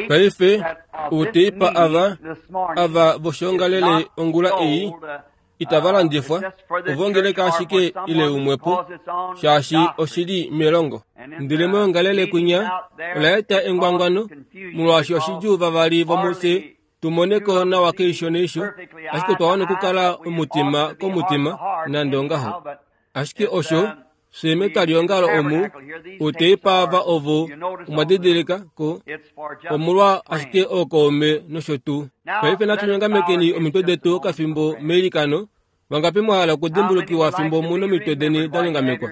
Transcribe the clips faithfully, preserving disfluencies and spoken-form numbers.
Paife outeipa ava ava voshiongalele ongula ei itava landifwa, ovongeleka ashike ile umwepo, shaashi oshili melongo. Ndele moyongalele kwinya ola eta engwangwano, molwaashi oshidjuu vavali vomufye tumoneko nawa keisho neisho, ashike otwa wana okukala omutima komutima nande ongaho. Ashike osho fye metwaliongalo omu outeipa ava ovo omwa didilika ko omolwa ashike ookaume nosho tuu. Paife natu nyongamekeni omitwe detu okafimbo meilikano. Vangapi mwa hala okudimbulukiwa fimbo mu nomitwe deni da nyongamekwa?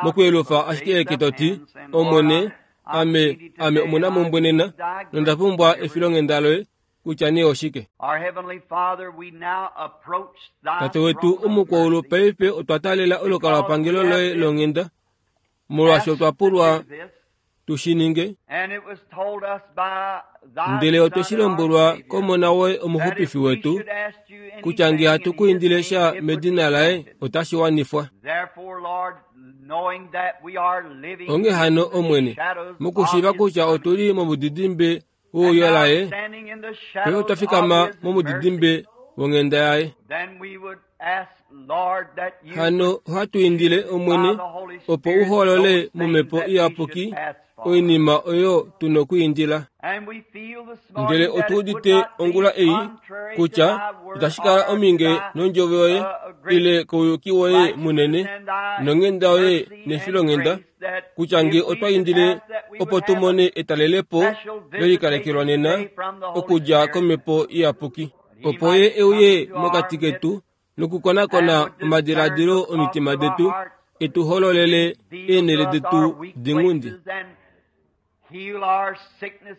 Mokuyelufa ashike eke to ti, Omwene, ame, ame omunamumbwe nena, nonda pumbwa efilonghenda loye, kutya nee oshike. Tate wetu omukwaulu, paife otwa taalela olukalwapangelo loye longhenda, molwaashi otwa pulwa tu shi ninge. Ndele otwe shi lombwelwa kOmona woye omuxupifi wetu, kutya nge hatu ku indile sha medina laye, otashi wanifwa. Onghee hano, Omwene, mokushiiva kutya otu li momudidimbe wouyo laye, paife otwa fikama momudidimbe wonghenda yaye. Hano ohatu indile, Omwene, opo u holole momhepo iyapuki oinima oyo tu nokwiindila. Ndele otu udite ongula ei kutya itashi kala ominge nondjovo yoye ile kouyuki woye munene nonghenda yoye nefilonghenda, kutya nge otwa indile opo tu mone etalelepo lelikalekelwa nena okudja komhepo iyapuki, opo ye euye mokati ketu nokukonakona omadiladilo omitima detu, etu hololele eenhele detu dinghundi,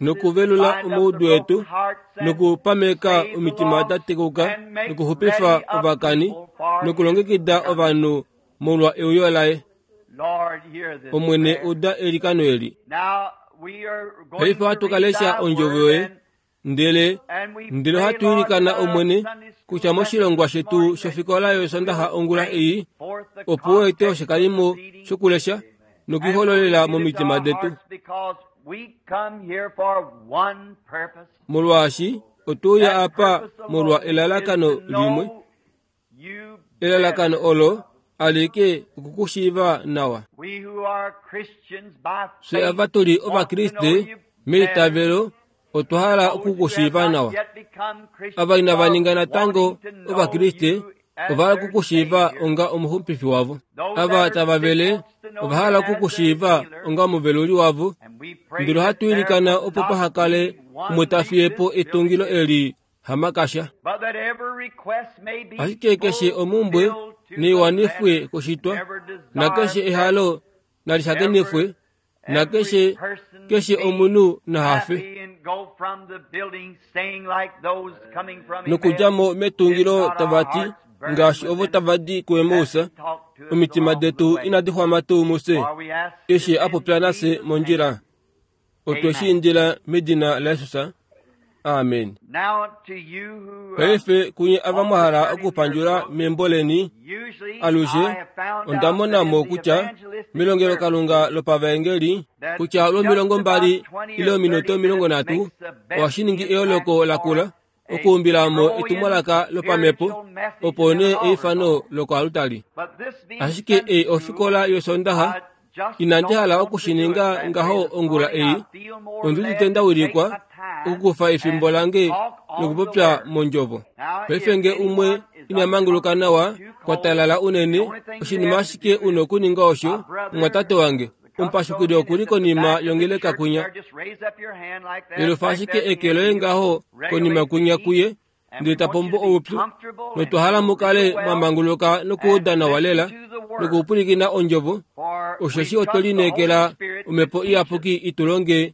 nokuvelula omaudu etu, nokupameka omitima da tekuka, nokuxupifa ovakani, nokulongekida ovanhu molwa euyo laye. Omwene, uda eilikano eli. Paife ohatu ka lesha ondjovo yoye, ndele ndele ohatu ilikana, Omwene, kutya moshilongwa shetu shofikola yosondaxa ongula ei, opo u ete oshikalimo shokulesha nokuihololela momitima detu. Molwaashi otwe uya apa molwa elalakano limwe, elalakano olo alike okukushiiva nawa. Fye ava tu li Ovakriste meitavelo otwa hala okukushiiva nawa. Ava inava ninga natango Ovakriste ova hala okukushiiva onga omuxupifi wavo. Ava tava vele ova hala okukushiiva onga omuveluli wavo. Ndele ohatu ilikana opo paha kale umwe ta fiye po etungilo eli hamakasha. Ashike keshe omumbwe neiwanifwe koshitwa, nakeshe ehalo nalishakenifwe, nakeshe keshe omunhu nahafe. Nokudja mo metungilo tava ti, ngaashi ovo tava di kuEmaus, omitima detu inadi xwama tuu mufye, eshi a popya nafye mondjila. Otwe shi indila medina laJesus. Amen. Paife kunye ava mwa hala okupandjula membo leni, alushe onda mona mo kutya melongelokalunga lopavaengeli kutya lwomilongo mbali ile ominute omilongo nhatu ohashi ningi eyooloko lakula okuumbila mo etumwalaka lopamhepo, opo nee eifano lokoalutali. Ashike ei ofikola yosondaxa, inandi hala oku shi ninga ngaho ongula ei, ondi udite nda wilikwa okukufa efimbo lange nokupopya mondjovo. Paife nge umwe ina manguluka nawa, kwa talala unene, oshinima ashike u nokuninga osho, mumwatate wange, omupashukili oku li konima yongeleka kwinya. Yelufa ashike eke loye ngaho konima kwinya kuye, ndele ta pombo oupyu, notwa hala mu kale mwa manguluka nokuuda nawa lela nokupwilikina ondjovo, osheshi otwe lineekela omhepo iyapuki i tu longe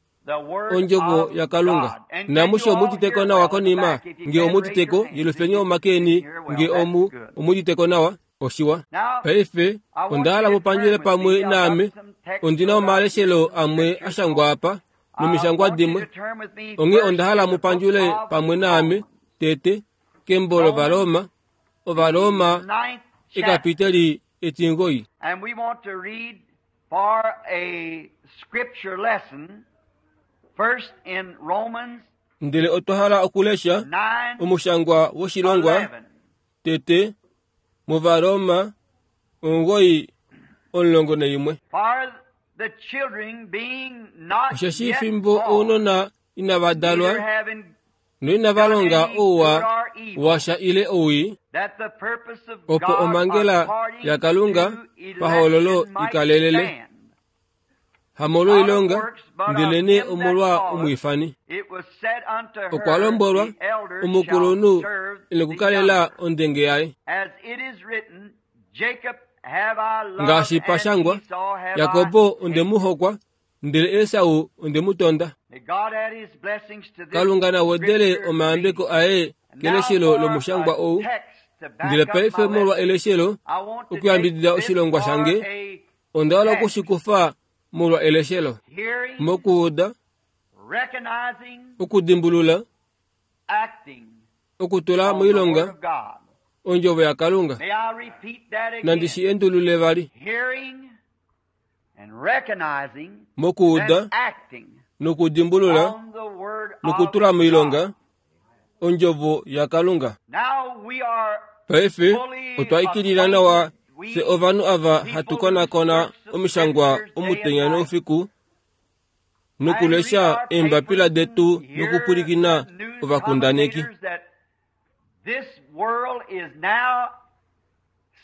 ondjovo yaKalunga. Namushe omuditeko nawa konima, nge omuditeko, yelufeni omake eni nge omu omuditeko nawa. Oshiwa. Paife onda hala mu pandjele pamwe naame. Ondi na omaleshelo amwe a shangwa apa nomishangwa dimwe. Onghee onda hala mu pandjule pamwe naame tete kembo lOvaroma, Ovaroma ekapiteli etingoi. And we want to read for a scripture lesson first in Romans Ndele otwa hala okulesha nine omushangwa woshilongwa eleven. tete muvaroma omugoyi omulongo naimwe. For the children being not Osheshi yet fimbo born, ounona inava dalwa neither having noinava done longa any good ouwa or evil, washa ile owii, that the purpose of opo God omhangela according yaKalunga to pahoololo election might ikalelele. stand. Hamolwoilonga, ndelene omolwa omwiifani. It was said unto her, Okwa lombolwa the elder omukulunhu shall serve the inokukalela younger. ondenge yaye. As it is written, Jacob have I loved Ngaashi and pashangwa, Esau have Yakobo I onde mu hokwa, ndele Esau onde mu tonda. May God add his blessings to this Kalunga na wedele scripture omayambeko reading. aye And now keleshelo for lomushangwa a ou. text to back Ndele up paife my molwa lesson, eleshelo, I want to okuyambidida take this oshilongwa for shange, a onda hala text. okushikufa molwa eleshelo. Hearing, Mokuuda, recognizing, okudimbulula, acting okutula on the word moilonga of God. ondjovo yaKalunga. May I repeat that again? Nandi shi endulule vali. Hearing and recognizing Mokuuda and acting nokudimbulula on the word of nokutula moilonga God. ondjovo yaKalunga. Now we are Paife fully otwa ikilila nawa acquainted. fye We ovanhu ava hatu people who konakona search the omishangwa scriptures day and omutenya night noufiku and read nokulesha our eembapila papers detu and hear nokupwilikina the news ovakundaneki commentators that this world is now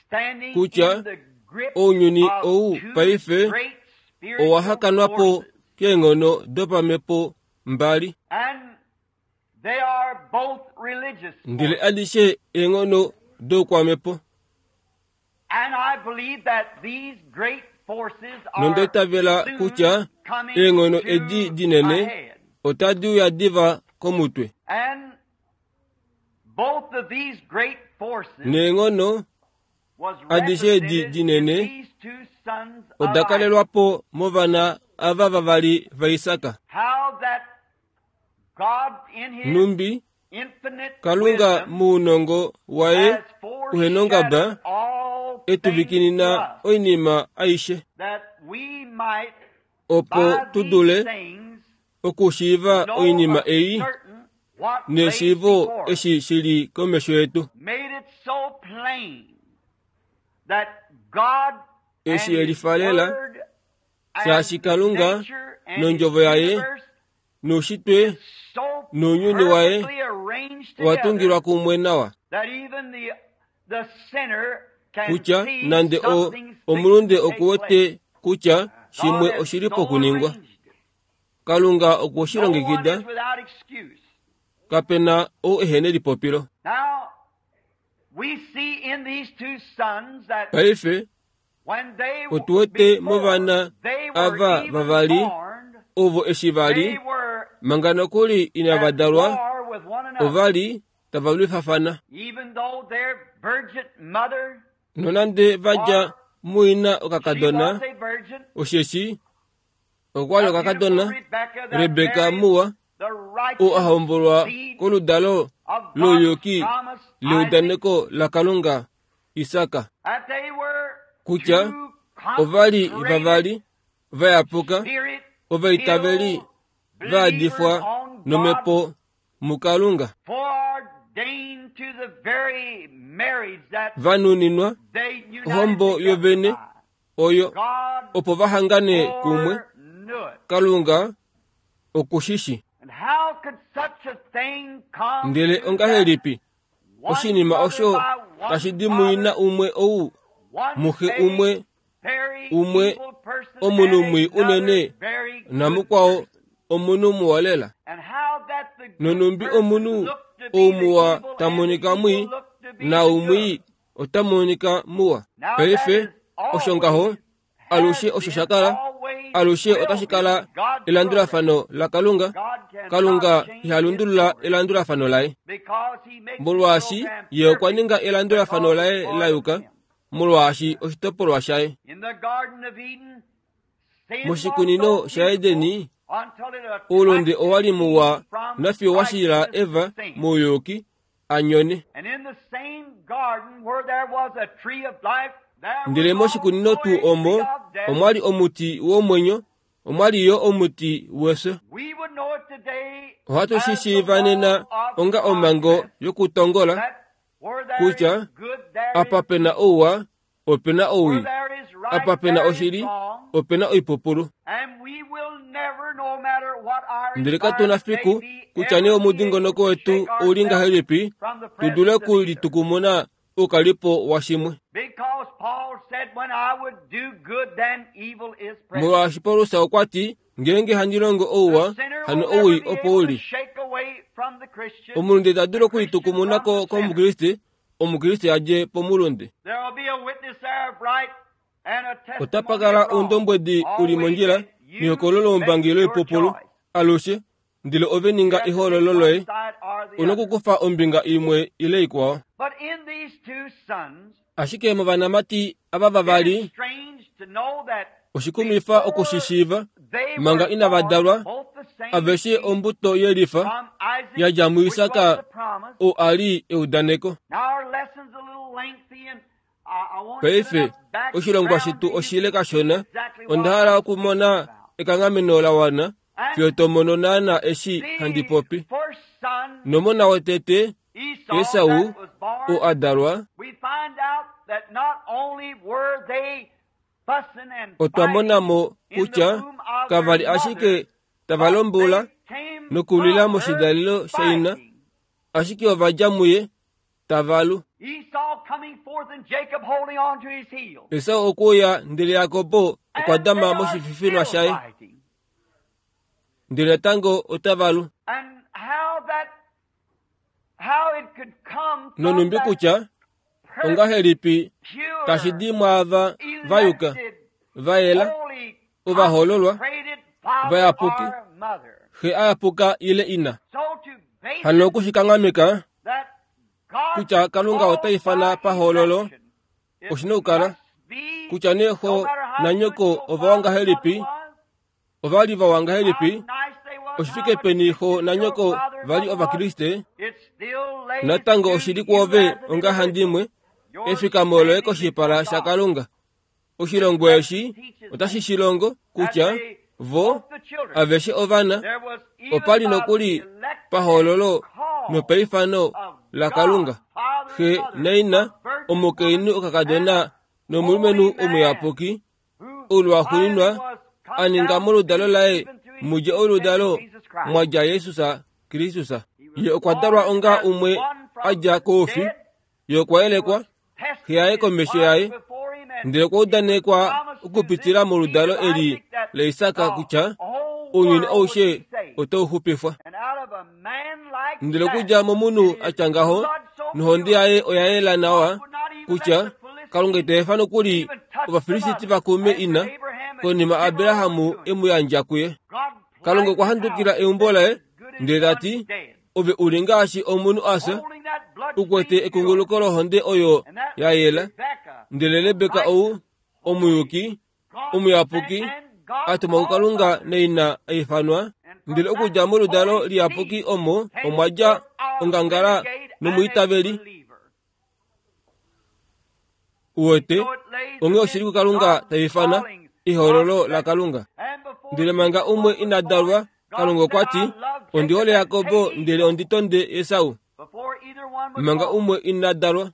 standing kutya in the grip ounyuni of ou two paife great spiritual owa hakanwapo forces. keenghono dopamhepo mbali. And they are both religious Ndele forces. adishe eenghono doukwamhepo. And I believe that these great forces Nonda are itavela soon kutya coming eenghono edi to a dinene head. otadi uya diva komutwe. And both of these great forces Neenghono was adishe edi represented in dinene these two sons of oda Isaac. kalelwapo movana ava vavali vaIsaka. How that God in his Numbi infinite Kalunga wisdom muunongo waye has uhenongaba foreshadowed all things to etuvikinina us, oinima aishe that we might opo by tu these dule things okushiiva know oinima of ei certain what lays neshiivo before us. eshi shili komesho yetu. Made it so plain that God and Eshi His elifalela Word and shaashi Kalunga nature and His nondjovo yaye universe noushitwe so nounyuni waye perfectly arranged owa together tungilwa kumwe nawa that even the the sinner can kutya see nande o something's fixing omulunde to take place. okuwete kutya God shimwe has oshili so pokuningwa. arranged it. Kalunga okwe shi No one longekida is without excuse. kapena ou ehene lipopilo. Now we see in these two sons that Paife when they otu wete before movana they were ava even vavali born, ovo eshi vali they were manga nokuli inava at dalwa war with one another. ova li tava lwifafana. Even though their virgin mother, Nonande vadja or muina she okakadona was a virgin, osheshi okwa li the beautiful okakadona Rebecca that Rebeka married muwa the ou a righteous hombolwa seed koludalo of God's louyuki promise, Isaac, leudaneko laKalunga Isaka that they were kutya two ova li consecrated, vavali vayapuka ovaitaveli spirit-filled vaadifwa believers on God's nomhepo muKalunga foreordained to the very marriage that vanuninwa they united ohombo together yovene by. oyo God opo vahangane kumwe foreknew it. Kalunga okushishi. And how could such a thing come Ndele to that ongahelipi one oshinima mother osho by one tashi di muina father, umwe ou one muxe a umwe very umwe evil person omunhu and mwii another unene very good namukwao person? omunhu muwa lela. And how that the good Nonumbi person omunhu looked to be ou the muwa evil and the tamonika evil mwii looked to be na the umwii good. ota monika muwa. Now that Paife is osho ngaho always, alushe has osho been, sha kala always alushe will otashi be kala God's program. elandulafano laKalunga. God cannot Kalunga change iha his lundulula program elandulafano laye because he makes the molwaashi program ye okwa perfect ninga elandulafano because laye it's part la of yuka him. molwaashi oshitopolwa shaye. In the Garden of Eden, sin was Moshikunino so beautiful shaEdeni until it oulunde attracted owa li Eve muwa from nafiyo wa shila righteous Eva sin. mouyuki a nyone. And in the same garden where there was a tree of life, there Ndele was moshikunino also tuu a tree omo of death. omwa li omuti womwenyo Omwali yo omuti wefyo. Ohatu shi shiiva nena onga omhango yokutongola kutya apa pena ouwa opena owii, apa pena oshili opena oipupulu. Ndele katuna fiku kutya nee omudingonoko wetu ouli ngahelipi tu dule okulitukumuna oukalipo washimwe. Molwaashi Paulus okwa ti, ngeenge handi longo ouwa, hano owii opo uli. Omulunde ita dulu okulitukumuna ko kOmukriste, Omukriste a dje pomulunde. Otapa kala oundombwedi uli mondjila nehokololo loumbangi loipupulu alushe, ndele ove ninga ehoololo loye, una okukufa ombinga imwe ile ikwao. Ashike movanamati ava vavali, oshikumifa okushishiiva manga inava dalwa, aveshe ombuto yelifa yadja muIsak oo a li eudaneko. Paife oshilongwa shetu oshile kashona, onda hala okumona ekanghameno la wana fiyo to mono naana eshi handi popi. Nomona wotete Esau oo a dalwa, otwa mona mo kutya kava li ashike tava lombula nokulwila moshidalelo shaina, ashike ova dja muye tava lu. Esau okuya ndele Jakobo okwa dama moshififinwa shaye, ndele natango otava lu. Nonumbi kutya ongahelipi tashi di mwaava va yuka, va yela, ovahoololwa, vayapuki, xe a yapuka ile ina. Hano okushikanghameka kutya Kalunga ota ifana pahoololo, oshina okukala kutya nee xo nanyoko ova wa ngahelipi, ova li vawa ngahelipi, oshifike peni xo nanyoko va li Ovakriste, natango oshili kwoove ongahandimwe efikamo loye koshipala shaKalunga. Oshilongo eshi otashi shilongo kutya vo aveshe ovana opa li nokuli pahoololo nopaifano laKalunga, xe naina, omukainhu okakadona nomulumenhu omuyapuki, oulwaxuuninwa a ninga moludalo laye mudje oludalo mwa dja Jesus Kristus. Ye okwa dalwa onga umwe a dja koufi, ye okwa yelekwa, xe yaye komesho yaye, ndele okwa udanekwa okupitila moludalo eli laIsak kutya ounyuni aushe otau xupifwa. Ndele okudja momunhu a tya ngaho, nohonde yaye oya yela nawa kutya Kalunga ita efa nokuli Ovafilisti va kume ina, konima Abraham e mu yandja kuye. Kalunga okwa handukila eumbo laye, ndele ta ti, ove uli ngaashi omunhu a fya, u kwete ekunguluko lohonde oyo ya yela. Ndele Rebeka ou, omuyuki, omuyapuki, a tumwa kuKalunga naina a ifanwa, ndele okudja moludalo liyapuki omo omwa dja ongangala nomwiitaveli. Uwete, onghee oshili kuKalunga ta ifana ehoololo laKalunga. Ndele manga umwe ina dalwa, Kalunga okwa ti, ondi hole Jakobo ndele ondi tonde Esau. Manga umwe ina dalwa.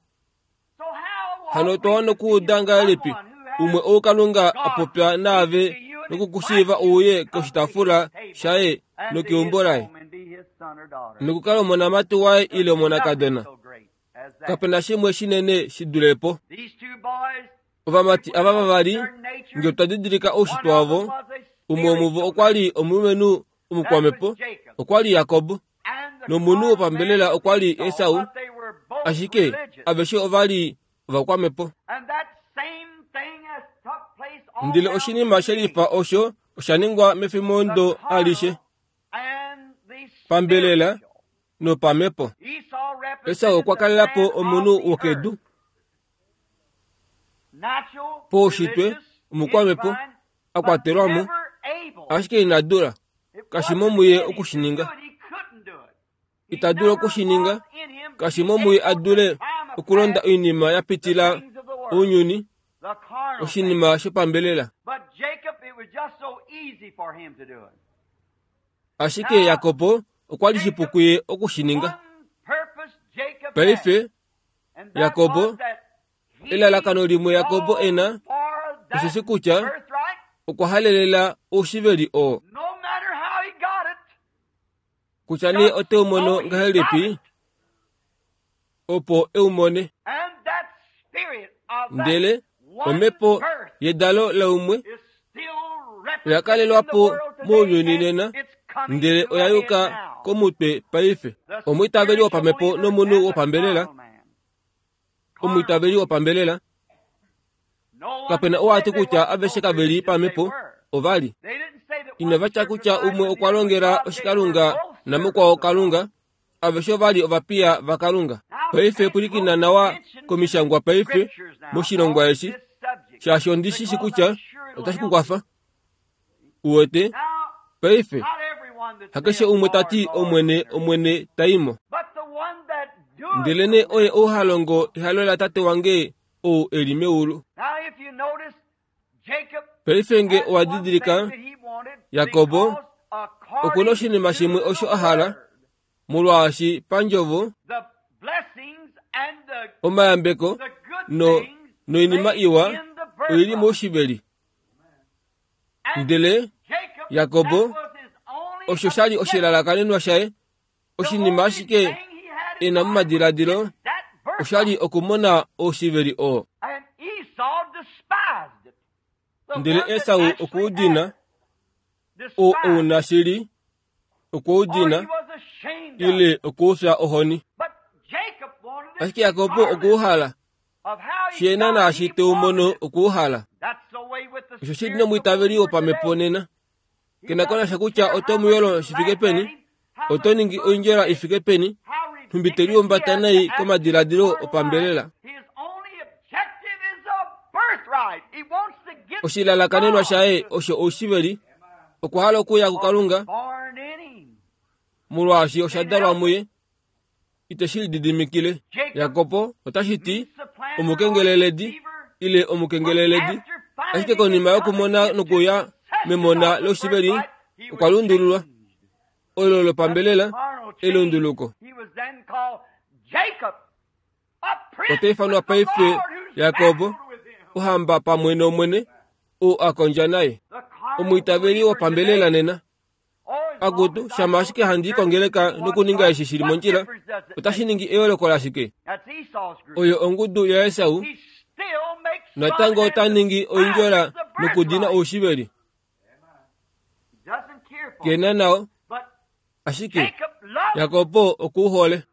Hano otwa wana okuuda ngahelipi umwe ou Kalunga a popya naave nokukushiiva uye koshitaafula shaye nokeumbo laye, nokukala omonamati waye ile omonakadona. Kapena shimwe shinene shi dule po. Ovamati ava vavali, nge otwa didilika oushitwe wavo, umwe womuvo okwa li omulumenhu omukwamepo, okwa li Jakob, nomunhu wopambelela okwa li Esau, ashike aveshe ova li ovakwamepo. Ndele oshinima shelifa osho osha ningwa mefimbo alishe, pambelela nopamepo. Esau okwa kalela po omunhu wokedu, poushitwe omukwamepo, a kwatelwa mo, ashike ina dula, kashi mo muye okushininga. Ita dulu okushininga, kashi mo muye a dule okulonda oinima ya pitila ounyuni, oshinima shopambelela. Ashike Jakob okwa li shipu kuye okushininga. Paife Jakob, elalakano limwe Jakob ena osheshi kutya okwa halelela oushiveli oo. Kutya nee ote u mono ngahelipi, opo e u mone. Ndele omhepo yedalo laumwe oya kalelwa po mounyuni nena, ndele oya yuka komutwe paife. Omwiitaveli wopamhepo nomunhu wopambelela, omwiitaveli wopambelela, kapena ou ati kutya aveshe kave li pamhepo, ova li. Inava tya kutya umwe okwa longela oshikalunga namukwao Kalunga, aveshe ova li ovapiya vaKalunga. Paife pwilikina nawa komishangwa paife moshilongwa eshi, shaashi ondi shi shi kutya otashi ku kwafa. Uwete? Paife, hakeshe umwe ta ti Omwene, Omwene ta i mo. Ndelenee oye ou ha longo ehalo laTate wange ou e li meulu. Paife nge owa didilika, Jakob okuna oshinima shimwe osho a hala, molwaashi pandjovo omayambeko no, noinima iwa oili moushiveli. Ndele Jakob osho sha li oshilalakanenwa shaye, oshinima ashike e na momadiladilo osha li okumona oushiveli oo. Ndele Esau okwa udina, oo ouna shili, okwa udina, ile okuufya ohoni. Ashike Jakob okwa uhala, shiena naashi te u mono okwa uhala. Osho shili nomwiitaveli wopamhepo nena. Kena konasha kutya oto mu yolo shi fike peni, oto ningi oindjola i fike peni, nhumbi te liumbata nai komadiladilo opambelela. Oshilalakanenwa shaye osho oushiveli, okwa hala okuya kuKalunga, molwaashi osha dalwa muye, ite shi lididimikile. Jakob otashi ti omukengeleledi ile omukengeleledi, ashike konima yokumona nokuya memona loushiveli okwa lundululwa. Olo lopambelela elunduluko. Ota ifanwa paife Jakob, ohamba pamwe nOmwene, ou a kondja naye. Omwiitaveli wopambelela nena. Akutu, shama ashike handi kongeleka nokuninga eshi shili mondjila, otashi ningi eyooloko lashike? Oyo ongudu yaEsau, natango ota ningi oindjola nokudina oushiveli. Kena nao, ashike Jakob okuuhole.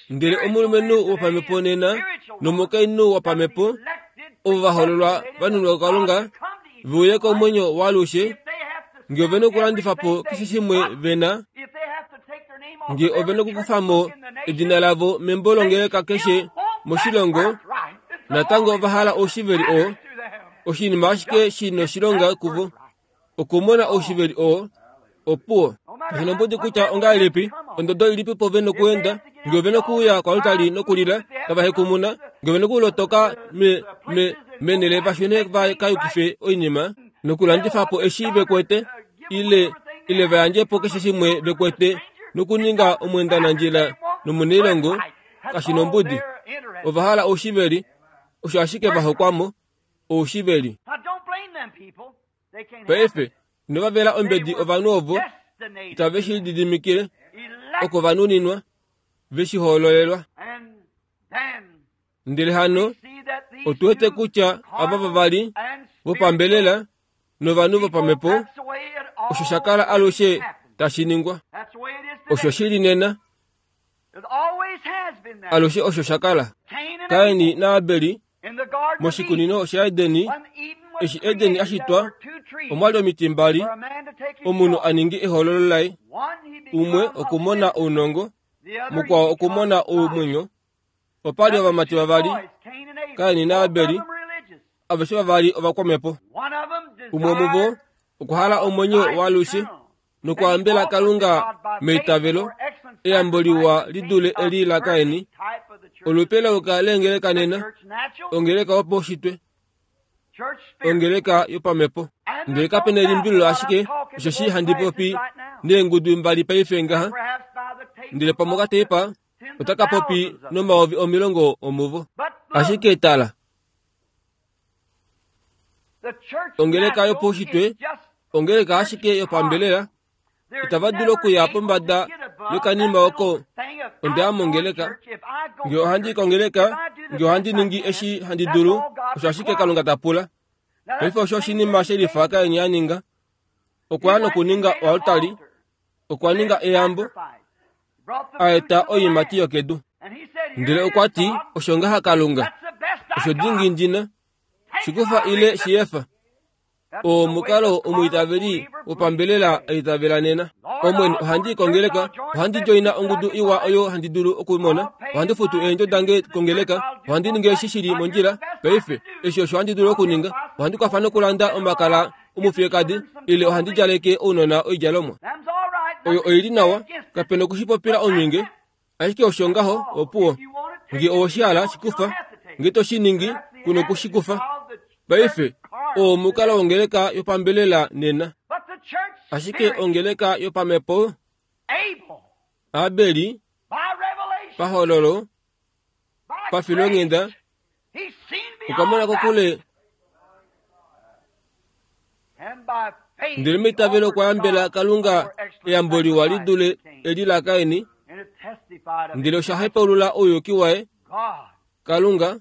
Ndele omulumenhu wopamhepo nena nomukainhu wopamhepo ovo va hololwa vanunwa kuKalunga ve uye komwenyo waalushe, nge ove na okulandifa po keshe shimwe ve na, nge ove na okukufa mo edina lavo membo longeleka keshe moshilongo, natango ova hala oushiveli oo, oshinima ashike shi noshilonga kuvo, okumona oushiveli oo, opuwo. Kashi nombudi kutya ongahelipi, ondodo ilipi po ve nokuenda, nge ove nokuuya koaltari nokulila, tava hekumuna, nge ove nokulotoka me, me, menele vashune va ka yukife oinima, nokulandifa po eshi ve kwete, ile, ile va yandje po keshe shimwe ve kwete, nokuninga omwendanandjila nomunailongo, kashi nombudi. Ova hala oushiveli, osho ashike va hokwamo, oushiveli. Paife, inova vela ombedi ovanhu ovo, itave shi lididimikile, oko va nuninwa, ve shi hoololelwa. Ndele hano, otu wete kutya ava vavali vopambelela novanhu vopamhepo, osho sha kala alushe tashi ningwa. Osho shili nena, alushe osho sha kala. Kaini naAbeli moshikunino shaEdeni, eshi Edeni ashitwa, omwali omiti mbali, omunhu a ningi ehoololo laye, umwe okumona ounongo, mukwao okumona omwenyo. Opali ovamati vavali, Kaini naAbeli, aveshe vavali ovakwamhepo. Umwe muvo okwa hala omwenyo waalushe nokwaambela Kalunga meitavelo, eyambo liwa li dule eli laKaini. Olupe lauka leengeleka nena, ongeleka wopaushitwe, Ongeleka yopamhepo. Ndele kape na elimbililo ashike osheshi handi popi neengudu mbali paife ngaha, ndele pamwe okateipa otaka popi nomayovi omilongo omuvo. Ashike tala, ongeleka yopaushitwe, ongeleka ashike yopambelela, itava dulu okuya pombada yokanima oko. Onda mongeleka, nge ohandi kongeleka, nge ohandi ningi eshi handi dulu, osho ashike Kalunga ta pula. Paife osho oshinima shelifa Kain a ninga. Okwa ya nokuninga oaltari, okwa ninga eyambo, a eta oiimati yokedu. Ndele okwa ti, osho ngaha Kalunga, osho dingi ndina, shikufa ile shiyefa. Oo omukalo omwiitaveli wopambelela aitavela nena. Omwene, ohandi kongeleka, ohandi joina ongudu iwa oyo handi dulu okumona, ohandi futu eendjo dange kongeleka, ohandi ningi eshi shili mondjila paife, eshi osho handi dulu okuninga, ohandi kwafa nokulanda omakala omufiyekadi, ile ohandi djaleke ounona oidjalomwa. Oyo oili nawa, kapena okushipopila omhinge, ashike osho ngaho opuwo. Nge owoshihala shikufa, nge to shi ningi, kuna okushikufa. Paife, oo omukalo wongeleka yopambelela nena. Ashike ongeleka yopamhepo, Abeli, pahololo, pafilonghenda, okwa mona kokule, ndele meitavelo okwa yambela Kalunga eyambo liwa li dule eli laKaini, ndele osha hepaulula ouyuki waye. Kalunga,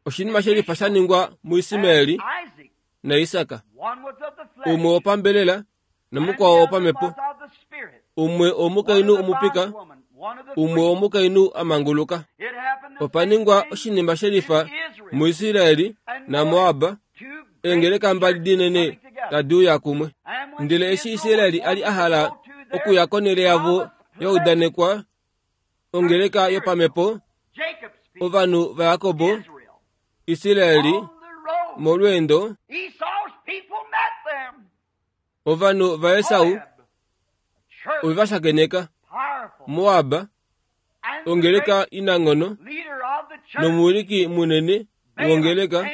oshinima shelifa sha ningwa muIsmaeli naIsaka, umwe wopambelela nomukwao wopamhepo, umwe omukainhu omupika, umwe omukainhu amanguluka. Opa ningwa oshinima shelifa muIsraeli naMoab, eengeleka mbali dinene tadi uya kumwe. Ndele eshi Israeli ali a hala okuya konhele yavo yaudanekwa, ongeleka yopamhepo, ovanhu vaJakobo, Israeli, molweendo, ovanhu vaEsau ove va shakeneka Moab, ongeleka inanghono, nomuwiliki munene wongeleka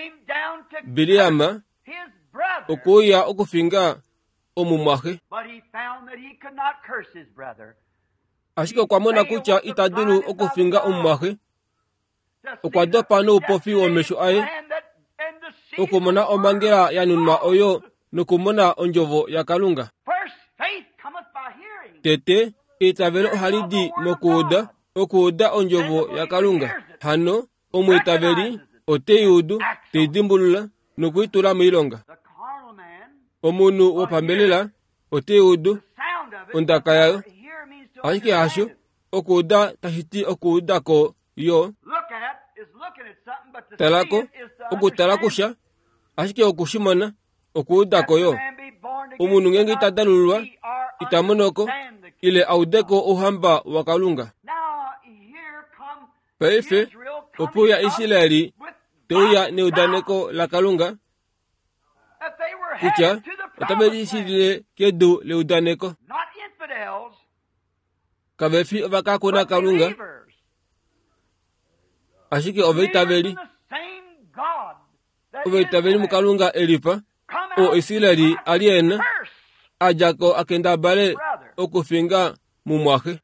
Biliama okuuya okufinga omumwaxe. Ashike okwa mona kutya ita dulu okufinga omumwaxe, okwa dopa noupofi womesho aye okumona omhangela ya nunwa oyo nokumona ondjovo yaKalunga. Tete, eitavelo ohali di mokuuda, okuuda ondjovo yaKalunga. Hano, omwiitaveli ote i udu, te i dimbulula nokuitula moilonga. Omunhu wopambelela ote i udu ondaka yayo, ashike hasho okuuda tashi ti okuuda ko yo. Talako, okutala kusha, ashike okushimona, okuuda ko yo. Omunhu ngenge ita dalululwa, ita monoko, ile audeko ouhamba waKalunga. Paife, opo ya Israeli teuya neudaneko laKalunga kutya otave lishilile kedu leudaneko. Kave fi ovakakuna Kalunga, ashike ovaitaveli. Ovaitaveli muKalunga elifa, oo Israeli ali ena, a dja ko a kendabale okufinga mumwaxe.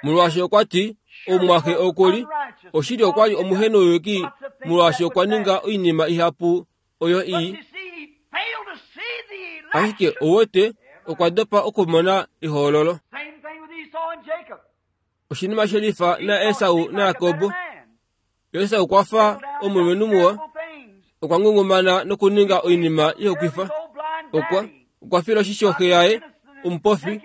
Molwaashi okwa ti omumwaxe okuli, oshili okwa li omuhenouyuki, molwaashi okwa ninga oinima ihapu oyo ii. Ashike ouwete okwa dopa okumona ehoololo. Oshinima shelifa naEsau naJakob. Esau okwa fa omulumenhu muwa, okwa ngungumana nokuninga oinima ihokwifa. Okwa okwa fila oshisho xe yaye omupofi,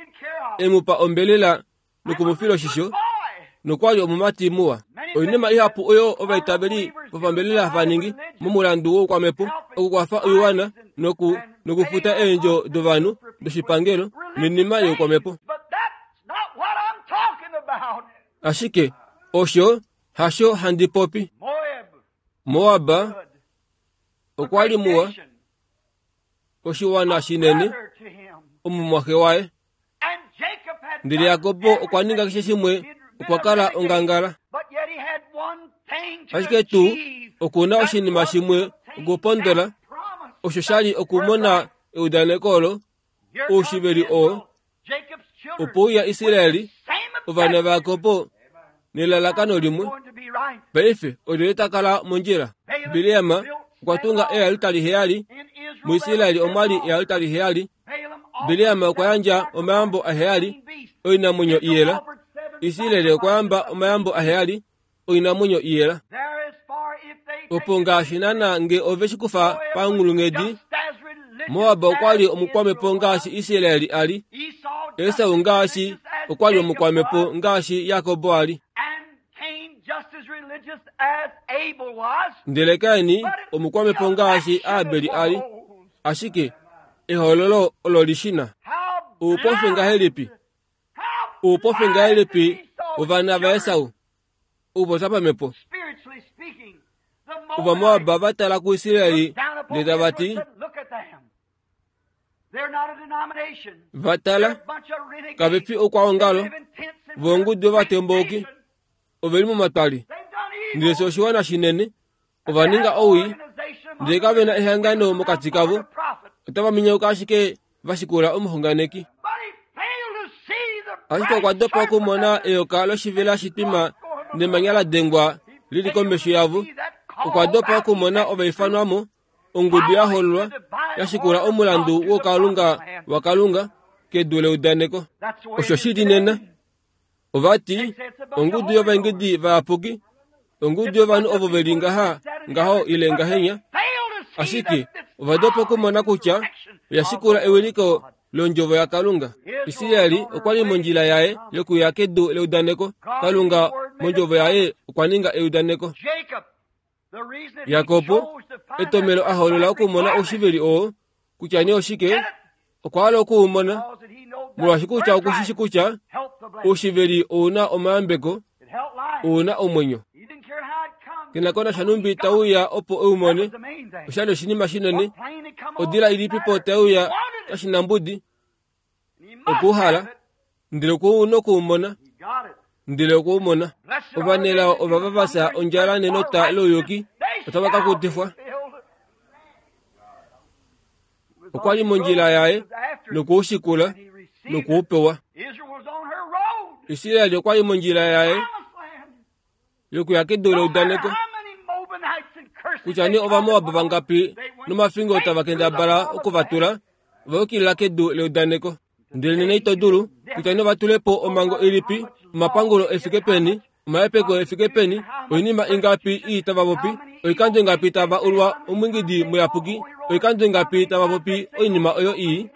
e mu pa ombelela nokumufila oshisho, nokwa li omumati muwa. Oinima ihapu oyo ovaitaveli vopambelela hava ningi momulandu woukwamhepo, okukwafa oiwana noku nokufuta eendjo dovanhu doshipangelo noinima youkwamhepo. Ashike osho hasho handi popi. Moab okwa li muwa, oshiwana shinene, omumwaxe waye. Ndele Jakob okwa ninga keshe shimwe, okwa kala ongangala. Ashike tuu okuna oshinima shimwe okupondola osho shali okumona eudaneko olo oushiveli oo opo uya Israeli ovana vaJakob nelalakano limwe. Paife olyelye ta kala mondjila? Bileam okwa tunga eealtari heyali. MuIsraeli omwa li eealtari heyali. Bileam okwa yandja omayambo aheyali oinamwenyo iyela. Israeli okwa yamba omayambo aheyali oinamwenyo iyela. Opo ngaashi naana nge ove shikufa panghulunghedi, Moab okwa li omukwamepo ngaashi Israeli a li. Esau ngaashi okwa li omukwamepo ngaashi Jakob a li. Ndele Kaini omukwamepo ngaashi Abel a li. Ashike ehololo olo lishina. Oupofi ngahelipi? Oupofi ngahelipi ovana vaEsau? Oupopya pamhepo. Ovamoab va tala kuIsraeli ndele tava ti, va tala kave fi oukwaongalo, vongudu yovatembauki ove li momatwali. Ndele fye oshiwana shinene, ova ninga owii, ndele kave na ehangano mokati kavo, otava minyauka ashike va shikula omuxunganeki. Ashike okwa dopa okumona eyoka loshivela shitwima nemanya la dengwa lili komesho yavo. Okwa dopa okumona ovaifanwamo, ongudu ya hololwa ya shikula omulandu wokalunga waKalunga kedu leudaneko. Osho shili nena. Ovati ongudu yovaengedi vayapuki, ongudu yovanhu ovo veli ngaha ngaho ile ngahenya, ashike ovadopa okumona kutya oya shikula ewiliko londjovo yaKalunga. Israeli okwa li mondjila yaye yokuya kedu leudaneko. Kalunga mondjovo yaye okwa ninga eudaneko. Jakob etomelo a holola okumona oushiveli oo kutya nee oshike, okwa hala okuumona, molwaashi kutya okushishi kutya oushiveli ouna omayambeko, ouna omwenyo. Kenako nasha numbi tauya opo eumone, oshali oshinima shinene. Odila ilipipo tauya kashinambudi okuuhala, ndele okwa okuumona, ndele okwaumona. Ovanelao ovava vafya ondjala nenota louyuki otava ka kutifwa. Okwa li mondjila yaye nokuushikula nokuupewa. Israeli okwa li mondjila yaye yokuya kedu leudaneko. Kutya nee Ovamoab vangapi nomafingo tava kendabala okuvatula, ova yukilila kedu leudaneko. Ndele nena ito dulu kutya nee ovatulepo omhango ilipi, omapangulo efike peni, omahepeko efike peni, oinima ingapi ii tava popi, oikando ingapi tava ulwa omwingidi muyapuki, oikando ingapi tava popi oinima oyo ii.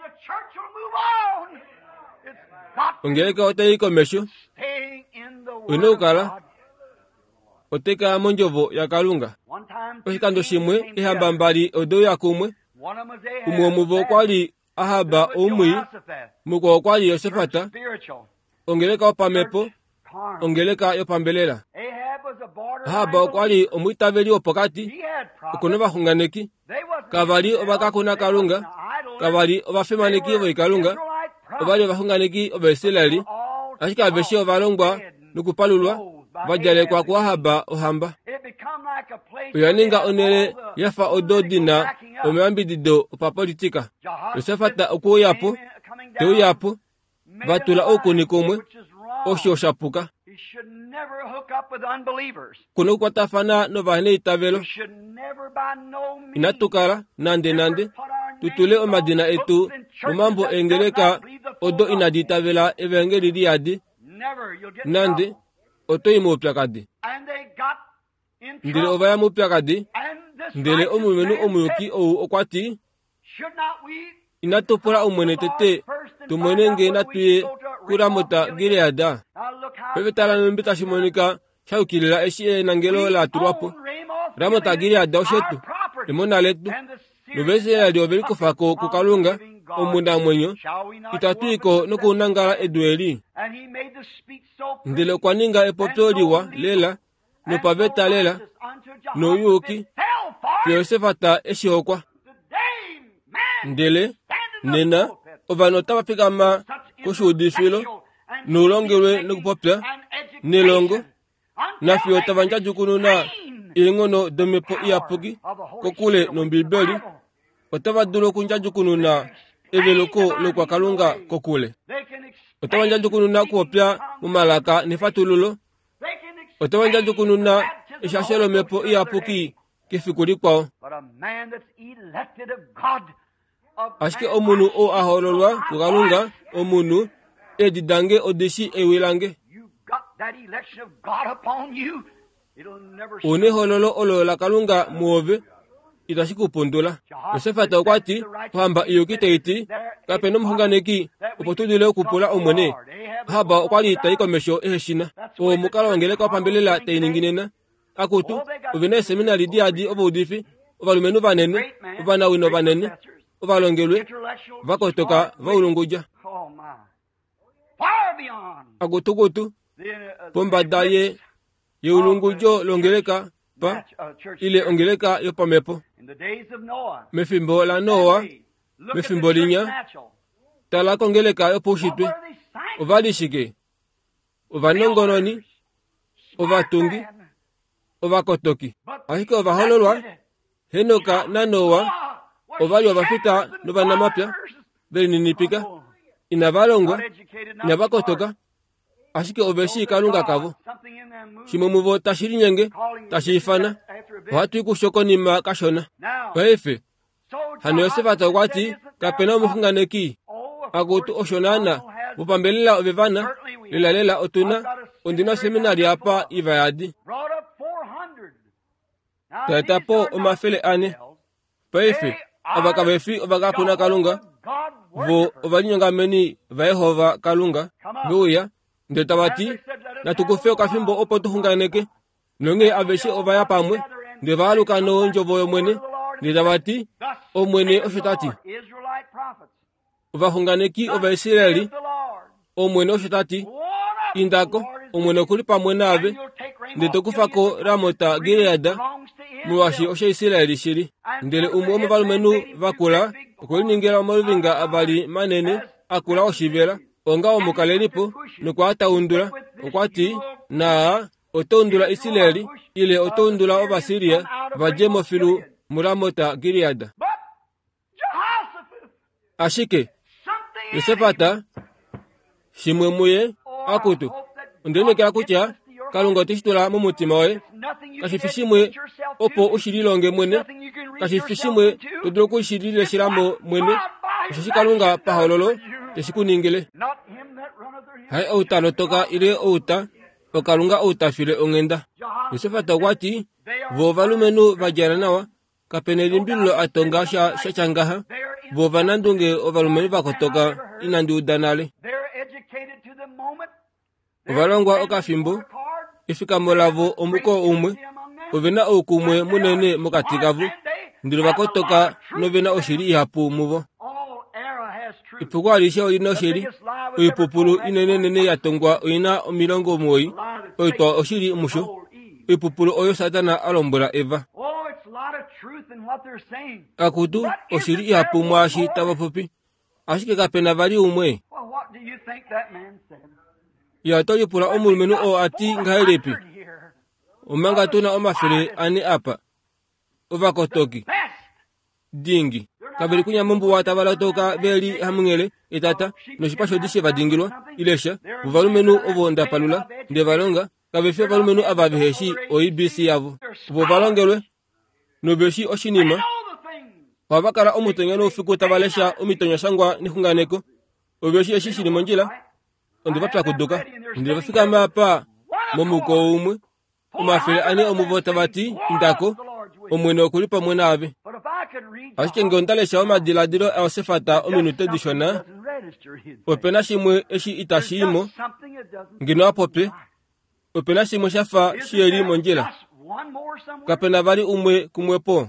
Ongeleka otai komesho, oina okukala otai mondjovo yaKalunga. Oshikando shimwe ehamba mbali odeuya kumwe, umwe womuvo okwa li Ahab oumwii, mukwao okwa li Josafat, ongeleka yopamhepo, ongeleka yopambelela. Ahab okwa li omwiitaveli wopokati, okuna ovaxunganeki, kava li ovakakuna Kalunga, kava li ovafimaneki voikalunga, ova li ovaxunganeki Ovaisraeli, ashike aveshe ovalongwa nokupalulwa va djalekwa kuAhab ohamba. Oya ninga onhele ya fa odo di na omayambidido opapolitika. Josafat okwe uya po, te uya po, va tula oukuni kumwe, osho sha puka. Kuna okukwatafana novaneitavelo. Inatu kala nande nande tutule omadina etu momambo eengeleka odo inadi itavela evangeli liyadi. Nande oto i moupyakadi. Ndele ova ya moupyakadi, ndele omulumenhu omuyuki ou okwa ti, inatu pula Omwene tete tumone nge natu ye kuRamot Gilead. Paife tala nhumbi tashi monika sha yukilila eshi enangelo la tulwa po. Ramot Gilead oshetu, emona letu. NOvaisraeli ove likufa ko kuKalunga omunamwenyo, itatu i ko nokunangala edu eli. Ndele okwa ninga epopyo liwa lela nopaveta lela nouyuki, fiyo Josafat eshi hokwa. Ndele nena ovanhu otava fikama koshuudifilo noulongelwe nokupopya nelongo Nafiyo tava ndjadjukununa eenghono domhepo iyapuki kokule nOmbibeli, otava dulu okundjadjukununa eveluko lokwakalunga kokule. Otava ndjadjukununa okupopya momalaka nefatululo. Otava ndjadjukununa eshasho lomhepo iyapuki kefiku likwao. Ashike omunhu oo a hoololwa kuKalunga, omunhu, eedi dange odishi ewi lange. Una ehoololo olo laKalunga muove, itashi ku pundula. Josafat okwa ti, ohamba iyuki tai ti, kape nomuxunganeki opo tu dule okupula Omwene. Ahab okwa li tai komesho ehe shina. Oo omukalo wongeleka wopambelela tai ningi nena. Akutu, ove na eeseminari diyadi ovaudifi, ovalumenhu vanene, ovanawino vanene, ovalongelwe, vakotoka vaulungudja. Akutukutu, pombada ye yeulungudjo longeleka pa ile ongeleka yopamhepo. Mefimbo laNoa, mefimbo linya, tala kongeleka yopaushitwe. Ova li shike? Ovanongononi, ovatungi, ovakotoki. Ashike ovahololwa, Henok naNoa, ova li ovafita novanamapya, velininipika, inava longwa, inava kotoka, ashike ove shii Kalunga kavo. Shimwe muvo tashi linyenge, tashi ifana, ohatu i kusho konima kashona. Paife, hano Josafat okwa ti, kape na omuxunganeki. Akutu osho naana, vopambelela ove vana, lelalela otuna, ondina oseminari apa iva yadi. Taeta po omafele ane. Paife, ava kave fi ovakapuna Kalunga, vo ovalinyongameni vaJehova Kalunga, veuya, ndele tava ti, natu kufe okafimbo opo tu xunganeke. Nonghee aveshe ova ya pamwe, ndele va aluka nondjovo yOmwene, ndele tava ti, Omwene osho ta ti. Ovaxunganeki Ovaisraeli, Omwene osho ta ti, indako, Omwene okuli pamwe naave, ndele to kufa ko Ramot Gilead, molwaashi oshaIsraeli shili. Ndele umwe womovalumenhu vakula okwe liningila omaluvinga avali manene akula oshivela, onga omukalelipo, nokwa taundula. Okwa ti, naa oto undula Israeli, ile oto undula Ovasiria va dje mofilu muRamot Gilead. Ashike Josafat shimwe muye, akutu, ondiinekela kutya Kalunga oteshi tula momutima woye. Kashi fi shimwe opo u shi lilonge mwene, kashi fi shimwe to dulu oku shi lileshela mo mwene, osheshi Kalunga pahololo teshi ku ningile. Haye ou ta lotoka ile ou ta, oKalunga ou ta file onghenda. Josafat okwa ti, vo ovalumenhu va djala nawa, kape nelimbililo a tonga sha sha ngaha, vo ovanandunge ovalumenhu va kotoka inandi uda nale. Ovalongwa okafimbo, efikamo lavo omuko umwe, ove na oukumwe munene mokati kavo, ndele va kotoka nove na oshili ihapu muvo. Epuko alishe olina oshili, oipupulu inenenene ya tongwa oina omilongo omuwoi, oitwa oshili musho, oipupulu oyo Satana a lombwela Eva. Akutu, oshili ihapu mwaashi tava popi, ashike kape na vali umwe. Ya to lipula omulumenhu oo a ti ngahelipi, omanga tuna omafele ane apa, ovakotoki dingi kaveli kunya mombuwa tava lotoka veli hamunghele etata noshipa shodi she va dingilwa ile sha. Vovalumenhu ovo ndapalula nde va longa kave fi ovalumenhu ava veheshi O B C yavo. Vo va longelwe noveshi oshinima, ohava kala omutenya noufiku tava lesha omitonyashangwa nexunganeko. Oveshi eshi shili mondjila, onde va pyakuduka ndele va fikama apa momuko umwe, omafele ane omuvo tava ti, indako, Omwene okuli pamwe naave. Ashike ngee onda lesha omadiladilo aJosafat ominute dishona, ope na shimwe eshi itashi i mo, ngeno a popye, ope na shimwe sha fa shiheli mondjila. Kape na vali umwe kumwe po.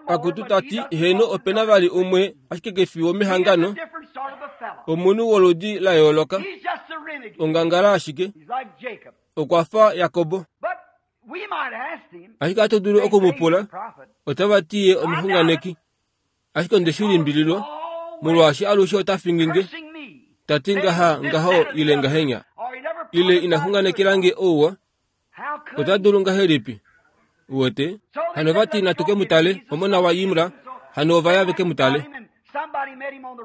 Akutu ta ti, heno ope na vali umwe, ashike kefi womehangano, omunhu woludi la yooloka, ongangala ashike, okwa fa Jakobo. Ashike ohatu dulu okumupula, otava ti ye omuxunganeki. Ashike onde shi limbililwa, molwaashi alushe ota fingi nge, ta ti ngaha ngaho ile ngahenya. Ile ina xunganekela nge ouwa, ota dulu ngahelipi? Uwete? Hano vati natu ke mu tale, omona waImla, hano ova ya veke mu tale.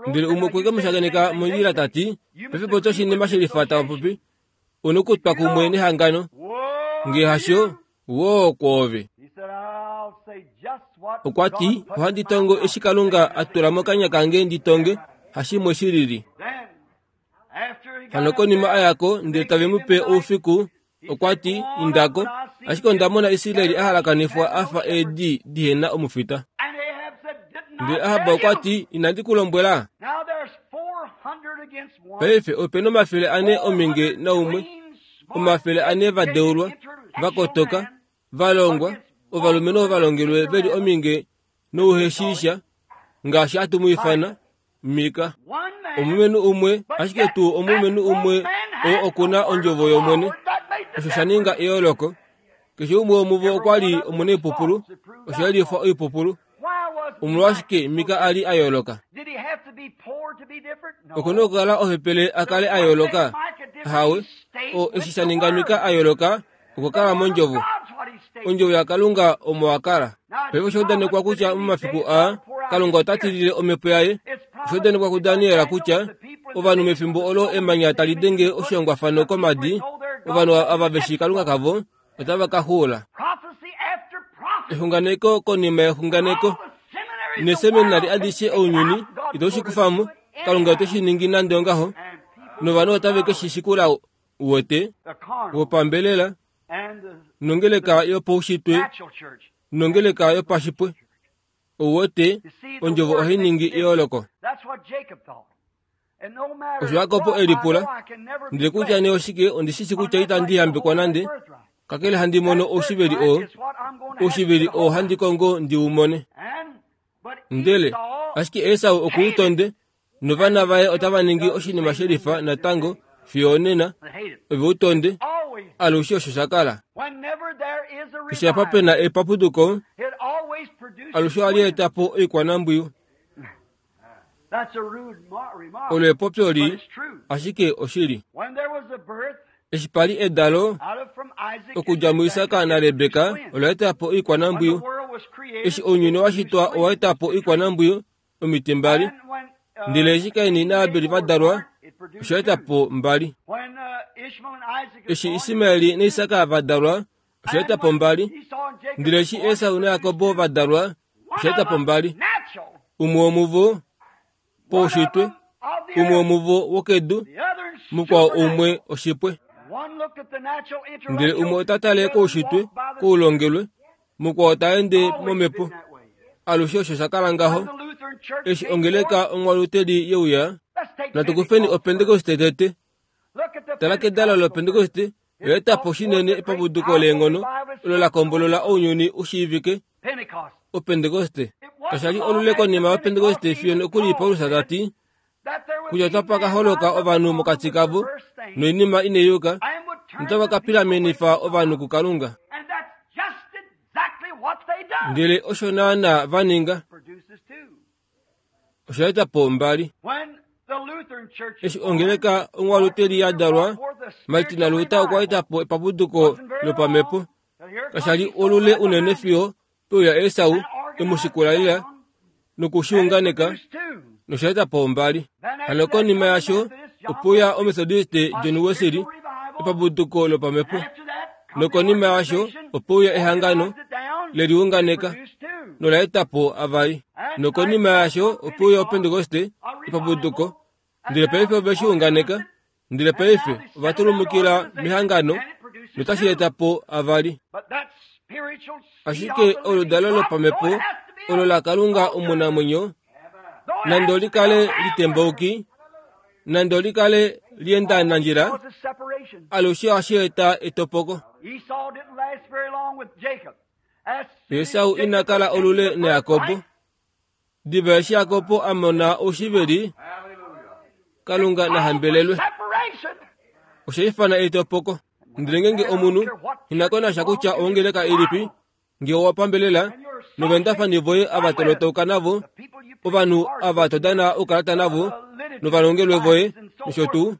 Ndele umwe okwe ke mu shakeneka mondjila ta ti, paife popya oshinima shelifa tava popi, u nokutwa kumwe nehangano. Nge hasho, woo kwoove. Okwa ti, ohandi tongo eshi Kalunga a tula mokanya kange ndi tonge, hashimwe shilili. Hano konima a yako ndele tave mu pe oufiku, okwa ti, indako, ashike onda mona Israel a halakanifwa a fa eedi dihena omufita. Ndele Ahab okwa ti, inandi ku lombwela? Paife ope omafele ane ominge naumwe, omafele ane va deulwa, va kotoka, va longwa, ovalumenhu ovalongelwe veli ominge nouheshiisha, ngaashi hatu mu ifana, Mika. Omulumenhu umwe, ashike tuu omulumenhu umwe oo oku na ondjovo yOmwene, osho sha ninga eyooloko. Keshe umwe womuvo okwa li omunaipupulu, osha yelifwa oipupulu. Omolwashike Mika a li a yooloka? Oku na okukala ohepele a kale a yooloka? Ahawe, o eshi sha ninga Mika a yooloka, okwa kala mondjovo. Ondjovo yaKalunga omo a kala. Paife osha udanekwa kutya momafiku aa, Kalunga ota tilile omhepo yaye. Osha udanekwa kuDaniel kutya ovanhu mefimbo olo emanya tali denge oshihongwafano komadi, ovanhu ava veshi Kalunga kavo otava ka xuula. Exunganeko konima yexunganeko. Neseminari adishe ounyuni ito shi kufa mo, Kalunga ote shi ningi nande ongaho, novanhu otave ke shi shikula uwete, wopambelela, nongeleka yopaushitwe, nongeleka yopashipwe. Ouwete, ondjovo ohai ningi eyooloko. Osho Jakob e lipula, ndele kutya nee oshike, ondi shi shii kutya itandi yambekwa nande, kakele handi mono oushiveli oo, oushiveli oo handi kongo ndi u mone. Ndele, ashike Esau oku u tonde, novana vaye otava ningi oshinima shelifa natango fiyo onena, ove u tonde, alushe osho sha kala. Keshe apa pe na epapuduko, alushe ohali eta po oikwanambwiyu. Olo epopyo li, ashike oshili. Eshi pa li edalo, okudja muIsak naRebeka, ola eta po oikwanambwiyu. Eshi ounyuni wa shitwa owa eta po oikwanambwiyu, omiti mbali. Ndele eshi Kain naAbel va dalwa, osha eta po mbali. Eshi Ismael naIsak va dalwa, osha eta po mbali. Ndele eshi Esau naJakob va dalwa, osha eta po mbali. Umwe womuvo poushitwe, umwe womuvo wokedu, mukwao umwe oshipwe. Ndele umwe ota tale koushitwe, koulongelwe, mukwao ta ende momhepo. Alushe osho sha kala ngaho. Eshi ongeleka onghwaluteli yeuya, natu kufeni oPentekoste tete. Tala kedalo loPentekoste, oya eta po shinene epapuduko leenghono olo la kombolola ounyuni u shiivike, oPentekoste. Kasha li olule konima yoPentekoste fiyo nokuli Paulus ta ti kutya otapa ka holoka ovanhu mokati kavo noinima inai yuka, notava ka pilamenifa ovanhu kuKalunga. Ndele osho naana va ninga, osha eta po mbali. Eshi ongeleka onghwaluteli ya dalwa, Martin Luther okwa eta po epapuduko lopamhepo. Kasha li olule unene fiyo peuya Esau e mu shikula lela nokushiunganeka, nosha eta po mbali. Hano konima yasho opeuya Omethodiste John Wesley, epapuduko lopamhepo. Nokonima yasho opeuya ehangano leliunganeka nola eta po avali. Nokonima yasho opeuya oPentekoste, epapuduko. Ndele paife ove shi unganeka, ndele paife ova tulumukila mehangano notashi eta po avali. Ashike oludalo lopamhepo olo la Kalunga omunamwenyo, nande oli kale litembauki, nande oli kale liendanandjila, alushe ohashi eta etopoko. Esau ina kala olule naJakob. Diva eshi Jakob a mona oushiveli, Kalunga na hambelelwe. Osha ifana etopoko. Ndele ngenge omunhu ina konasha kutya ongeleka ilipi, nge owa pambelela novendafani voye ava tolotouka navo, ovanhu ava to dana oukalata navo, novalongelwe voye, nosho tuu.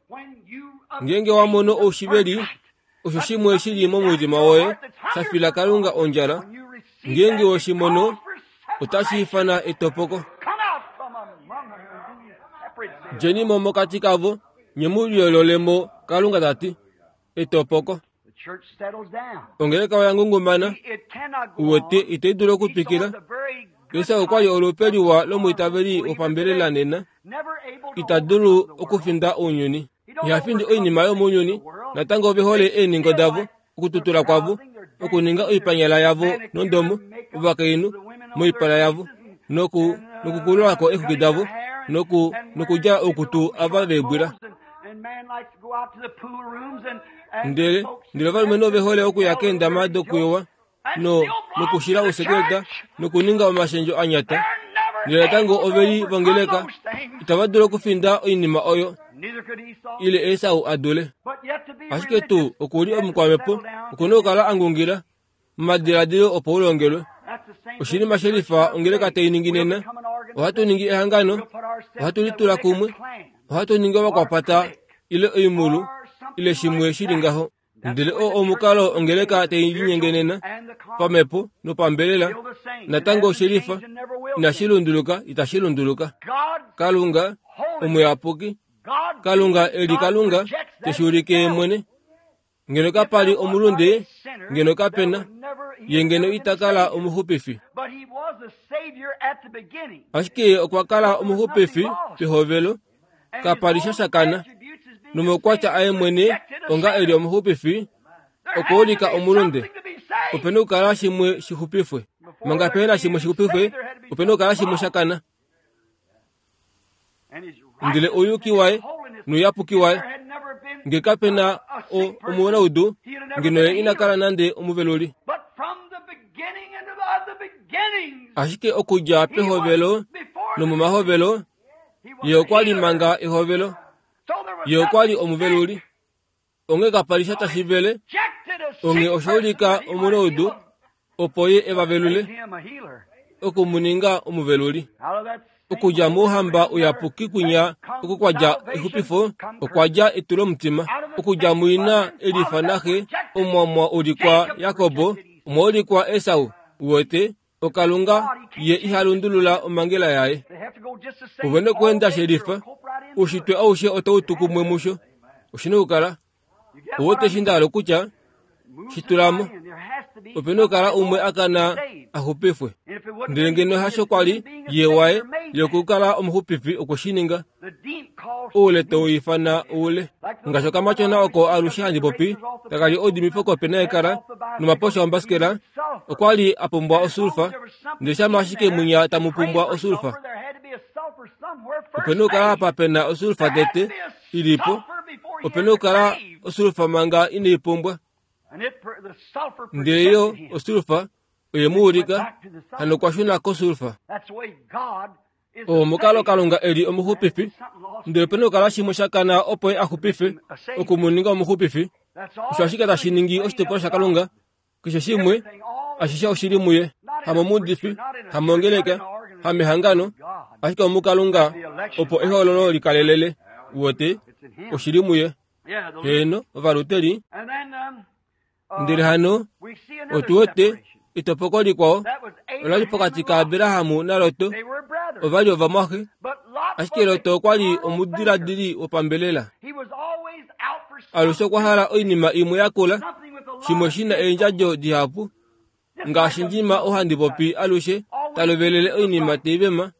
Ngeenge wa mono oushiveli, osho shimwe shili momutima woye shafila Kalunga ondjala, ngeenge weshi mono, otashi ifana etopoko. Djeni mo mokati kavo, nye mu liyoololemo, Kalunga ta ti. Etopoko. Ongeleka oya ngungumana, uwete itai dulu okutwikila. Esau okwa li olupe liwa lomwiitaveli wopambelela nena, ita dulu okufinda ounyuni. Iha findi oinima yomounyuni, natango ove hole eeningo davo, okututula kwavo, okuninga oipanyala yavo nondomo, ovakainhu moipala yavo, noku nokukululako eexwiki davo, noku nokudjala oukutu ava veebwila. Ndele ndele ovalumenhu ove hole okuya keendama dokuyowa no nokushila ousekeleta nokuninga omashendjo anyata. Ndele natango ove li vongeleka, itava dulu okufinda oinima oyo ile Esau a dule. Ashike tuu oku li omukwamhepo, oku na okukala a ngungila momadiladilo opo u longelwe. Oshinima shelifa ongeleka tai ningi nena. Ohatu ningi ehangano, ohatu litula kumwe, ohatu ningi ovakwapata ile oimulu ile shimwe shili ngaho. Ndele oo omukalo ongeleka tai linyenge nena, pamhepo nopambelela, natango oshelifa, inashi lunduluka, itashi lunduluka. Kalunga omuyapuki, Kalunga eli Kalunga teshi ulike ye mwene. Ngeno kapa li omulunde, ngeno kapena, ye ngeno ita kala omuxupifi. Ashike ye okwa kala omuxupifi pehovelo, kapa li sha shakana. Nomaukwatya aye mwene onga eli omuxupifi, okwa ulika omulunde. Opena okukala shimwe shixupifwe. Manga pehena shimwe shixupifwe, opena okukala shimwe shakana. Ndele ouyuki waye nouyapuki waye, nge kapena o omunaudu, ngeno ye ina kala nande omuveluli. Ashike okudja pehovelo nomomahovelo, ye okwa li manga ehovelo, ye okwa li omuveluli. Onghee kapa li sha tashi vele, onghee osha ulika omunaudu, opo ye e va velule, oku mu ninga omuveluli. Okudja mouhamba uyapuki kwinya oko kwa dja exupifo, okwa dja etulomutima. Okudja muina elifa naxe, omwa mwa ulikwa Jakob, omwa ulikwa Esau. Uwete, okalunga ye iha lundulula omhangela yaye. Ove nokuenda shelifa, oushitwe aushe otau tu kumwe musho. Oshina okukala. Uwete eshi nda hala okutya, shitulamo. Opena okukala umwe a kana a xupifwe. Ndele ngeno hasho kwa li ye waye yokukala omuxupifi okwe shi ninga. Oule tau ifana oule. Ngaashi okamatyona oko alushe handi popi, taka li oudimifo kopena yekala nomaposha ombasikela, okwa li a pumbwa osulfa, ndele shama ashike mwinya tamu pumbwa osulfa. Opena okukala apa pena osulfa tete ilipo, opena okukala osulfa manga inai pumbwa. Ndele yo osulfa oye mu ulika, hano okwa shuna kosulfa. Oo omukalo Kalunga e li omuxupifi, ndele opena okukala shimwe sha kana opo ye a xupife, oku mu ninga omuxupifi. Osho ashike tashi ningi oshitopolwa shaKalunga, keshe shimwe, ashishe oshili muye, hamomuudifi, hamongeleka, hamehangano, ashike omuKalunga, opo ehoololo likalelele. Uwete, oshili muye. Heeno, ovaluteli. Ndele hano otu wete etopoko likwao ola li pokati kaAbraham naLot. Ova li ovamwaxe, ashike Lot okwa li omudiladili wopambelela. Alushe okwa hala oinima imwe yakula, shimwe shi na eendjadjo dihapu, ngaashi ndjima ohandi popi alushe ta lovelele oinima tai vema.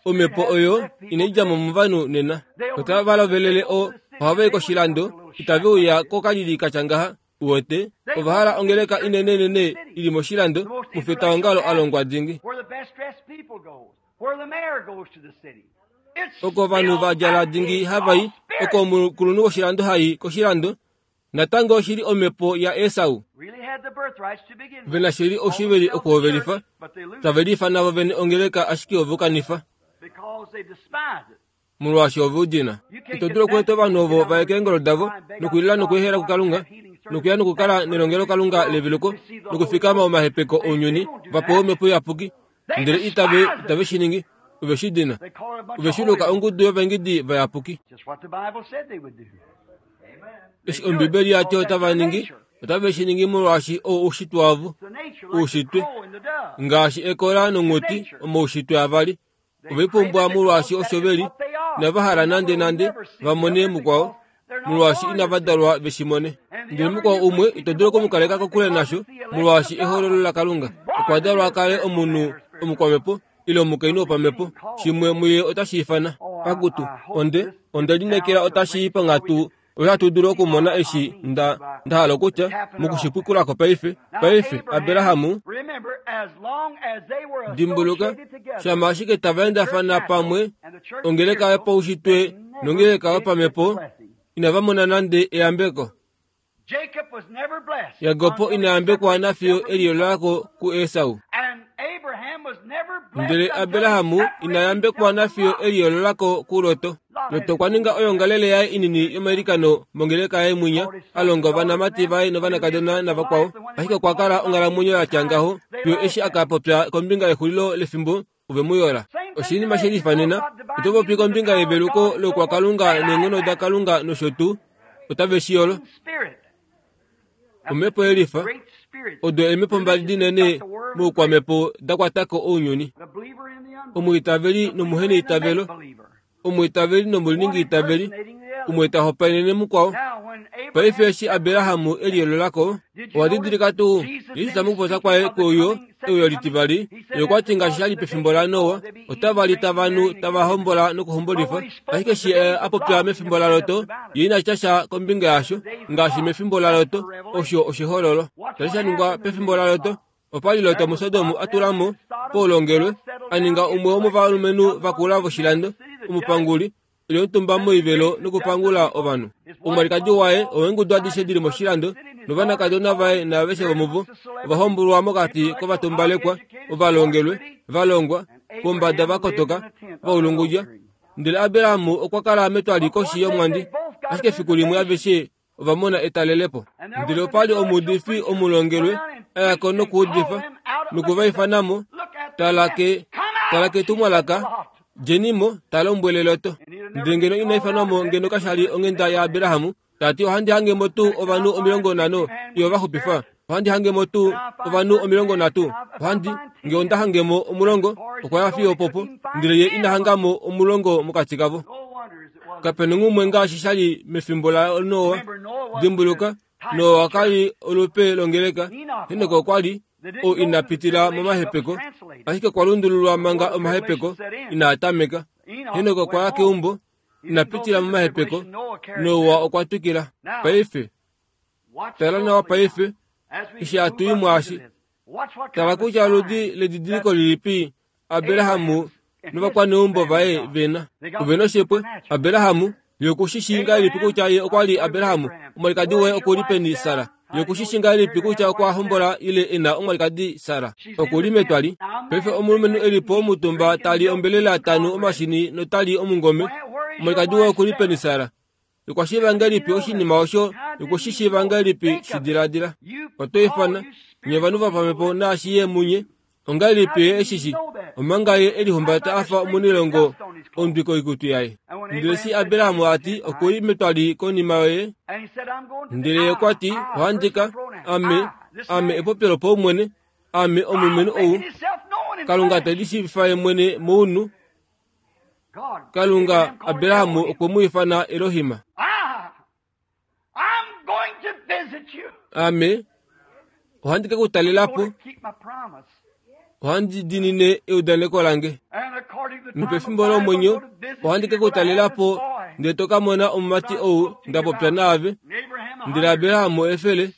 Omhepo oyo inai dja mo movanhu nena. Otava lovelele o, ohava i koshilando, itave uya kokalili katya ngaha. Uwete, ova hala ongeleka inenenene ili moshilando, mufetaongalo a longwa dingi. Oko ovanhu va djala dingi hava i, oko omukulunhu woshilando ha i koshilando, natango oshili omhepo yaEsau. Ve na shili oushiveli okuhovelifa, tave liifana vo vene ongeleka ashike ove u kanifa. Molwaashi ove u dina. Ito dulu okweeta ovanhu ovo va ye keengolo davo, nokulila nokweehela kuKalunga, nokuya nokukala nelongelokalunga leveluko, nokufikama omahepeko ounyuni, va pewe omhepo iyapuki, ndele itave, itave shi ningi. Ove shi dina. Ove shi luka ongudu yovaingidi vayapuki. Eshi Ombibeli yati otava ningi, otave shi ningi molwaashi oo oushitwe wavo, oushitwe, ngaashi ekola nonghuti omoushitwe avali. Ovepumbwa molwaashi osho veli, inava hala nande nande va mone mukwao, molwaashi inava dalwa veshi mone. Ndele mukwao umwe ito dulu okumukaleka kokule nasho, molwaashi ehololo laKalunga. Okwa dalwa kale omunhu omukwamhepo ile omukainhu wopamhepo, shimwe muye otashi ifana. Akutu, onde, onde lineekela otashi i panghatu oyo hatu dulu okumona eshi nda, nda hala okutya, mokushipwikulako paife. Paife, Abrahamu, dimbuluka, shama ashike tava endafana pamwe, ongeleka yopaushitwe nongeleka yopamhepo, inava mona nande eyambeko. Jakob ina yambekwa nafiyo eliyolako kuEsau. Ndele Abrahamu ina yambekwa nafiyo eliyololako kuLoto. Loto okwa ninga oyongalele yaye inini yomailikano mongeleka yaye mwinya, a longa ovanamati vaye novanakadona navakwao. Ashike okwa kala onghalamwenyo ya tya ngaho fiyo eshi a ka popya kombinga yexulilo lefimbo ove mu yola. Oshinima she lifanena, oto popi kombinga yeveluko lokwakalunga neenghono daKalunga nosho tuu, otave shi yolo. Omhepo yelifa, odo eemhepo mbali dinene moukwamhepo da kwatako ounyuni. Omwiitaveli nomuheneitavelo, omwiitaveli nomuliningiitaveli, umwe ta hopaenene mukwao. Paife eshi Abrahamu eliyololako, owa didilika tuu Jesus mokupopya kwaye kweuyo euyo litivali, ye okwa ti ngaashi sha li pefimbo laNoa, otava li tava nu tava hombola nokuhombolifa. Ashike eshi a popya mefimbo laLoto, ye ina tya sha kombinga yasho, ngaashi mefimbo laLoto, osho oshihololo. Shali sha ningwa pefimbo laLoto, opa li Lot muSodom a tula mo poulongelwe, a ninga umwe womovalumenhu vakula voshilando, omupanguli, eli omutumba moivelo nokupangula ovanhu. Omwalikadi waye oweengudu adishe dili moshilando, novanakadona vaye naaveshe vomuvo ova hombolwa mokati kovatumbalekwa, ovalongelwe, valongwa, pombada vakotoka, vaulungudja. Ndele Abrahamu okwa kala metwali koshi yomwandi, ashike efiku limwe aveshe ova mona etalelepo. Ndele opa li omuudifi omulongelwe a ya ko nokuudifa, nokuvaifanamo, tala ke, tala ketumwalaka, djenimo, ta lombwele Loto. Ndele ngeno ina ifanwamo ngeno kasha li onghenda yaAbrahamu, ta ti ohandi hangemo tuu ovanhu omilongo nhano iyo va xupifa, ohandi hangemo tuu ovanhu omilongo nhatu, ohandi nge onda hangemo omulongo, okwa ya fiyo popo, ndele ye ina hangamo omulongo mokati kavo. Kapena umwe ngaashi sha li mefimbo laNoa. Dimbuluka, Noa ka li olupe longeleka, Henok okwa li ou ina pitila momahepeko, ashike okwa lundululwa manga omahepeko inaa tameka. Henok okwa ya keumbo, ina pitila momahepeko, Noa okwa twikila. Paife, tala nawa paife, eshi hatu i mwaashi, tala kutya oludi ledidiliko lilipi Abrahamu novakwaneumbo vaye vena. Ove noshipwe, Abrahamu, ye okushi ngahelipi kutya ye okwa li Abrahamu, omwalikadi waye oku li peni Sara? Ye okushi ngahelipi kutya okwa hombola ile e na omwalikadi Sara? Oku li metwali. Paife omulumenhu e li po omutumba ta li ombelela tanu omashini nota li omungome, omwalikadi waye oku li peni Sara? Okwa shiiva ngahelipi oshinima osho? Okushi shiiva ngahelipi? Shi diladila. Oto ifana nye ovanhu vopamhepo naashi ye munye, ongahelipi ye eshishi, omanga ye elihumbata a fa omunilongo ondwi koikutu yaye. Ndele eshi Abrahamu a ti oku li metwali konima yoye, ndele ye okwa ti ohandi ka, ame, ame epopyo lopaumwene, ame omulumenhu ou, Kalunga te lishiivifa ye mwene mounhu. Kalunga Abrahamu okwe mu ifana Elohim. Ame ohandi ke ku talela po, ohandi diinine eudaneko lange. Nopefimbo lomwenyo ohandi ke ku talela po, ndele to ka mona omumati ou nda popya naave. Ndele Abrahamu efele,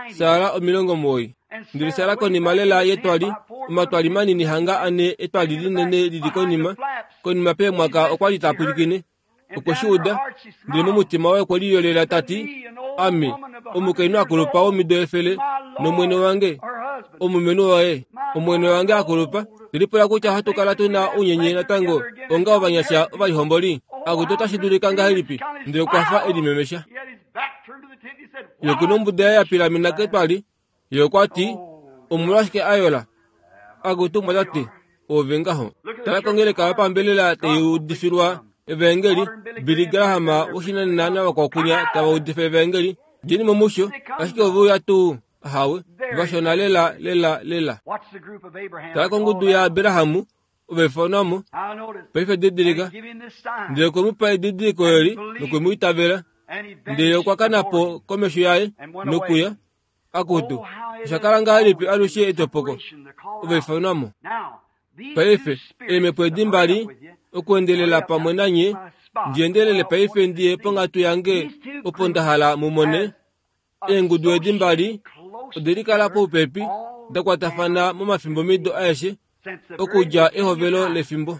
Sara omilongo omuwoi. Ndele Sara konima lela yetwali, omatwali manini hanga ane etwali linene lili konima, konima peemwaka okwa li ta pwilikine. Okwe shi uda, ndele momutima waye okwe liyolela ta ti, Ame, omukainhu akulupa womido efele, nomwene wange, omulumenhu waye, omwene wange akulupa, ndilipula kutya ohatu kala tu na ounyenye natango onga ovanyasha ovalihomboli. Akutu otashi dulika ngahelipi? Ndele okwa fa elimemesha. Ye okuna ombuda yaye ya pilamena ketwali, ye okwa ti, omolwashike a yola? Akutu mwatate, ove ngaho. Tala kongeleka yopambelela tai udifilwa Evangeli Billy Graham woshinanena navakwakunya tava udifa evangeli djeni mo musho ashike ove uya tuu ahawe vashona lela lela lela. Tala kongudu yaAbrahamu ovaifanwamo paife didilika ndele okwe mu pa edidiliko eli nokwe mu itavela ndele okwa kana po komesho yaye nokuya akutu osha kala ngahelipi alushe etopoko ovaifanwamo. Paife eemhepo edi mbali okuendelela pamwe nanye ndiendelele paife ndiye ponghatu yange opo nda hala mumone eengudu edi mbali ode likala poupepi dakwatafana momafimbomido aeshe okudja ehovelo lefimbo.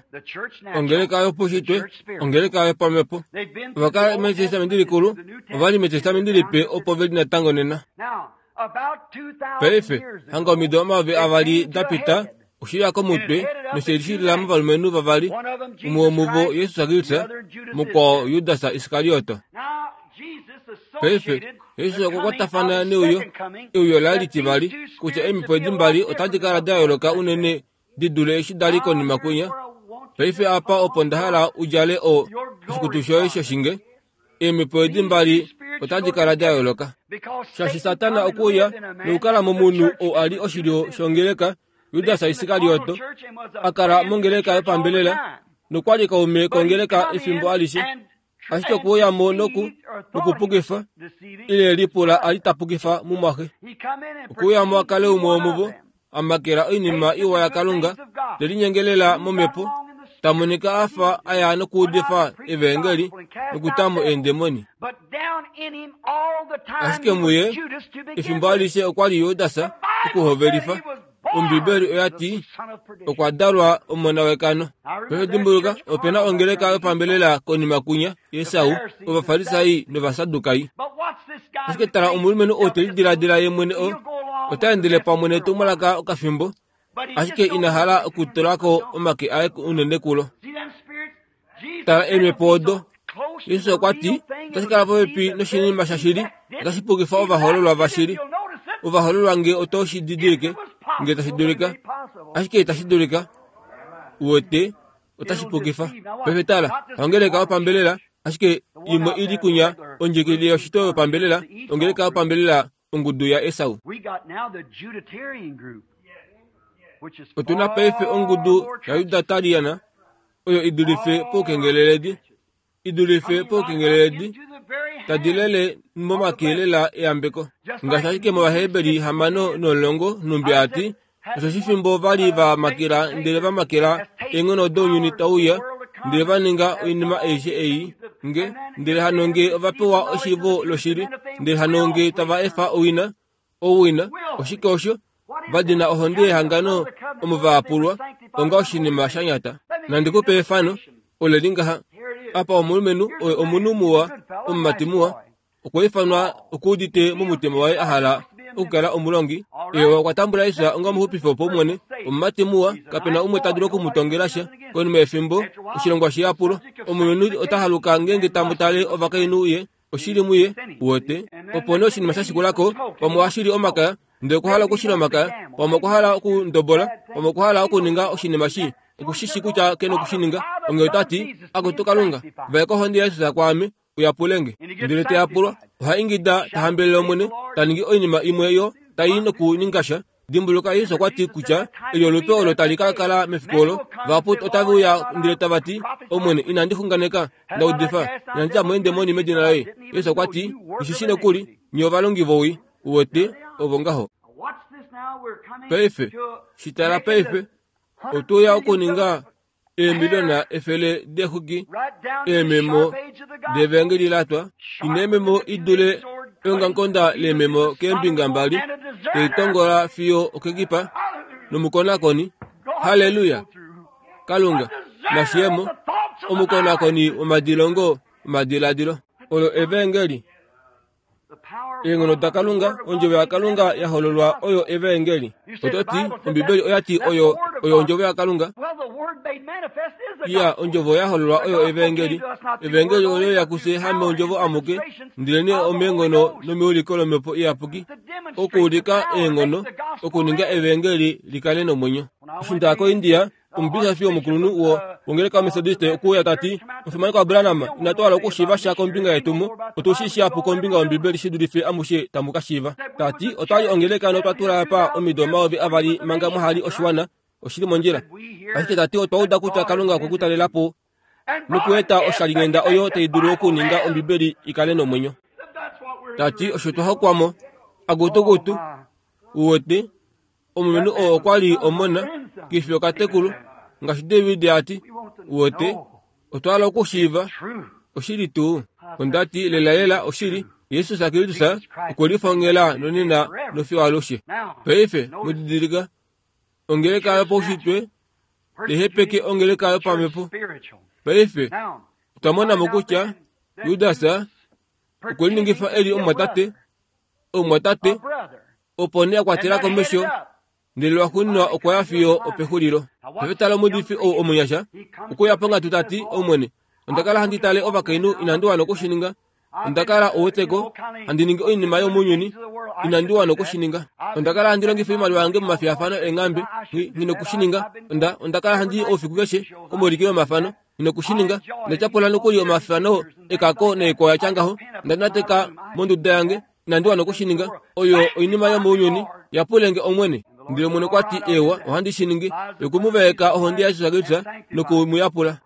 Ongeleka yopaushitwe ongeleka yopamhepo ovakala metestamenti likulu ovali metestamenti lipe opo veli natango nena. Paife hanga omido omayovi avali dapita oshiya komutwe noshelishilila movalumenhu vavali umwe womuvo Jesus Kristus mukwao Judas Iskarioto. Paife Jesus okwa kwatafana neuyo euyo la litivali kutya eemhepo edi mbali otadi kala da yooloka unene di dule eshi dali konima kwinya. Paife apa opo nda hala udjale o oshikutu shoye shoshinge eemhepo edi mbali otadi kala da yooloka. Shaashi Satana okuuya nokukala momunhu oo ali oshilyo shongeleka Judas Iskarioto akala mongeleka yopambelela nokwali kaume kongeleka efimbo alishe ashike okuuya mo noku nokupukifa ile lipula ali tapukifa mumwaxe. Okuuya mo akale umwe womuvo amakela oinima iwa yaKalunga telinyengelela momhepo tamonika afa aya nokuudifa evangeli nokutamo eendemoni. Ashike muye efimbo alishe okwali Judas okuhovelifa. Ombibeli oya ti okwa dalwa omona wekano. Paife dimbuluka opena ongeleka yopambelela konima kunya Esau ovafarisai novasadukai. Ashike tala omulumenhu oo telidiladila ye mwene o ota endele pamwe netumwalaka okafimbo ashike ina hala okutulako omake aye unene kulo. Tala eemhepo odo. Jesus okwa ti otashi kala popepi noshinima shashili otashi pukifa ovahoololwa vashili. Ovahoololwa nge oto shi didilike nge tashi dulika ashike itashi dulika uwete otashi pukifa. Paife tala ongeleka yopambelela ashike imwe ili kunya ondjikilile yoshito yopambelela ongeleka yopambelela ongudu ya Esau. Otuna paife ongudu yaJudatariana oyo idulife poukengeleledi idulife poukengeleledi tadilele momakelela eyambeko ngaashi ashike mOvaheberi hamano nomulongo numbi ati osho fimbo vali va makela ndele va makela eenghono dounyuni tauya ndele va ninga oinima aishe ei nge ndele hano nge ova pewa oshivo loshili ndele hano nge tava efa owina owina oshike osho vadina ohonde yehangano omo vaapulwa onga oshinima sha nyata. Nandi kupe efano ole ngaha apa omulumenhu oye omunhu muwa omumati muwa okwa ifanwa okuudite momutima waye ahala okukala omulongi. Ye okwa tambula Jesus onga omuxupifi wopaumwene omumati muwa kapena umwe ta dulu okumutongela sha. Konima yefimbo oshilongwa shiyapulo omulumenhu ota haluka ngeenge tamutale ovakainhu ye oshili muye uwete. Opo nee oshinima sha shikulako pamwe oshili omakaya ndele okwa hala okushila omakaya pamwe okwa hala okundobola pamwe okwa hala okuninga oshinima shi okushishi kutya kena okushininga. Onge otati akutu Kalunga vaeka ohonde yaJesus kwaame uyapulenge. Ndele teyapulwa oha ingida tahambelele Omwene taningi oinima imwe yo tai nokuninga sha. Dimbuluka Jesus okwa ti kutya eli olupe olo tali ka kala mefiku olo vahapu otave uya ndele tava ti Omwene inandi xunganeka nda udifa inandi dja mo eendemoni medina loye. Jesus okwa ti ishishi nokuli nye ovalongi vowii uwete ovo ngaho. Paife shitala paife otuya okuninga eemiliona efele deexuki eememo devangeli latwa ina eememo idule eongamukonda leememo keembinga mbali teitongola fiyo okekipa nomukonakoni. Haleluya! Kalunga nashiyemo omukonakoni womadilongo omadiladilo olo evangeli. Eenghono daKalunga ondjovo yaKalunga ya hololwa oyo evangeli. Ototi Ombibeli oya ti oyo oyo ondjovo yaKalunga. Iya ondjovo ya hololwa oyo evangeli. Evangeli oyo yakuse hame ondjovo amuke ndele omeenghono nomiuliko lomhepo iyapuki okuulika eenghono okuninga evangeli likale nomwenyo. Eshi ndaya koIndia Omubisofi omukulunhu wo wongeleka yomethodiste okuuya tati omufimanekwa waBranham inatu hala okushiiva sha kombinga yetumo, otu shi shihapu kombinga yOmbibeli shi dulife amushe tamu ka shiiva. Tati otwali ongeleka notwa tula apa omido omayovi avali manga mwahali oshiwana, oshili mondjila. Ashike tati otwa uda kutya Kalunga okwe ku talela po nokueta oshalinghenda oyo tai dulu okuninga Ombibeli ikale nomwenyo. Tati osho twa hokwamo agutugutu uwete omulumenhu oo okwa li omona kifi okatekulu ngaashi David ati uwete otwa hala okushiiva oshili tuu. Ondati lelalela oshili Jesus Kristus okwe lifongela nonena nofiyo alushe. Paife mudidilika ongeleka yopaushitwe tehepeke ongeleka yopamhepo. Paife otwa monamo kutya Judas okwe liningifa eli omumwatate omumwatate opo nee a kwatela komesho ndele lwaxuuninwa okwa ya fiyo opexulilo. Paife tala omuudifi ou omunyasha okuya ponghatu tati Omwene, onda kala handi tale ovakainhu inandi wana okushininga, onda kala ouweteko handi ningi oinima yomounyuni inandi wana okushininga, onda kala handi longifa oimaliwa yange momafiyafano eenghambe nghi nokushininga, onda onda kala handi i oufiku keshe komaulikilo omafano nghi nokushininga, onda tyapula nokuli omafano ekako naikwao ya tya ngaho, onda nateka monduda yange inandi wana okushininga, oyo oinima yomounyuni, yapulenge Omwene. Ndele Omwene okwa ti ewa ohandi shi ningi, yoku mu vaeka ohonde yaJesus Kristus noku mu yapula.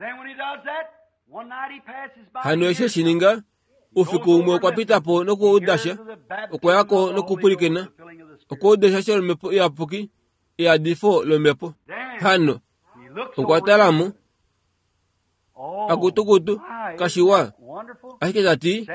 Hano eshi eshi ninga, oufiku umwe okwa pita po nokuuda sha, okwa ya ko nokupwilikina, okwa uda sha sholomhepo iyapuki, eyadifo lomhepo. Hano okwa tala mo, akutukutu kashiwa, ashike tati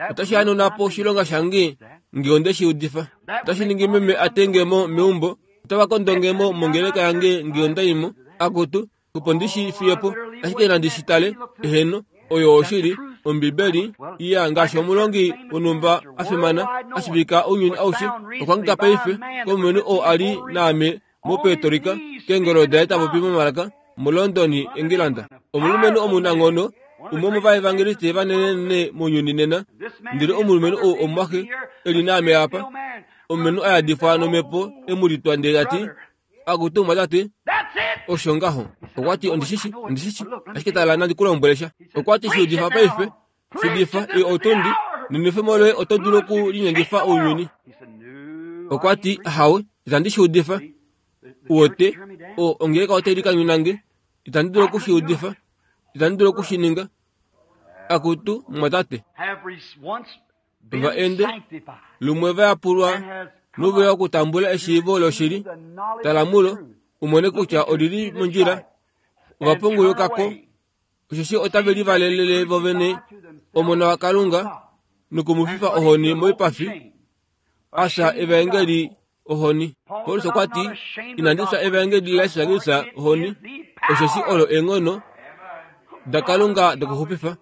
otashi hanuna po oshilonga shange nge onde shi udifa. Otashi ningi meme a tenge mo meumbo, otava kondonge mo mongeleka yange nge onda i mo, akutu opo ndi shi fiye po, ashike nandi shi tale. Eheno, oyo oshili Ombibeli iya ngaashi omulongi wonhumba a fimana a shivika ounyuni aushe okwa hangika paife komulumenhu oo a li naame moPuerto keengolo daye ta popi momalaka muLondon, England. Omulumenhu omunanghono, umwe womovaevangeliste vanenenene mounyuni nena, ndele omulumenhu ou omumwaxe e li naame apa, omulumenhu a yadifwa nomhepo e mu litwa ndele tati akutu mwatate osho ngaho. Okwa ti ondishishi ondishishi ashike tala nandi ku lombwele sha. Okwa ti shiudifa paife, shiudifa i otundi nenwefemo loye oto dulu okulinyengifa ounyuni. Okwa ti hawe itandi shiudifa, uwete o ongeleka otai likanyuna nge, itandi dulu okushiudifa, itandi dulu okushininga. Akutu mwatate, va ende lumwe va yapulwa noveya okutambula eshiivo loshili, tala mulo umone kutya olili mondjila, ova pungulukako osheshi otave livalelele vovene Omona waKalunga nokumufifa ohoni moipafi, asha evaengeli ohoni. Paulus okwa ti inandi fya evaengeli laJesus Kristus ohoni, osheshi olo eenghono daKalunga dokuxupifa.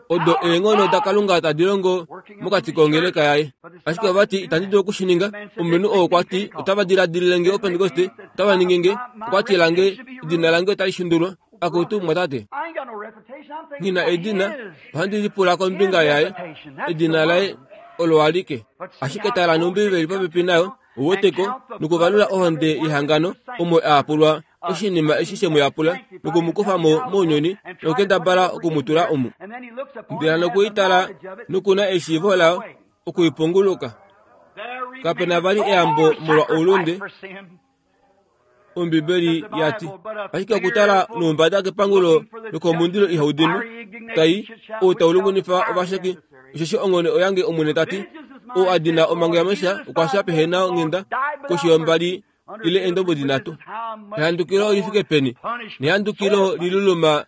Odo eenghono daKalunga tadi longo mokati kongeleka yaye. Ashike ova ti itandi dulu okushininga. Omulumenhu oo okwa ti otava diladilile nge Opentekoste, otava ningi nge, okwa ti lange edina lange otali shundulwa. Akutu mwatate, nghi na edina, ohandi lipula kombinga yaye, edina laye olo alike. Ashike tala nOmbibeli popepi nayo, uweteko nokuvalula ohonde yehangano omo a yapulwa oshinima eshi she mu yapula noku mu kufa mo mounyuni nokukendabala oku mu tula omu. Ndele nokuitala nokuna eshiivo layo okuipunguluka. Kapena vali eyambo molwa oulunde, Ombibeli ya ti. Ashike okutala noumbada kepangulo lokomundilo ihau dimi, tai ou tau lungunifa ovasheki, osheshi onghone oyange Omwene ta ti, ou a dina omhango yaMoses okwa fya pehena onghenda koshi yombali ile eendombwedi nhatu. Ehandukilo oli fike peni, nehandukilo liluluma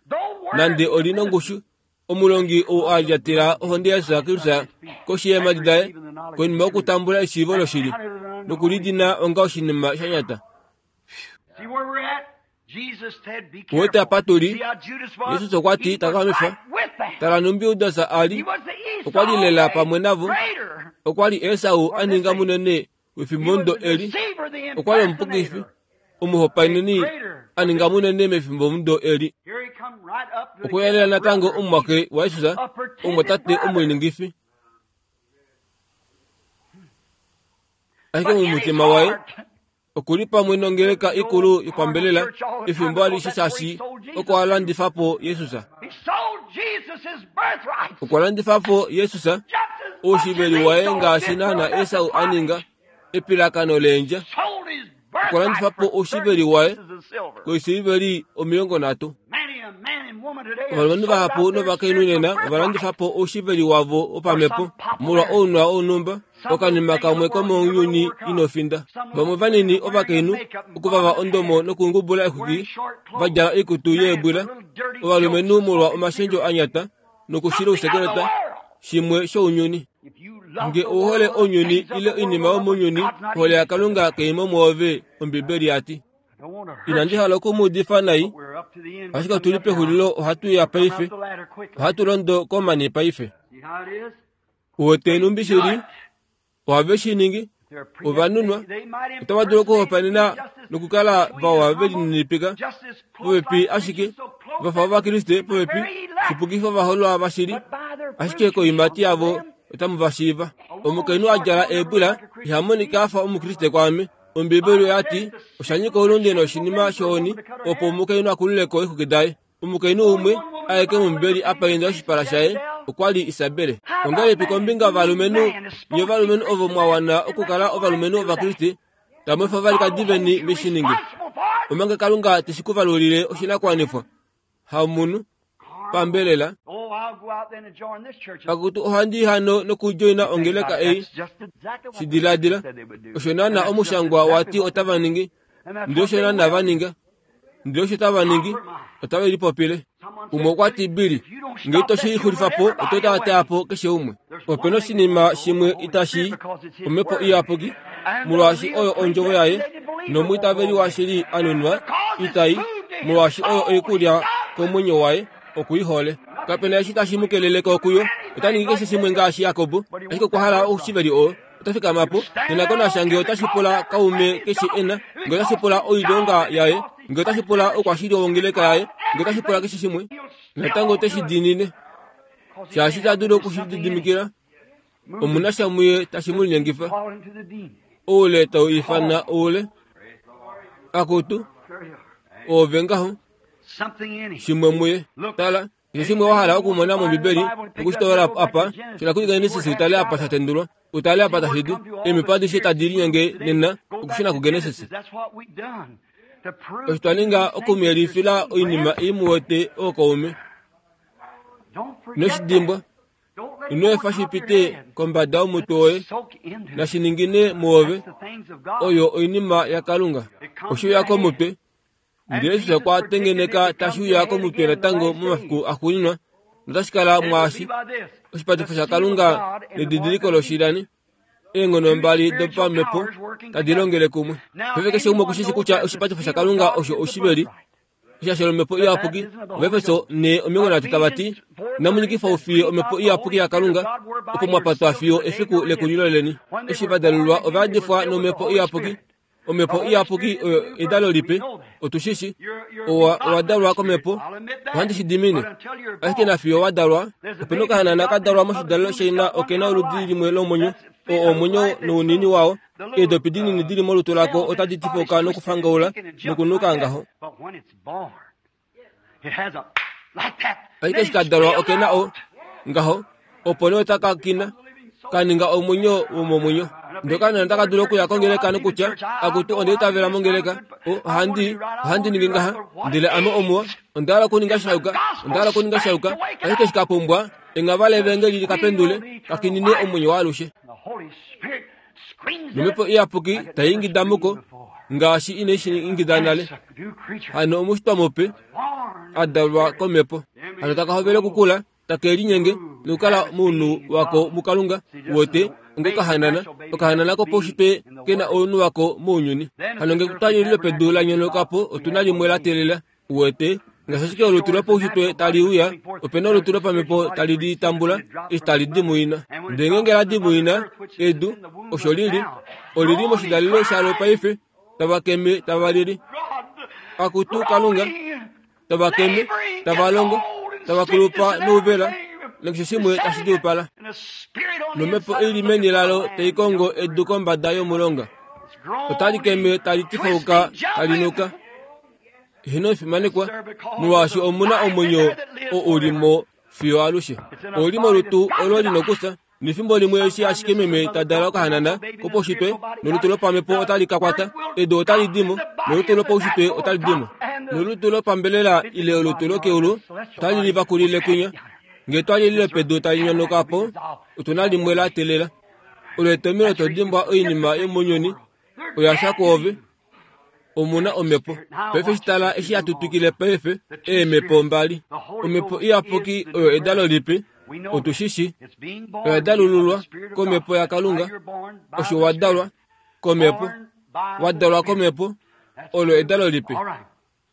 nande oli nongushu, omulongi ou a lyatela ohonde yaJesus Kristus koshi yeemhadi daye konima yokutambula eshiivo loshili nokulidina onga oshinima sha nyata. Uwete apa tu li, Jesus okwa ti takamifa, tala nhumbi Judas a li, okwa li lela pamwe navo, okwa li Esau a ninga munene wefimbomudo eli, okwa li omupukifi, omuhopaeneni a ninga munene mefimbomudo eli. Okwa ya lela natango omumwaxe waJesus, omumwatate omuliningifi. Ashike mumutima waye Okuli pamwe nongeleka ikulu yopambelela efimbo alishe shaashi oko a landifa po Jesus. Okwa landifa po Jesus oushiveli waye ngaashi naana Esau a ninga epilakano leendja. Okwa landifa po oushiveli waye koisiliveli omilongo nhatu. Ovalumenhu vahapu novakainhu nena ovalandifa po oushiveli wavo wopamhepo molwa ounwa wonhumba, okanima kamwe komounyuni inofinda. Vamwe vanini ovakainhu okuvava ondomo nokungubula exwiki va djala oikutu yeebwila, ovalumenhu molwa omashendjo anyata nokushila ousekeleta, shimwe shounyuni. Nge ouhole ounyuni ile oinima yomounyuni, ohole yaKalunga kai mo mwoove, Ombibeli yati. Inandi hala okumuudifa nai, ashike otuli pexulilo, ohatu ya paife, ohatu londo komani paife. Uwete numbi shili, ohave shi ningi, ovanunwa, otava dulu okuhopaenena nokukala vawa velininipika popepi ashike, vafa Ovakriste popepi, shipukifa ovaholwa vashili, ashike koiimati yavo otamu va shiiva. Omukainhu a djala eebwila iha monika afa Omukriste kwaame. Ombibeli oyati osha nyika oulunde noshinima shohoni opo omukainhu akululeko eexwiki daye. Omukainhu umwe aeke mOmbibeli a painda oshipala shaye okwa li Isabele. Ongahelipi kombinga yovalumenhu nye ovalumenhu ovo mwa wana okukala ovalumenhu Ovakriste tamu efa ovalikadi veni veshi ninge, omanga Kalunga teshi ku valulile oshinakuwanifwa hamunhu pambelela. Pakutu ohandi hano nokudjoina ongeleka ei, shidiladila osho naana omushangwa wati otava ningi, ndele osho naana va ninga, ndele osho tava ningi otave lipopile. Umwe okwa ti Billy, ngee ito shi xulifa po oto taataa po keshe umwe. Opena oshinima shimwe itashi omhepo iyapuki, molwaashi oyo ondjovo yaye, nomwiitaveli washili a nunwa itai, molwaashi oyo oikulya komwenyo waye, okuihole. Kapena eshi tashi mu kelele ko kuyo, ota ningi keshe shimwe ngaashi Jakob, ashike okwa hala oushiveli oo. Ota fikama po, nena ngee otashi pula kaume keshe ena, ngee otashi pula oilonga yaye, ngee otashi pula oukwashili wongeleka yaye, ngee otashi pula keshe shimwe, natango oteshi diinine. Shaashi ita dulu okushilididimikila, omuna sha muye tashi mu linyengifa. Oule tau ifana oule. Akutu, oove ngaho, shimwe muye. Tala, keshe shimwe wa hala okumona mOmbibeli, okushitoola apa, shila kuGenesis utale apa sha tendulwa, utale apa tashi di, eemhepo adishe tadi linyenge nena okushuna kuGenesis. Osho twa ninga okumuyelifila oinima ei mu wete ookaume. Ino shi dimbwa, ino efa shi pite kombada yomutwe woye, nashi ningine mwoove, oyo oinima yaKalunga. Oshe uya komutwe, ndele Jesus okwa tengeneka tashi uya komutwe natango momafiku axuuninwa, notashi kala mwaashi oshipatifo shaKalunga nedidiliko loshilani, eenghono mbali dopamhepo tadi longele kumwe. Paife keshe umwe okushishi kutya oshipatifo shaKalunga osho oshiveli, eshasho lomhepo iyapuki. Ovaefeso ne omilongo nhatu tava ti, inamu nyikifa oufiye omhepo iyapuki yaKalunga, opo mwa patwa fiyo efiku lekulilo leni. Eshi va dalulwa ova yadifwa nomhepo iyapuki. Omhepo iyapuki oyo edalo lipe, otu shishi, owa owa dalwa komhepo, ohandi shi dimine. Ashike nafiyo wa dalwa, opena okahanana ka dalwa moshidalelo shaina okena oludi limwe lomwenyo, oo omwenyo nounini wao, eedopi dinini dili molutu lako otadi tifuka nokufangaula nokunuka ngaho. Ashike eshi ka dalwa okena o ngaho, opo nee otaka kina, ka ninga omwenyo womomwenyo. Ndele okahanana otaka dulu okuya kongeleka nokutya, akutu onda itavela mongeleka, ohandi ohandi ningi ngaha, ndele ame omuwa, onda hala okuninga shayuka, onda hala okuninga shayuka, ashike eshi ka pumbwa enghava levangeli likapendule, kakinine omwenyo waalushe. Nomhepo iyapuki tai ingida muko, ngaashi inai shi ingida nale. Hano omushitwa mupe, a dalwa komhepo. Hano taka hovele okukula, take linyenge nokukala mounhu wako muKalunga, uwete, ongokahanana, okahanana kopaushitwe kena ounhu wako mounyuni. Hano nge kutali lopedu la nyonauka po, otuna limwe la teelela, uwete, ngaashi ashike olutu lopaushitwe tali uya, opena olutu lopamhepo tali li tambula eshi tali di muina. Ndele ngeenge la di muina, edu, osho lili, olili moshidalelo shalo paife, tava keme tava lili. Akutu Kalunga, tava keme, tava longo, tava kulupa nouvela, nakeshe shimwe tashi diupala. Nomhepo ili meni lalo tai kongo edu kombada yomulonga. Otali keme tali tifauka tali nuka. Hino fimanekwa molwaashi omuna omwenyo oo uli mo fiyo alushe. Oli molutu olo lina okusa. Nefimbo limwe eshi ashike meme ta dala okahanana kopaushitwe nolutu lopamhepo otali ka kwata. Edu otali dimo nolutu lopaushitwe otali dimo. Nolutu lopambelela ile olutu lokeulu otali livakulile kwinya. Ngee twali lile pedu tali nyonoka po, otuna limwe la telela. Olo etomhelo to dimbwa oinima yomounyuni oya fya kwoove. Omuna omhepo. Paife shitala eshi hatu twikile paife eemhepo mbali. Omhepo iyapuki oyo edalo lipe, otu shi shi. Oya dalululwa komhepo yaKalunga. Osho wa dalwa komhepo. Wa dalwa komhepo, olo edalo lipe.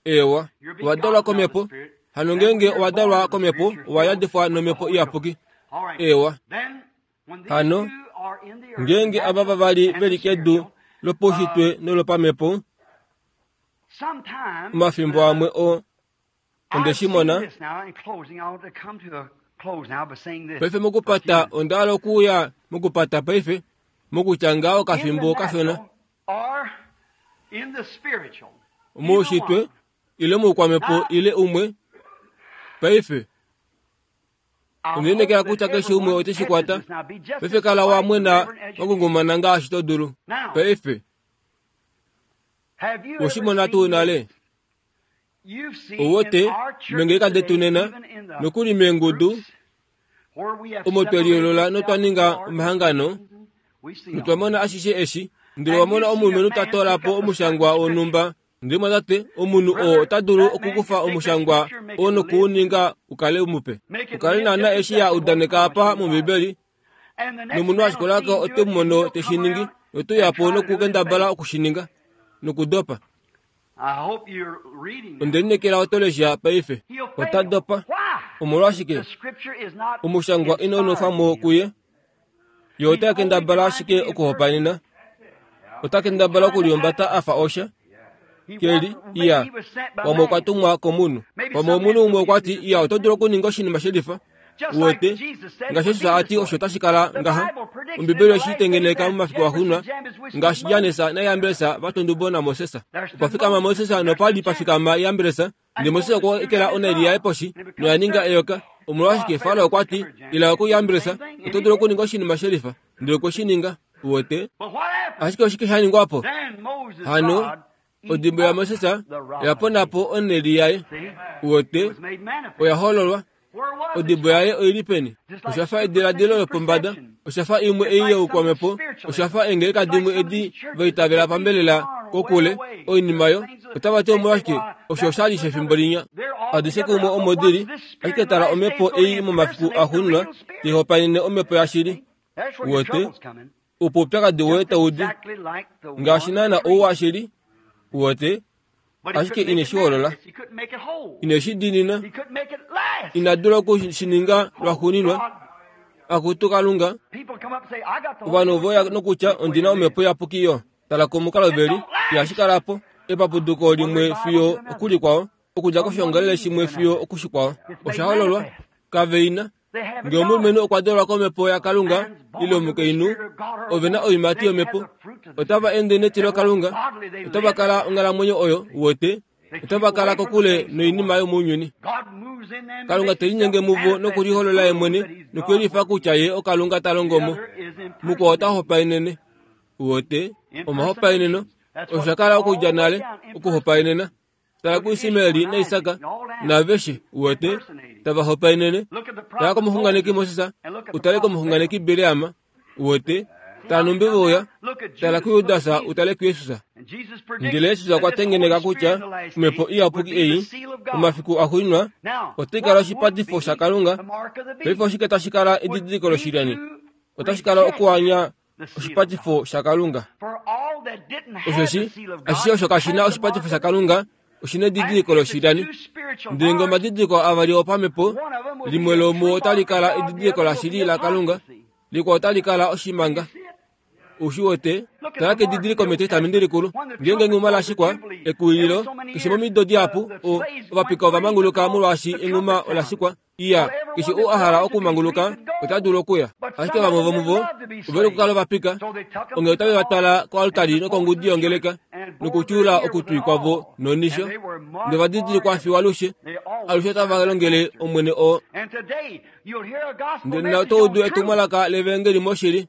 Ewa, wa dalwa komhepo. Hano ngeenge owa dalwa komhepo, owa yadifwa nomhepo iyapuki. Ewa. Hano, ngeenge ava vavali veli kedu lopaushitwe nolopamhepo, omafimbo amwe o onde shi mona. Paife mokupata onda hala okuuya mokupata paife, mokutya ngaho okafimbo kashona. Moushitwe ile moukwamhepo ile umwe. Paife ondiinekela kutya keshe umwe ote shi kwata. Paife kala wa mwena wa ngungumana ngaashi to dulu. Paife oshimona tuu nale. Owote mengeleka detu nena nokuli meengudu omo tweliolola notwa ninga omahangano notwa mona ashishe eshi. Ndele wa mona omulumenhu ta toola po omushangwa wonhumba. Ndele mwatate, omunhu oo ota dulu okukufa omushangwa oo nokuuninga ukale mupe, ukale naana eshi ya udaneka apa mOmbibeli. Nomunhu ashikulako ote mu mono te shi ningi, note uya po nokukendabala okushininga nokudopa. Onde lineekela oto lesha paife. Ota dopa. Omolwashike? Omushangwa inau nwefwa mo kuye. Ye ota kendabala ashike okuhopaenena. Ota kendabala okulihumbata a fa osha. Keli, iya, pamwe okwa tumwa komunhu. Pamwe omunhu umwe okwa ti, iya, oto dulu okuninga oshinima shelifa. Uwete, ngaashi Jesus a ti osho tashi kala ngaha. Ombibeli oyeshi tengeneka momafiku axuuninwa, ngaashi Jannes naJambres va twa naMoses. Opa fikama Moses nopa li pa fikama Jambres, ndele Moses okwa ekela onhaili yaye poshi noya ninga eyoka. Omolwashike Farao okwa ti, ila kuJambres, oto dulu okuninga oshinima shelifa. Ndele okwe shi ninga. Uwete, ashike oshike sha ningwa po? Hano, odimbo yaMoses oya pona po onhaili yaye. Uwete, oya hololwa. Odimbo yaye oili peni? Osha fa ediladilo lopombada, osha fa imwe ei youkwamhepo, osha fa eengeleka dimwe edi vaitavela pambelela kokule oinima yo. Otava ti omolwashike osho osha li shefimbo linya. Adishe kumwe omo dili, ashike tala omhepo ei momafiku axuuninwa tai hopaenene omhepo yashili. Uwete, opo oupyakadi woye tau di, ngaashi naana ou washili. Uwete, ashike ine shi holola, ine shi diinina, ina dula okushininga lwaxuuninwa. Akutu Kalunga, ovanhu voya nokutya ondina omhepo iyapuki yo. Tala komukalo veli, ihashi kala po epapuduko limwe fiyo okulikwao, okudja koshiongalele shimwe fiyo okushikwao. Osha hololwa kaveina. Ngee omulumenhu okwa dalwa komhepo yaKalunga ile omukainhu, ove na oiimati yomhepo. Otava ende netilo Kalunga, otava kala onghalamwenyo oyo. Uwete, otava kala kokule noinima yomounyuni. Kalunga te linyenge muvo nokuliholola ye mwene nokuyelifa kutya ye oKalunga ta longo mo. Mukwao ota hopaenene. Uwete, omahopaeneno osha kala okudja nale okuhopaenena. Tala kuIsmaeli naIsak naaveshe. Uwete, tava hopaenene. Tala komuxunganeki Moses, utale komuxunganeki Bileam. Uwete, tala numbi veuya. Tala kuJudas, utale kuJesus. Ndele Jesus okwa tengeneka kutya omhepo iyapuki ei momafiku axuuninwa otai kala oshipatifo shaKalunga. Paife oshike tashi kala edidiliko loshilyani? Otashi kala okuanya oshipatifo shaKalunga. Osheshi ashishe osho kashi na oshipatifo shaKalunga oshina edidiliko loshilyani. Ndele ngee omadidiliko avali opamhepo, limwe lomuo otali kala edidiliko lashili laKalunga, likwao otali kala oshimanga. Ushi wote tala kedidiliko metestamenti likulu ngeenge enghuma lashikwa ekuwililo keshe momido dihapu o ovapika ovamanguluka molwaashi enghuma olashikwa iya keshe ou a hala okumanguluka ota dulu okuya ashike vamwe vomuvo oveli okukala ovapika onge otave va twala koaltari nokongudi yongeleka nokutyuula okutwi kwavo nonisho novadidilikwa fiwa alushe alushe otava longele omwene oo ndele oto udu etumwalaka levangeli moshili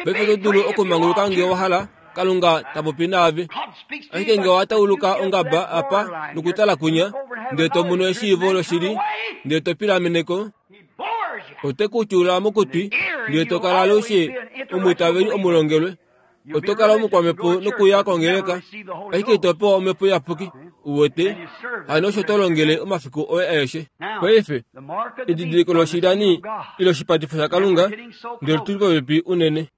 paife oto dulu okumanguluka ngee wa hala Kalunga tapopi naave ashike ngee wa tauluka ongaba apa nokutala kunya ndele to mono eshiivo loshili ndele to pilameneko ote kutyuula mokutwi ndele to kala alushe omwiitaveli omulongelwe oto kala omukwamhepo nokuya kongeleka ashike ito pewa omhepo iyapuki uwete hano osho to longele omafiku oye aeshe paife edidiliko loshilani ile oshipatifo shaKalunga ndele tuli popepi unene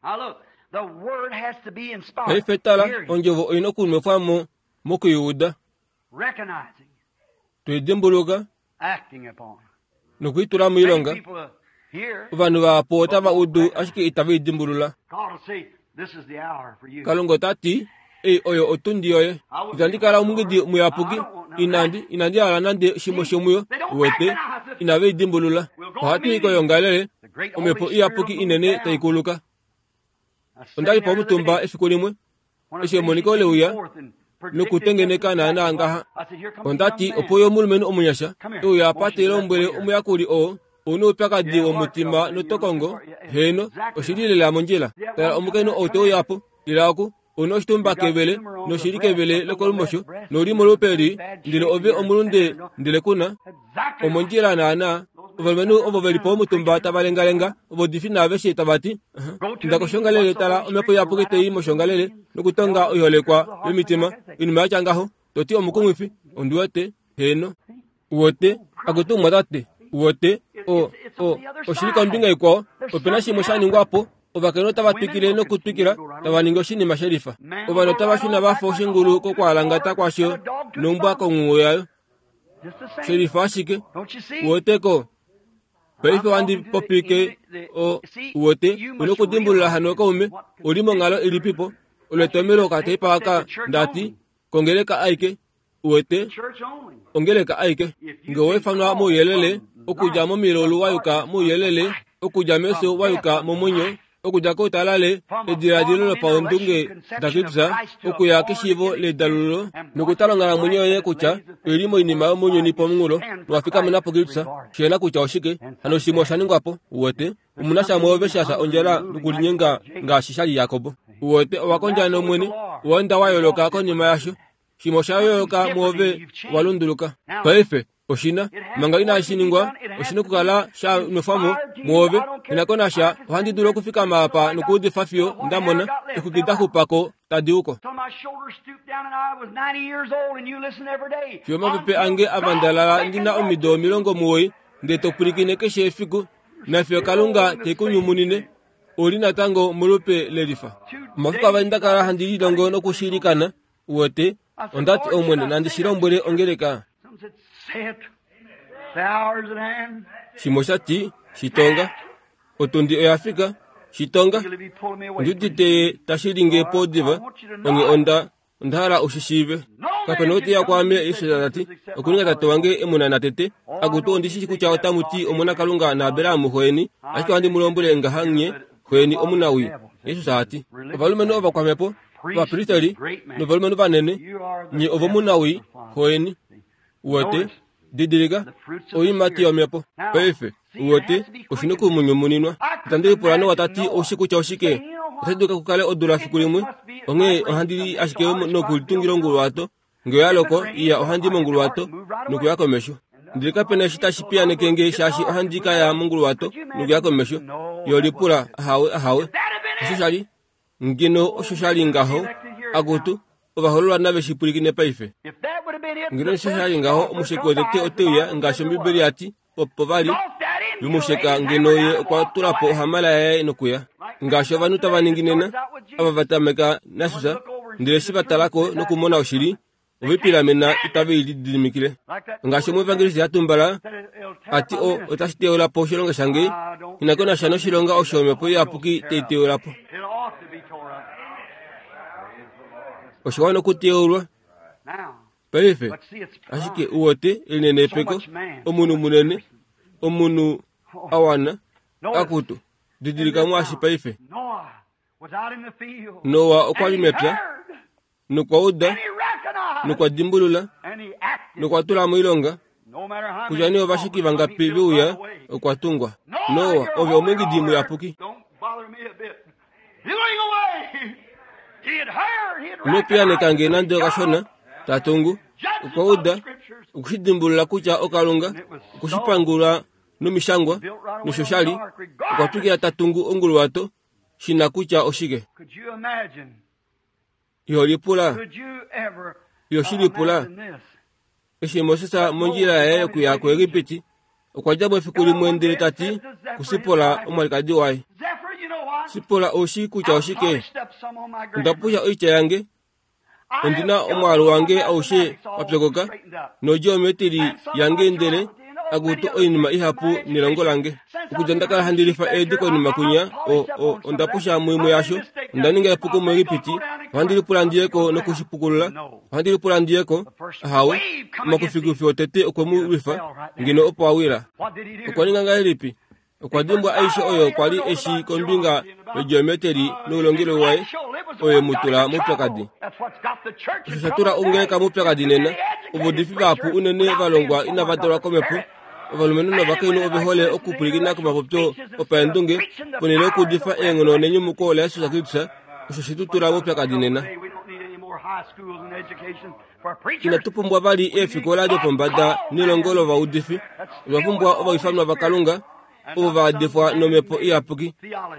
paife tala ondjovo oina okunwefwamo mokuiuda tuidimbuluka nokuitula moilonga ovanhu vahapu otava udu ashike itava idimbulula Kalunga ota ti ei oyo otundi yoye itandi kala omungidi muyapuki inandi inandi hala nande shimwe shomuyo uwete inave idimbulula ohatu i koyongalele omhepo iyapuki inene taikuluka ondali po omutumba efiku limwe eshi emoniko leuya nokutengeneka naana ngaha ondati opo yo omulumenhu omunyasha euya apa telombwele omuyakuli oo ouna oupyakadi womutima notokongo heno oshili lela mondjila tala omukainhu ou teuya po lila oku ouna oshitumba kevele noshili kevele lokolumosho nolimo lupeli ndele ove omulunde ndele kuna omondjila naana ovalumenhu ovo veli po omutumba tava lengalenga ovodifi naaveshe tava ti inda koshongalele tala omhepo iyapuki tei moshongalele nokutonga oiholekwa yomitima oinima yatya ngaho toti omukumwifi ondiwete heno uwete akutumwa tate uwete o o oshili kombinga ikwao opena shimwe sha ningwapo ovakainhu otava twikile nokutwikila tava ningi oshinima shelifa ovanhu otava shuna vafa oshingulu kokwaalangata kwasho nombwa konghuwo yayo shelifa ashike uweteko paife wandi popike o uwete una okudimbulula hano kaume oli monghalo ilipipo olwetomelo okateipa aka ndati kongeleka aike uwete ongeleka aike nge wefanwa mouyelele okudja momilolu wayuka mouyelele okudja meso wayuka momwenyo okudja koutalale ediladilo lopaundunge daKripsa okuya keshiivo ledalululo nokutala onghalamwenyo yoye kutya oili moinima yomounyuni pomunghulo nowafikamena po Kripsa shiyela kutya oshike hano shimwe osha ningwapo uwete omuna shamwe ove shasha ondjala nokulinyenga ngaashi shali Jakobo uwete owakondja nomwene owaenda wa yooloka konima yasho shimwe osha yooloka muove walunduluka paife oshina manga inashi ningwa oshina okukala sha nwefwamo muove inakonasha ohandi dulu okufikama apa nokuudifa fiyo ndamona exwiki daxupako tadi uko fiyo omapepe ange avandalala ndina omido omilongo muwoi ndele topwilikine keshe efiku nafiyo Kalunga tekunyumunine oli natango molupe lelifa omafiku avali ndakala handi lilongo nokushilikana uwete ondati omwene nandi shilombwele ongeleka shimwe oshati shitonga otundi oyafika shitonga ndiudite tashilinge po diva onge onda onda hala ushishiive kapena oteya kwaame Yesu tati okuninga tate wange emuna tete akutu ondishishi kutya otamuti omona Kalunga naAberahamu xoeni ashike ohandi mu lombwele ngaha nye xoeni omunawi Yesu ati ovalumenhu ovakwamhepo ovapristeri novalumenhu vanene nye ovomunawi xoeni uwete didilika oiimati yomhepo paife uwete oshina okumunyumuninwa itandi lipula nowa tati oushi kutya oshike otashi dulika kukale odula fiku limwe onghee ohandi li ashike nokulitungila onguluwato ngee oyaloko iya ohandi monguluwato nokuya komesho ndele kapena eshi tashi piyaneke nge shaashi ohandi kaya monguluwato nokuya komesho yolipula ahawe ahawe osho shali ngeno osho shali ngaho akutu ovahololwa nave shipwilikine paife ngeno osho shali ngaho omusheki wotete oteuya ngaashi Ombibeli yati opo vali vumusheka ngeno ye okwa tula po ohamala yaye nokuya ngaashi ovanhu tava ningi nena ava vatameka nasusa ndele eshi vatalako nokumona oshili ovipilamena itave ilididimikile ngaashi omuevangeliste yatumbala ati o otashi teula po oshilonga shange inakonasha noshilonga osho omhepo iyapuki teiteula po Osha okuteulwa. Paife, ashike uwete elinenepeko, omunhu munene, omunhu awana, akutu, didilika mwaashi paife. Noa okwa li mepya, nokwa uda, nokwa dimbulula, nokwa tula moilonga, kutya nee ovashiki vangapi veuya, okwa tungwa. Noa, ove omwengidi muyapuki. Ino piyaaneka nge nande okashona, tatungu, okwa uda, okushidimbulula kutya okalunga, okushipangula nomishangwa, nosho shali, okwa twikila tatungu onguluwato, shina kutya oshike. Iho lipula, iho shi lipula. Eshi Moses mondjila yaye yokuya kuEgipiti, okwa dja mo efiku limwe ndele ta ti kuSipola omwalikadi waye. Sipola oushi kutya oshike? Onda pusha oitya yange, ondina omwaalu wange aushe wa pyokoka, nodjiometili yange ndele akutu oinima ihapu nelongo lange. Okudja nda kala handi lifa eedi konima kunya, o, o, onda pusha muimwe yasho, onda ninga epuko muEgipiti, ohandi lipula ndiyeko nokushipukulula, ohandi lipula ndiyeko, ahawe, omakufikufi otete okwe mu lwifa, ngeno opo a wila. Okwa ninga ngahelipi? Okwa dimbwa aishe oyo kwa li eshi kombinga yogeometry noulongelwe waye, oyo mu tula moupyakadi. Osho sha tula ongeleka moupyakadi nena, ovaudifi vahapu unene va longwa inava dalwa komhepo, ovalumenhu novakainhu ove hole okupwilikina komapopyo opaendunge, ponhele yokuudifa eenghono nenyumuko laJesus Kristus, osho she tu tula moupyakadi nena. Inatu pumbwa vali eefikola dopombada nelongo lovaudifi, otwa pumbwa ovaifanwa vaKalunga, ovo va adifwa nomhepo iyapuki,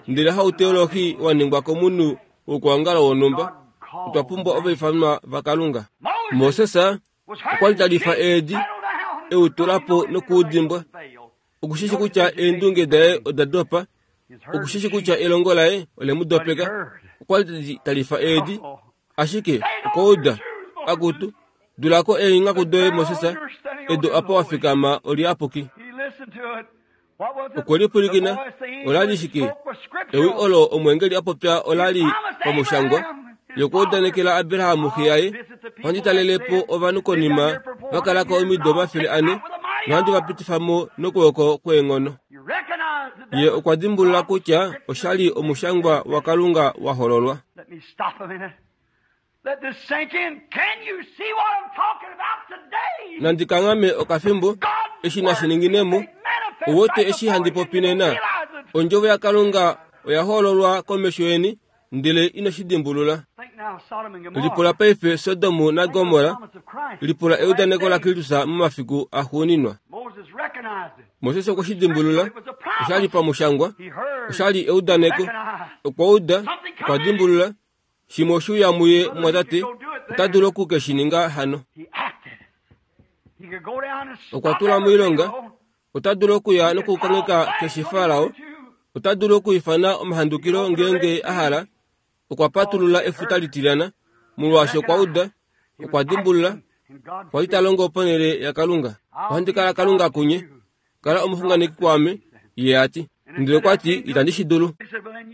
ndele hauteolohi wa ningwa komunhu wokuongalo wonhumba. Otwa pumbwa ovaifanwa vaKalunga. Moses okwa li ta lifa eedi, e u tula po nokuudimbwa. Okushishi kutya eendunge daye oda dopa, okushishi kutya elongo laye ole mu dopeka. Okwa li ta lifa eedi, ashike okwa uda, akutu, dulako eenghaku doye Moses, edu apa wa fikama oliyapuki. Okwe lipwilikina, ola li shike? Ewi olo omwengeli a popya ola li pamushangwa, yokwa udanekela Abraham xe yaye, ohandi talele po ovanhu konima va kala ko omido omafele ane, nohandi va pitifa mo nokwooko kweenghono. Ye okwa dimbulula kutya osha li omushangwa waKalunga wa hololwa. Nandi kanghame okafimbo, eshi nashi ninginemo, uwete eshi handi popi nena, ondjovo yaKalunga oya hololwa komesho yeni, ndele ino shi dimbulula. Lipula paife Sodom naGomorra, lipula eudaneko laKristus momafiku axuuninwa. Moses okwe shi dimbulula, osha li pamushangwa, osha li eudaneko, okwa uda, okwa dimbulula, shimwe oshuuya muye mwatate, ota dulu oku ke shi ninga hano. Okwa tula moilonga, ota dulu okuya nokukangheka keshe Farao, ota dulu okuifana omahandukilo ngeenge a hala, okwa patulula efuta litilyana, molwaashi okwa uda, okwa dimbulula, okwa li ta longo ponhele yaKalunga. Ohandi kala Kalunga kunye, kala omuxunganeki kwaame, ye a ti. Ndele okwa ti, itandi shi dulu.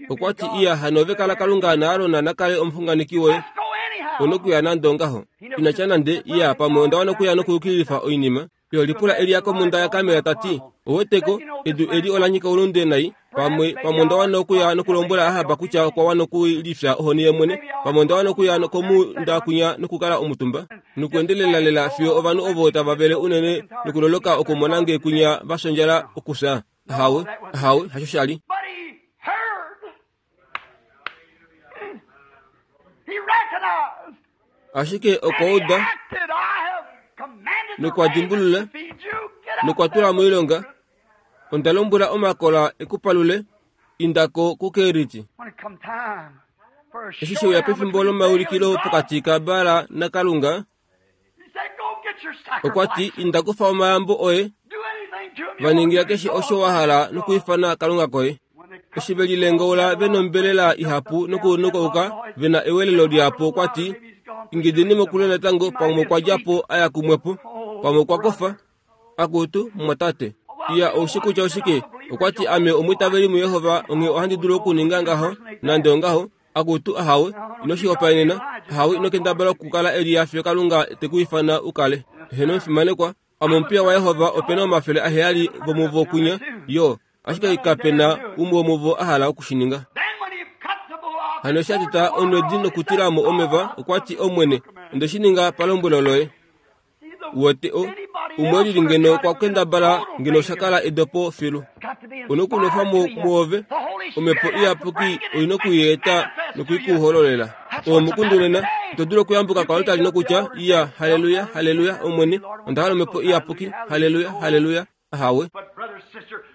Okwa ti, iya hano ove kala Kalunga naAron na kale omuxunganeki woye. Onokuya nande ongaho. Ina tya nande, iya pamwe onda wana okuya nokuyukililifa oinima. Yo lipula Elia komhunda yaKarmel ta ti, oweteko, edu eli ola nyika oulunde nai, pamwe pamwe onda wana okuya nokulombwela Ahab kutya okwa wana okulifya ohoni ye mwene, pamwe onda wana okuya komhunda kwinya nokukala omutumba, nokuendelela lela fiyo ovanhu ovo tava vele unene nokuloloka okumona nge kwinya va fyondjala okufya. Ahawe, ahawe, hasho sha li. Ashike okwa uda, nokwa dimbulula, nokwa tula moilonga, onda lombwela omakola ekupalule, indako kuKeriti. Eshi sheuya pefimbo lomaulikilo pokati kaBaal naKalunga, okwa ti, inda kufa omayambo oye, va ningila keshe osho wa hala nokuifana Kalunga koye. Eshi ve lilengaula ve nombelela ihapu nokunukauka ve na ewelelo lihapu, okwa ti, ingideni mokule natango, pamwe okwa dja po a ya kumwepo, pamwe okwa kofa. Akutu, mumwatate, iya oushi kutya oshike? Okwa ti, ame omwiitaveli muJehova, onghee ohandi dulu okuninga ngaho, nande ongaho, Akutu ahawe, ino shihopaenena, ahawe ino kendabala okukala Eliya fiyo Kalunga te ku ifana u kale. Heno omufimanekwa, ame omupiya waJehova opena omafele aheyali vomuvo kunya, yo, ashike kapena umwe womuvo a hala okushininga. Hano eshi a teta onwedi nokutilamo omeva, okwa ti, Omwene, onde shi ninga palombwelo loye. Uwete o, umwe lili ngeno okwa kendabala ngeno osha kala edopo filu. Onokunwefa mo muove, omhepo iyapuki oina okuyeeta nokuikuhololela. Omukundu nena, ito dulu okuyambuka koaltari nokutya, iya, haleluya, haleluya, Omwene, onda hala omhepo iyapuki, haleluya, haleluya, ahawe.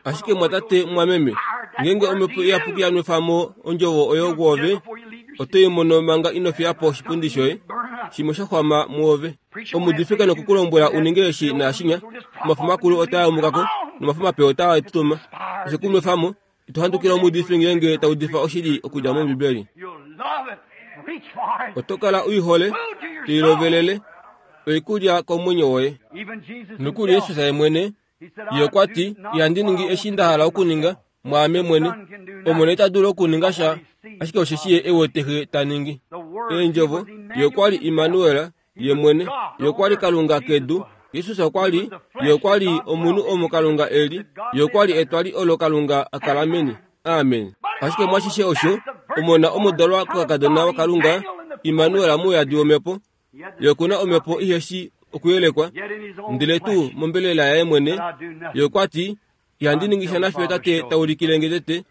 Ashike mwatate mwameme, ngeenge omhepo iyapuki ya nwefa mo ondjovo oyo kwoove, oto i mono manga ino fiya po oshipundi shoye, shimwe sha xwama muove. Omuudifi ke nokukulombwela u ninge eshi naashinya, omafo makulu otaa yamuka ko, nomafo mape otaa tutuma. Oshe ku nwefa mo, ito handukila omuudifi ngeenge ta udifa oshili okudja mOmbibeli. Oto kala u i hole, to i lovelele, oikulya komwenyo woye. Nokuli Jesus ye mwene, ye okwa ti, ihandi ningi eshi nda hala okuninga, mwaame mwene. Omwene ita dulu okuninga sha, ashike osheshi ye e wete Xe ta ningi. Eendjovo, ye okwa li Immanuel, ye mwene, ye okwa li Kalunga kedu. Jesus okwa li, ye okwa li omunhu omo Kalunga e li, ye okwa li etwali olo Kalunga a kala meni. Amen. Ashike mwashishe osho, omona omudalwa kokakadona waKalunga, Immanuel mouyadi womhepo, ye okuna omhepo iheshi okuyelekwa, ndele tuu mombelela yaye mwene, ye okwa ti, ihandi ningi sha nafiyo tate ta ulikile nge tete,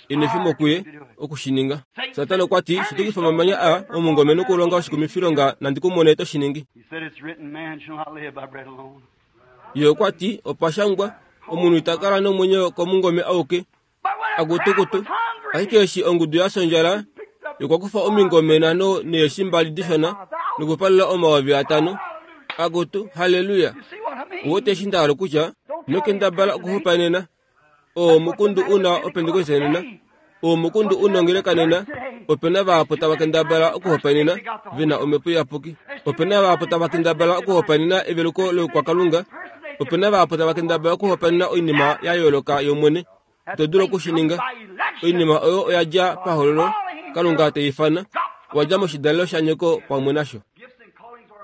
enwefemo kuye okushininga. Satana okwa ti, shitukifa omamanya a omungome nokulonga oshikumifilonga nandi ku mone to shi ningi. Ye okwa ti, opa shangwa, omunhu ita kala nomwenyo komungome auke, akutukutu. Ashike eshi ongudu ya sondjala, ye okwa kufa omingome nhano neeshi mbali dishona nokupalula omayovi atano. Akutu, haleluya! Uwete eshi nda hala okutya? Ino kendabala okuhopaenena. Oo omukundu u na opentekoste nena. Oo omukundu u nongeleka nena. Ope na vahapu tava kendabala okuhopaenena ve na omhepo iyapuki. Ope na vahapu tava kendabala okuhopaenena eveluko loukwakalunga. Ope na vahapu tava kendabala okuhopaenena oinima ya yooloka yOmwene. Ito dulu okushininga. Oinima oyo oya dja pahololo, Kalunga te ifana, owa dja moshidalelo shanyoko pamwe nasho.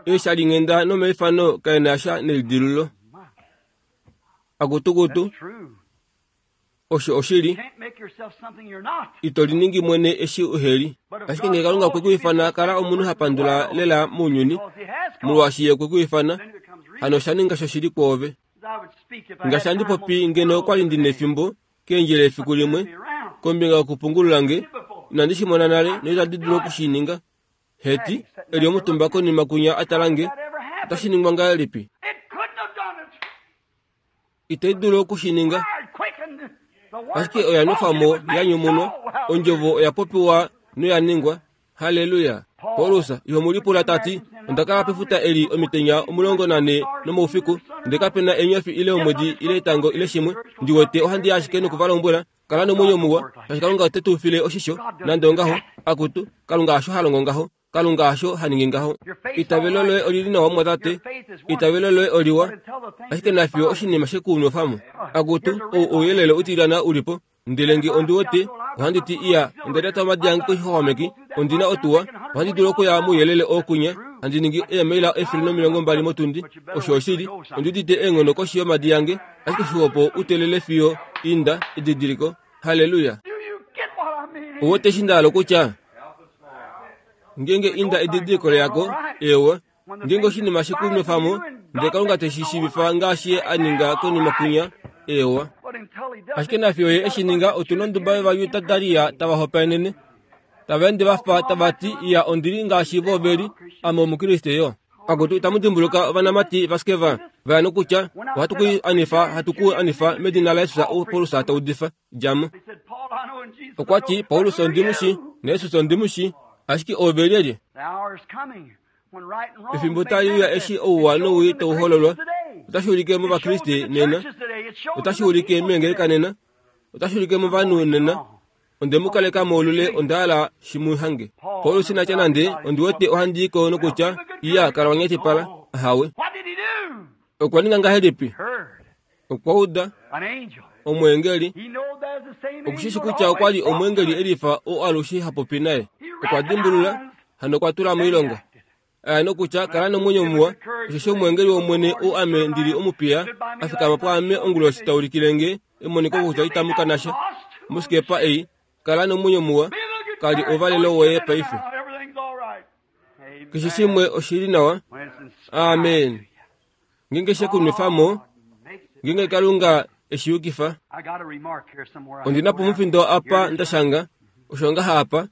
Eeshalinghenda nomaifano kae na sha nelidilululo. Akutukutu, osho oshili, ito liningi mwene eshi uheli. Ashike ngee Kalunga okwe ku ifana, kala omunhu ha pandula lela mounyuni, molwaashi ye okwe ku ifana, hano osha ninga shoshili kwoove. Ngaashi handi popi ngeno okwa li ndi nefimbo keendjila efiku limwe kombinga yokupungulula nge, inandi shi mona nale noitandi dulu oku shi ninga. Heti, e li omutumba konima kunya a tala nge, otashi ningwa ngahelipi? Itai dulu oku shi ninga. Ashike oya nwefa mo, ya nyumunwa, ondjovo oya popiwa noya ningwa. Haleluya! Paulus iho mu lipula ta ti, onda kala pefuta eli omitenya omulongo nane nomoufiku, ndele kape na eenyofi ile omwedi ile etango ile shimwe. Ndi wete ohandi ashike noku va lombwela, kala nomwenyo muwa, shaashi Kalunga ote tu file oshisho. Nande ongaho, akutu, Kalunga hasho ha longo ngaho. Kalunga hasho ha ningi ngaho. Eitavelo loye olili nawa mumwatate, eitavelo loye oliwa, ashike nafiyo oshinima she ku nwefa mo. Akutu, ou ouyelele utilyana u li po. Ndele nge ondi wete, ohandi ti, iya, onda lyata omadi ange koixwaxwameki, ondi na otuwa, ohandi dulu okuya mouyelele oo kunya, handi ningi eemaila efele nomilongo mbali motundi. Osho oshili, ondi udite eenghono koshi yomadi ange, ashike xixopo u telele fiyo inda, edidiliko. Halleluya! Uwete eshi nda hala okutya? Ngeenge inda edidiliko leyako, eewa, ngeenge oshinima she ku nwefa mo, ndele Kalunga te shi shiivifa ngaashi Ye a ninga konima kwinya, eewa. Ashike nafiyo Ye eshi ninga, otu nonduba yOvajuda dalia tava hopaenene, tava ende va fa tava ti, Iya, ondi li ngaashi vo ve li, ame Omukriste yo. Akutu, itamu dimbuluka ovanamati vaSkeva va ya nokutya, ohatu ku anifa, hatu ku anifa medina laJesus ou Paulus ta udifa. Dja mo. Okwa ti, Paulus ondi mu shi, naJesus ondi mu shi, ashike ove lyelye? Efimbo tali uya eshi ouwa nowii tau hololwa. Otashi ulike mOvakriste nena. Otashi ulike meengeleka nena. Otashi ulike movanhu nena. Onde mu kaleka moulule, onda hala shi mu hange. Paulus ina tya nande, ondi wete ohandi i ko nokutya, iya, kala wa nyatipala. Ahawe. Okwa ninga ngahelipi? Okwa uda omweengeli. Okushishi kutya okwa li omweengeli elifa oo alushe ha popi naye. Okwa dimbulula hano okwa tula moilonga. Aya nokutya kala nomwenyo muwa, osheshi omweengeli wOmwene ou ame ndili omupiya a fikama pwaame onguloshi ta ulikile nge emoniko kutya itamu kana sha mosikepa ei. Kala nomwenyo muwa, kali ouvalelo woye paife. Keshe shimwe oshili nawa. Amen. Ngenge she kunwefamo, ngenge Kalunga eshi yukifa. Ondina po omufindo apa ndashanga, osho ngaha apa.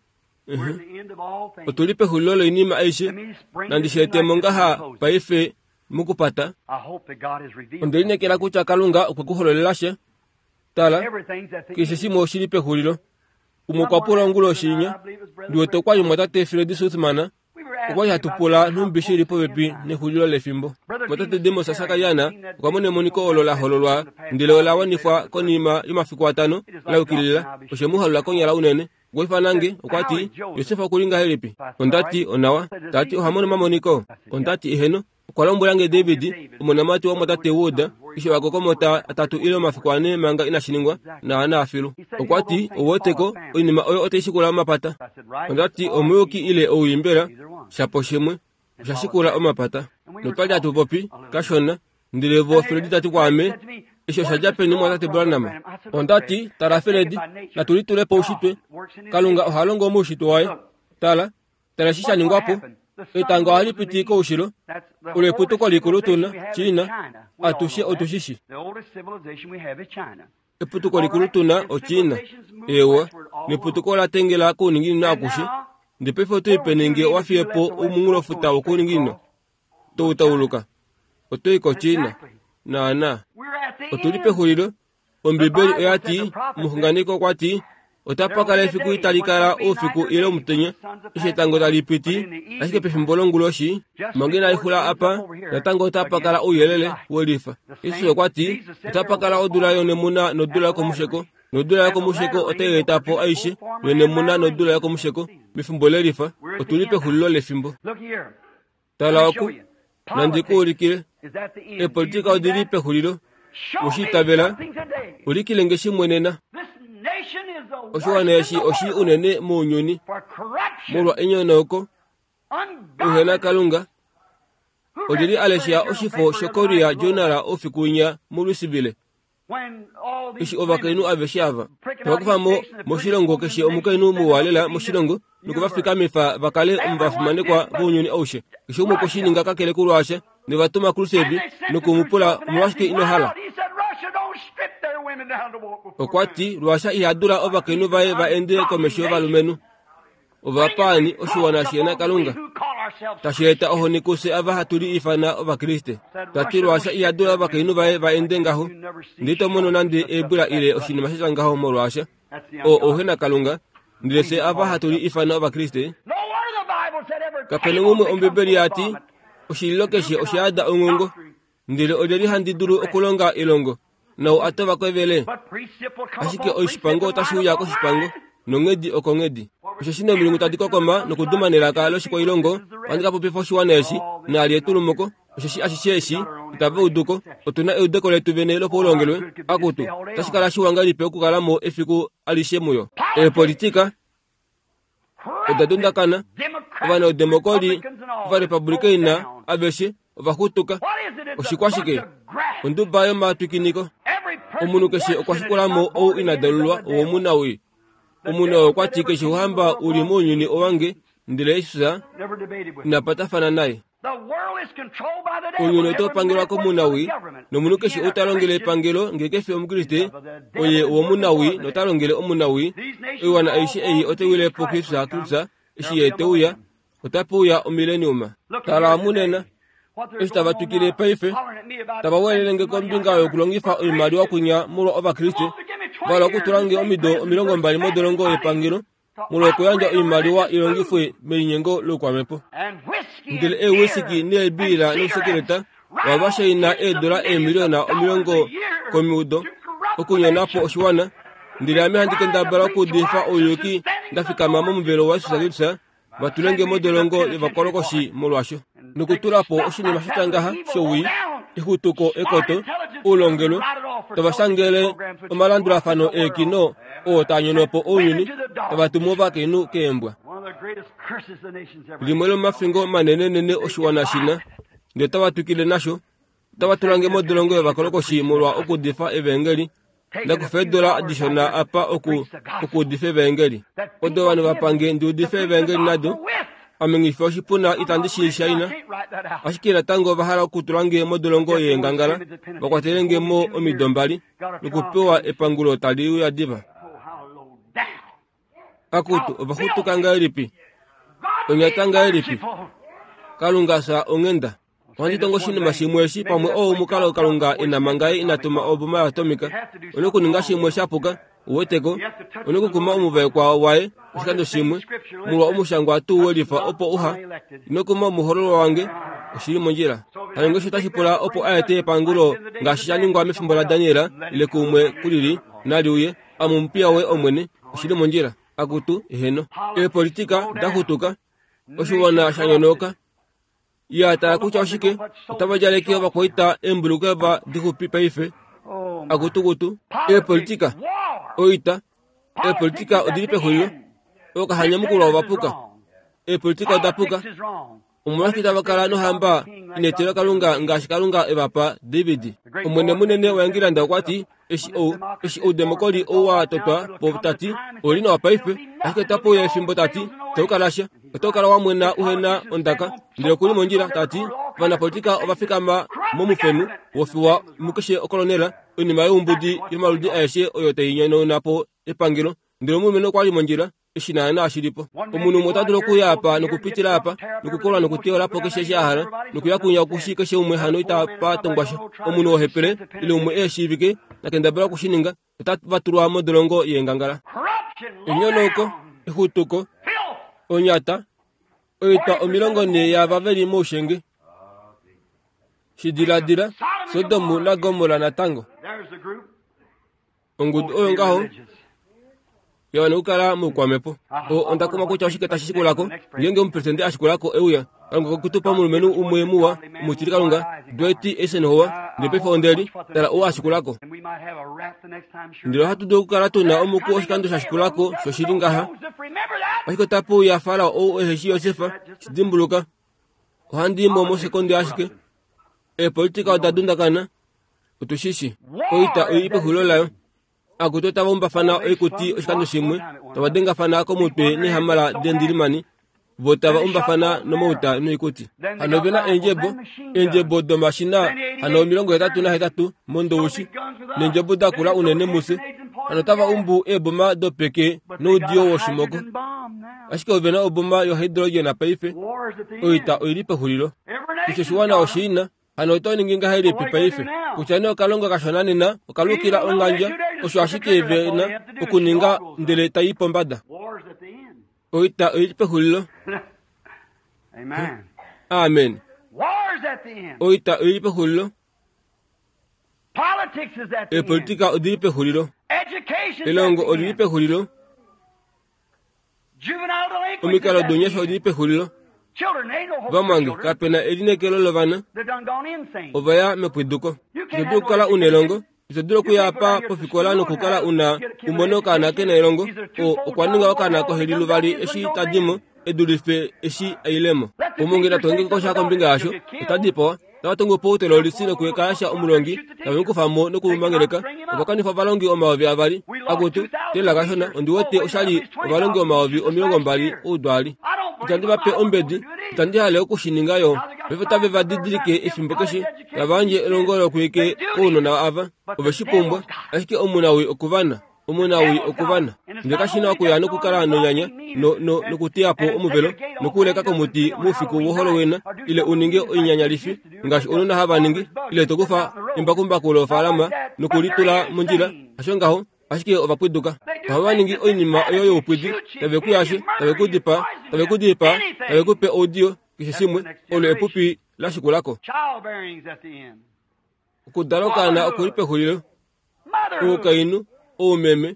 Otuli pexulilo loinima aishe, nandi shi etemo ngaha paife mokupata. Onde lineekela kutya Kalunga okwe ku hololela sha. Tala, keshe shimwe oshili pexulilo. Umwe okwa pula onguloshi inya, ndi wete okwa li omumwatate Fred Sothmann, okwa li hatu pula nhumbi shili popepi nexulilo lefimbo. Omumwatate Demos Shakariana okwa mona emoniko olo la hololwa ndele ola wanifwa konima yomafiku atano la yukilila. Oshe mu halula konyala unene. Okwa ifana nge, okwa ti, Josef okuli ngahelipi? Ondati onawa. Tati oha mono omamoniko. Ondati eheno. Okwa lombwela nge David, omonamati womumwatate Wood, eshi vakokomota atatu ile omafiku ane manga inashi ningwa, naana afilu. Okwa ti, ouweteko, oinima oyo otai shikula omapata. Ondati omuyuki ile ouimbela, shapo shimwe, osha shikula omapata. Notwali hatu popi, kashona, ndele vo Fredi tati kwaame, eshi osha dja peni omumwatate Branham? Ondati, tala Fredi, natu litule poushitwe. Kalunga oha longo moushitwe waye. Tala, tala eshi sha ningwa po. Etango ohali piti koushilo, olo eputuko likulu tuna, China, atushe otushishi. Eputuko likulu tuna oChina, ewa, neputuko ola tengela kouninginino akushe. Ndele paife oto ipene nge owa fiye po omunghulofuta wokouninginino, to tauluka, oto i koChina. Naana, otuli pexulilo. Ombibeli oya ti, omuxunganeki okwa ti, otapa kala efiku itali kala oufiku ile omutenya, eshi etango tali piti, ashike pefimbo longuloshi, manga inali xula apa, natango otapa kala ouyelele welifa. Jesus okwa ti, otapa kala odula yonemuna nodula yokomusheko, nodula yokomusheko otai eta po aishe yonemuna nodula yokomusheko mefimbo lelifa. Otuli pexulilo lefimbo. Tala oku, nandi ku ulikile, eepolitika odili pexulilo. Oshiitavela, ulikile nge shimwe nena. Oshiwana eshi oshi unene mounyuni molwa enyonauko, ouhena Kalunga. Olyeli alesha oshifo shoKorea Journal oufiku winya muLouisville, eshi ovakainhu aveshe ava tava kufa mo moshilongo keshe omukainhu muwa lela moshilongo nokuvafikamifa va kale omuvafimanekwa vounyuni aushe. Keshe umwe okwe shi ninga kakele kuLuasha, novatuma Khrushchev nokumupula omolwashike ino hala. Okwa ti Luasha iha dula ovakainhu vaye va ende komesho yovalumenhu. Ovapaani oshiwana shihena Kalunga, tashi eta ohoni kufye ava hatu li ifana Ovakriste. Tati Luasha iha dula ovakainhu vaye va ende ngaho, ndele ito mono nande eebwila ile oshinima sha tya ngaho molwaasha oo ouhena Kalunga, ndele fye ava hatu li ifana Ovakriste. Kapena umwe Ombibeli ya ti oshililo keshe osha yada onghongo, ndele olyeli handi dulu okulonga elongo nau atova kwevele. Ashike oshipango otashi uya koshipango, nonghedi okonghedi. Osheshi nomilungu tadi kokoma nokuduma nelaka loshikwailongo, ohandi ka popifa oshiwana eshi, naali etulumuko, osheshi ashishe eshi itava uduko. Otuna eudeko letu vene lopaulongelwe. Akutu, otashi kala shiwa ngahelipi okukala mo efiku alishe muyo. Eepolitika oda dundakana, ovaneudemokoli, ovarepublikeina aveshe ovaxutuka. Oshikwashike? Onduba yomatwikiniko. Omunhu keshe okwa shikula mo ou ina dalulwa owomunawii. Omunhu oo okwa ti keshe ouhamba uli mounyuni owange, ndele Jesus ina patafana naye. Ounyuni otau pangelwa komunawii, nomunhu keshe ou ta longele epangelo ngee kefi Omukriste, oye owomunawii nota longele omunawii. Oiwana aishe ei otai wile po Kristus Kristus eshi ye te uya, otape uya omileniuma. Tala munena, eshi tava twikile paife, tava welele kombinga yokulongifa oimaliwa kwinya molwa Ovakriste, vala okutula nge omido omilongo mbali modolongo yepangelo molwa okuyandja oimaliwa ilongifwe melinyengo loukwamhepo. Ndele eewisiki neebiila nousekeleta wava shaina eedola eemiliona omilongo komiudo okunyona po oshiwana. Ndele ame handi kendabala okuudifa ouyuki nda fikama momuvelo waJesus Kristus, va tulenge modolongo yovakolokoshi molwasho, nokutula po oshinima sha tya ngaha showii, exutuko ekoto, oulongelwe, tava shangele omalandulafano eekino oo taa nyono po ounyuni, tava tumu ovakainhu keembwa. Limwe lomafingo manenenene oshiwana shina, ndele otava twikile nasho. Otava tulange modolongo yovakolokoshi molwa okuudifa evangeli. Ndakufa eedola dishona apa oku okuudifa evangeli. Odo ovanhu vapange ndi udife evangeli nado. Ame nghifi oshipuna itandi shi shaina. Ashike natango ova hala okutulange modolongo yeengangala, vakwatelenge mo omido mbali, nokupewa epangulo tali uya diva. Akutu, ova xutuka ngahelipi? Onyata ngahelipi? Kalunga fya onghenda. Ohandi tongo oshinima shimwe eshi pamwe oo omukalo Kalunga ena manga ye ina tuma oboma yoatomika. One okuninga shimwe shapuka, uweteko. One okukuma omuvaekwa waye oshikando shimwe, molwa omushangwa tuu welifa opo uha. Ino kuma omuhololwa wange, oshili mondjila. Hano ngeshi otashi pula opo a ete epangulo ngaashi sha ningwa mefimbo laDaniel ile kuumwe kulili nali uye, ame omupiya woye Omwene, oshili mondjila. Akutu, eheno. Eepolitika daxutuka, oshiwana sha nyonauka. Ya tala kutya oshike, otava djaleke ovakwaita eembulukeva dixupi paife. Akutukutu, eepolitika, oita, eepolitika odili pexulilo. Okahanyamukulwa ovapuka. Eepolitika odapuka. Omolwashike tava kala nohamba inetelwa Kalunga ngaashi Kalunga evapa David? Omwene munene waEngilanda okwa ti, eshi ou, eshi oudemokoli ou wa totwa po tati, ouli nawa paife, ashike otape uya efimbo tati, itau kala sha. Otau kala wa mwena uhena ondaka, ndele okuli mondjila tati, ovanapolitika ova fikama momufenu wofiwa mukeshe okolonela, oinima youmbudi yomaludi aeshe oyo tai nyonauna po epangelo. Ndele omulumenhu okwa li mondjila, eshi naana shilipo. Omunhu umwe ota dulu okuya apa nokupitila apa, nokukolwa nokuteyola po keshe eshi a hala, nokuya kunya okushi keshe umwe hano itapa tongwa sha. Omunhu wohepele, ile umwe eheshiivike, nakendabala okushininga, otava tulwa modolongo yeengangala. Enyonauko, exutuko, onyata, oitwa omilongo nhee yaava veli moushenge. Shidiladila, Sodom naGomorra natango. Ongudu oyo ngaho ya wana okukala moukwamhepo. O, onda kumwa kutya oshike tashi shikulako ngeenge omupresidente a shikulako euya. Kalunga okwe tu pa omulumenhu umwe muwa, omutili Kalunga, Dwight Eisenhower, ndele paife onde li tala ou a shikulako. Ndele ohatu dulu okukala tu na omuku oshikando sha shikulako shoshili ngaha. Ashike otape uya Farao ou ehe shi Josef, shi dimbuluka. Ohandi i mo mosekonde ashike. Eepolitika oda dundakana, otu shi shi. Oita oi li pexulilo layo. Akutu otava umbafana oikuti oshikando shimwe, tava dengafana komutwe neehamala dendilimani, vo tava umbafana nomauta noikuti. Hano ove na eendjebo, eendjebo domashina hano omilongo hetatu nahetatu mondoushi, neendjebo da kula unene mufye. Hano otava umbu eeboma dopeke noudiyo woshimoko. Ashike ove na oboma yohydrogen paife. Oita oi li pexulilo. Keshe oshiwana oshiina. Hano oto ningi ngahelipi paife? Kutya nee okalonga kashona nena okalukila ongandja, osho ashike ve na okuninga ndele tai i pombada. Oita oi li pexulilo. Amen. Oita oi li pexulilo. Eepolitika odi li pexulilo. Elongo oli li pexulilo. Omikalo dounyasha odi li pexulilo. Vamwange, kape na elineekelo lovana. Ova ya mepwiduko. Ito dulu okukala u nelongo. Ito dulu okuya apa pofikola nokukala u na umone okaana ke na elongo. O, okwa ninga okaana koheli luvali eshi ta di mo, e dulife eshi a ile mo. Omunge na tonge kosha kombinga yasho, ota dipawa. Tava tungu po outelolisi nokuekasha omulongi, tave mu kufa mo nokumumangeleka. Ova kanifa ovalongi omayovi avali. Akutu, tela kashona, ondi wete osha li ovalongi omayovi omilongo mbali oudwaali. Itandi va pe ombedi, itandi hale oku shi ninga yo. Paife otave va didilike efimbo keshe, tava yandje elongo lokwiike kounona ava. Ove shi pumbwa, ashike omunawii okuvana. Omunawii okuvana. Ndele kashi na okuya nokukala nonyanya, no, no, nokuteya po omuvelo, nokuuleka komuti moufiku woHalloween, ile u ninge oinyanyalifi ngaashi ounona hava ningi, ile to kufa embakumbaku lofaalama nokulitula mondjila. Hasho ngaho, ashike ova pwiduka. Ohava ningi oinima oyo youpwidi, tave ku yashe, tave ku dipaa, tave ku dipaa, tave ku pe oudiyo, keshe shimwe. Olo epupi la shikulako. Okudala okaana oku li pexulilo. Oukainhu, oumeme,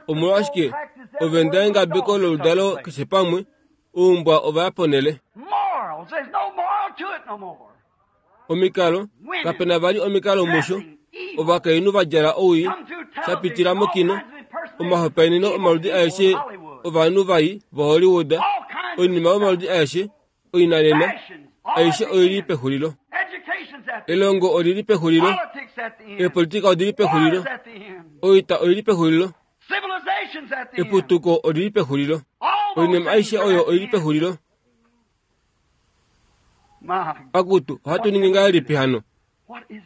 omolwashike ove nda engabeko loludalo keshe pamwe, oumbwa ova ya ponhele. Omikalo, kape na vali omikalo musho, ovakainhu va djala owii, sha pitila mokino, omahopaeneno omaludi aeshe ovanhu vai voHollywood, Oinima yomaludi aeshe oinanena aishe oili pexulilo. Elongo olili pexulilo. Eepolitika odili pexulilo. Oita oili pexulilo. Eputuko olili pexulilo. Oinima aishe oyo oili pexulilo. Akutu, ohatu ningi ngahelipi hano?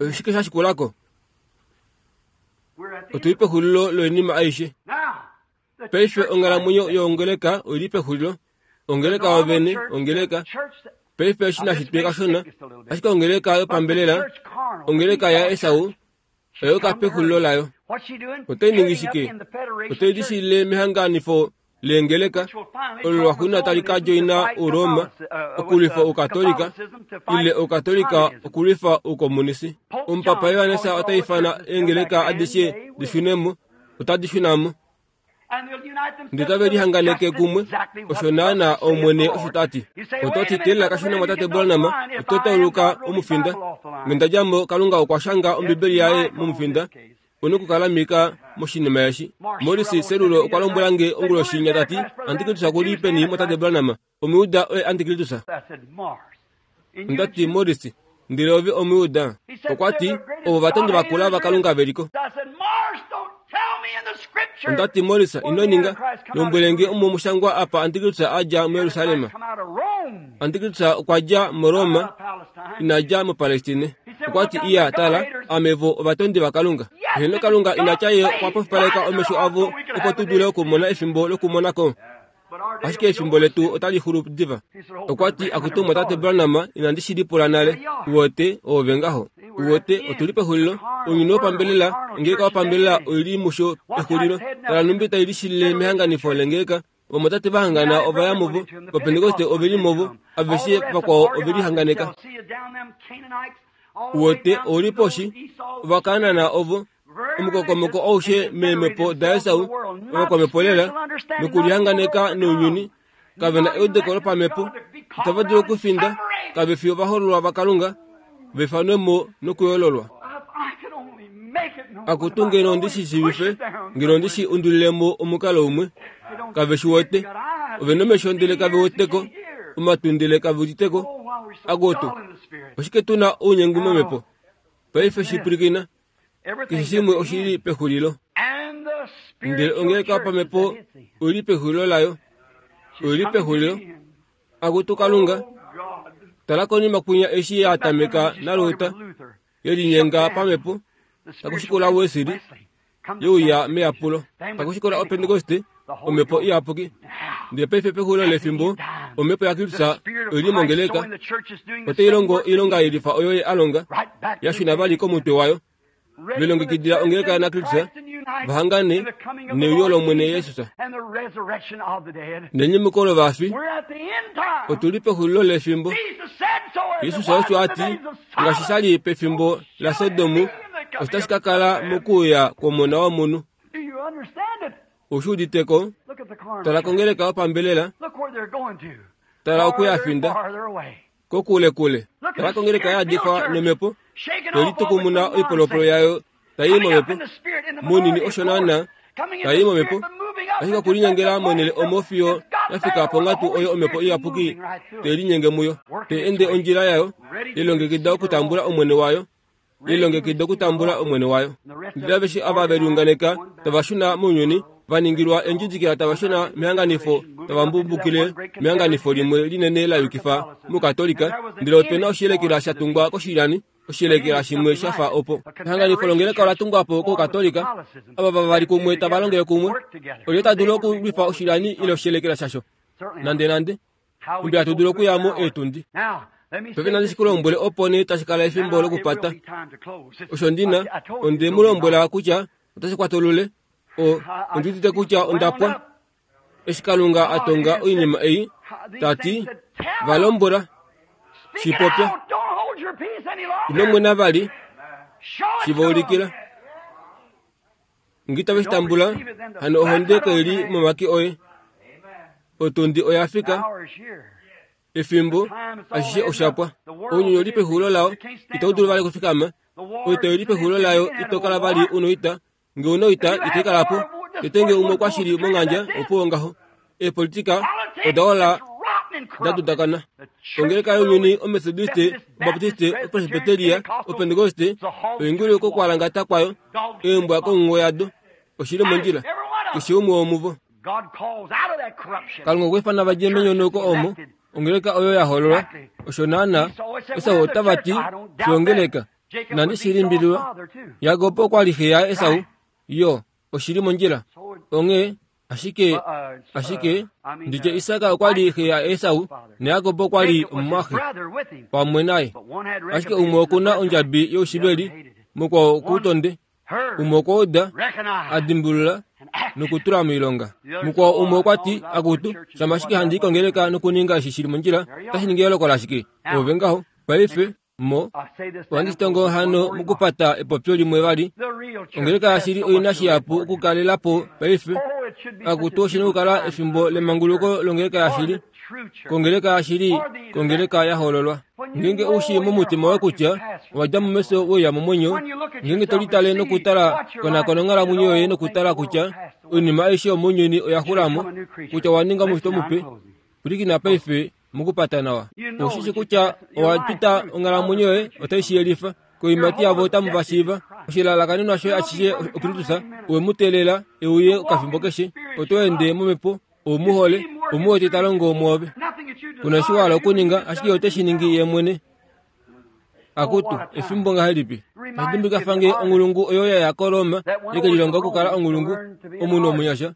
Oshike sha shikulako? Otuli pexulilo loinima aishe. Paife onghalamwenyo yongeleka oili pexulilo. Ongeleka yovene, ongeleka. Paife eshi nashi tweka shona, ashike ongeleka yopambelela, ongeleka yaEsau, oyoka pexulilo layo. Otai ningi shike? Otai lishile mehanganifo leengeleka, olo lwaxuuninwa tali ka djoina Uroma okulwifa Oukatolika, ile Oukatolika okulwifa Oukomunisi. Omupapa Yohanesa ota ifana eengeleka adishe dishunemo, otadi shunamo. Ndele tave lihanganeke kumwe, osho naana Omwene osho ta ti. Oto ti teelela kashona mwatate Branham, oto tauluka omufinda. Ngendadjamo Kalunga okwa shanga Ombibeli yaye momufinda, une okukala mika moshinima eshi. Morris Serulo okwa lombwela nge onguloshi ta ti, Antikristu okuli peni mwatate Branham? Omuyuda oye Antikristu. Onda ti Morris, ndele ove Omuyuda. Okwa ti, ovo vatondi vakula vaKalunga veliko. Onda ti Morris, ino ninga, lombwele nge omo mushangwa apa Antikristu a dja muJerusalem. Antikristu okwa dja muRoma, ina dja muPalestine. Okwa ti iya tala, ame vo ovatondi vaKalunga. Heno Kalunga ina tya ye okwa pofipaleka omesho avo opo tu dule okumona efimbo lokumonako. Ashike efimbo letu otali xulu diva. Okwa ti akutu mwatate Branham, inandi shi lipula nale. Uwete oove ngaho. Uwete otuli pexulilo. Ounyuni wopambelela, ongeleka wopambelela oili musho pexulilo. Tala numbi tai lishilile mehanganifo lengeleka. Vamwatate vahangana ovaya muvo, Vapentekoste oveli muvo, aveshe vakwao ovelihanganeka. Uwete ouli poshi, Ovakanaan ovo, omukokomoko aushe meemhepo daEsau, ovakwamhepo lela, nokulihanganeka nounyuni, kave na eudeko lopamhepo, itava dulu okufinda, kave fi ovahoololwa vaKalunga, vaifanwemo nokuyoololwa. Akutu ngeno ondi shi shiivife, ngeno ondi shi undulilemo omukalo umwe, kave shi wete, ove nomesho ndele kave weteko, omatwi ndele kave uditeko. Akutu, oshike tu na ounyengu momhepo? Paife shipwilikina, keshe shimwe oshili pexulilo. Ndele ongeleka yopamhepo oili pexulilo layo, oili pexulilo. Akutu Kalunga, tala konima kwinya eshi ya tameka naLuther, yelinyenga pamhepo, takushikula Wesley, yeuya meyapulo, takushikula Opentekoste, omhepo iyapuki. Ndele paife pexulilo lefimbo, omhepo yaKristus oili mongeleka, otai longo oilonga ilifa oyo ye a longa, ya shuna vali komutwe wayo. Velongekidila ongeleka naKristus, vahangane neuyo lOmwene Jesus nenyumuko lovafi. Otuli pexulilo lefimbo. Jesus osho a ti, ngaashi sha li pefimbo laSodomu, otashi ka kala mokuuya kwOmona wOmunhu. Oushi uditeko? Tala kongeleka yopambelela, tala okuya finda kokulekule. Tala kongeleka ya yadifwa nomhepo, yelitukumuna oipolopolo yayo tai momhepo, munini osho naana tai momhepo, ashike okulinyengela monhele omo fiyo yafika ponghatu oyo omhepo iyapuki te linyenge muyo, te ende ondjila yayo, yelongekida okutambula Omwene wayo, yelongekida okutambula Omwene wayo. Ndele aveshe ava veliunganeka tava shuna mounyuni, vaningilwa endjidikila tava shuna mehanganifo, tava mbumbukile mehanganifo limwe linene la yukifa mukatolika. Ndele opena oshiyelekela sha tungwa koshilyani, oshiyelekela shimwe sha fa opo. Ehanganifo longeleka ola tungwa po kokatolika, ava vavali kumwe tava longele kumwe. Olye ta dulu okulwifa oshilyani ile oshiyelekela shasho? Nande nande. Mbela hatu dulu okuyamo eetundi. Paife nandi shi ku lombwele opo nee tashi kala efimbo lokupata. Osho ndina, onde mu lombwela kutya otashi kwatulule. O, ondi udite kutya onda pwa. Eshi Kalunga a tonga oinima ei, ta ti, va lombwela, shi popya. Ino mwena vali, shi va ulikila. Nge itave shi tambula, hano ohonde kaili momake oye. Otundi oya fika, efimbo ashishe osha pwa. Ounyuni oli pexulilo lao, itau dulu vali okufikama. Oita oili pexulilo layo, ito kala vali unoita. Nge unoita, ito ikala po. Tete nge umwe okwa shili mongandja, opuwo ngaho. Eepolitika oda ola da dudakana. Ongeleka younyuni, omethodiste, obaptiste, opresbiteria, opentekoste, oingulu kokwalangata kwayo, eembwa konghungo yado, oshili mondjila, keshe umwe womuvo. Kalunga okwa ifana vadje menyonauko omo, ongeleka oyo ya hololwa, osho naana Esau otava ti shongeleka, nandi shilimbililwa. Jakob okwa li xe yaEsau, yo oshili mondjila. Onghee ashike ashike nditye Isak okwa li xe yaEsau naJakob okwa li omumwaxe pamwe naye. Ashike umwe okuna ondjabi youshiveli, mukwao okuutonde. Umwe okwa uda, a dimbulula nokutula moilonga. Mukwao umwe okwa ti, akutu, shama ashike handi kongeleka nokuninga eshi shili mondjila, otashi ningi eyooloko lashike? Ove ngaho, paife, mo ohandi shitongo hano mokupata epopyo limwe vali. Ongeleka yashili oina shihapu okukalela po paife. Akutu oshina okukala efimbo lemanguluko longeleka yashili, kongeleka yashili, kongeleka ya hololwa. Ngeenge u shii momutima woye kutya owa dja momesho we uya momwenyo, ngeenge to litale nokutala konakona onghalamwenyo yoye nokutala kutya oinima aishe yomounyuni oya xula mo, kutya owa ninga omushitwa mupe, pwilikina paife mokupata nawa. Oushi shi kutya owa pita onghalamwenyo yoye otai shi yelifa. Koiimati yavo otamu va shiiva. Oshilalakanenwa shoye ashishe oKristus, owe mu teelela e uye okafimbo keshe. Oto ende momhepo, ou mu hole, ou mu wete ta longo mwoove. Kuna eshi wa hala okuninga, ashike ote shi ningi ye mwene. Akutu, efimbo ngahelipi? Tashi dimbulukifa nge onghulungu oyo ya ya koRoma yeke lilonga okukala onghulungu, omunhu omunyasha.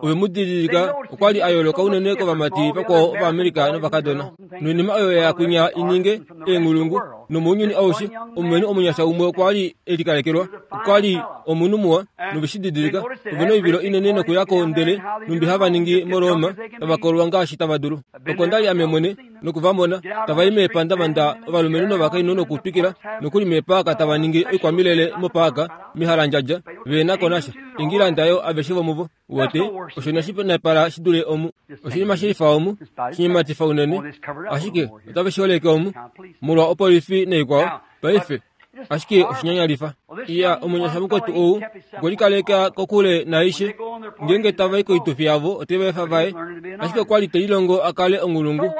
Ove mu didilika okwa li a yooloka unene kovamati vakwao Ovaamerica novakadona. Noinima oyo ya ya kwinya i ninge eenghulungu, nomounyuni aushe, omulumenhu omunyasha umwe okwa li e likalekelwa. Okwa li omunhu muwa, nove shi didilika. Ove noivilo inene nokuya ko ndele numbi hava ningi moRoma, tava kolwa ngaashi tava dulu. Oko nda li ame mwene noku va mona, tava i meepandavanda ovalumenhu novakainhu nokutwikila, nokuli meepaaka tava ningi oikwamilele mopaaka, mehalandjadja, ve na ko nasha. Ingilanda yo aveshe vomuvo. Uwete, osho inashi naipala shi dule omu. Oshinima shilifa omu, shinyematifa unene. Ashike otave shi holeke omu, molwa opolifi naikwao, paife. Ashike oshinyanyalifa. Iya, omunyasha mukwetu ou, okwe likaleka kokule naaishe. Ngeenge tava i koitufi yavo, ote va efa vaye. Ashike okwa li te lilongo a kale onghulungu.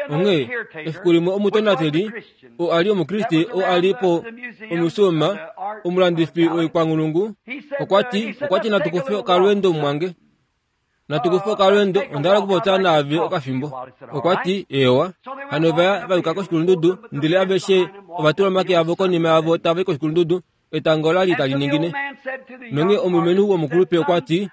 Onghee, efiku limwe omutonateli, oo a li omukriste oo a li po omusuuma, omulandifi woikwanghulungu, okwa ti, okwa ti natu kufe okalweendo mumwange. Natu kufe okalweendo, onda hala okupopya naave okafimbo. Okwa ti, eewa. Hano va ya va yuka koshikulundudu, ndele aveshe ova tula omake avo konima yavo tava i koshikulundudu, etango la li tali ningine. Nonghee omulumenhu womukulupe okwa ti,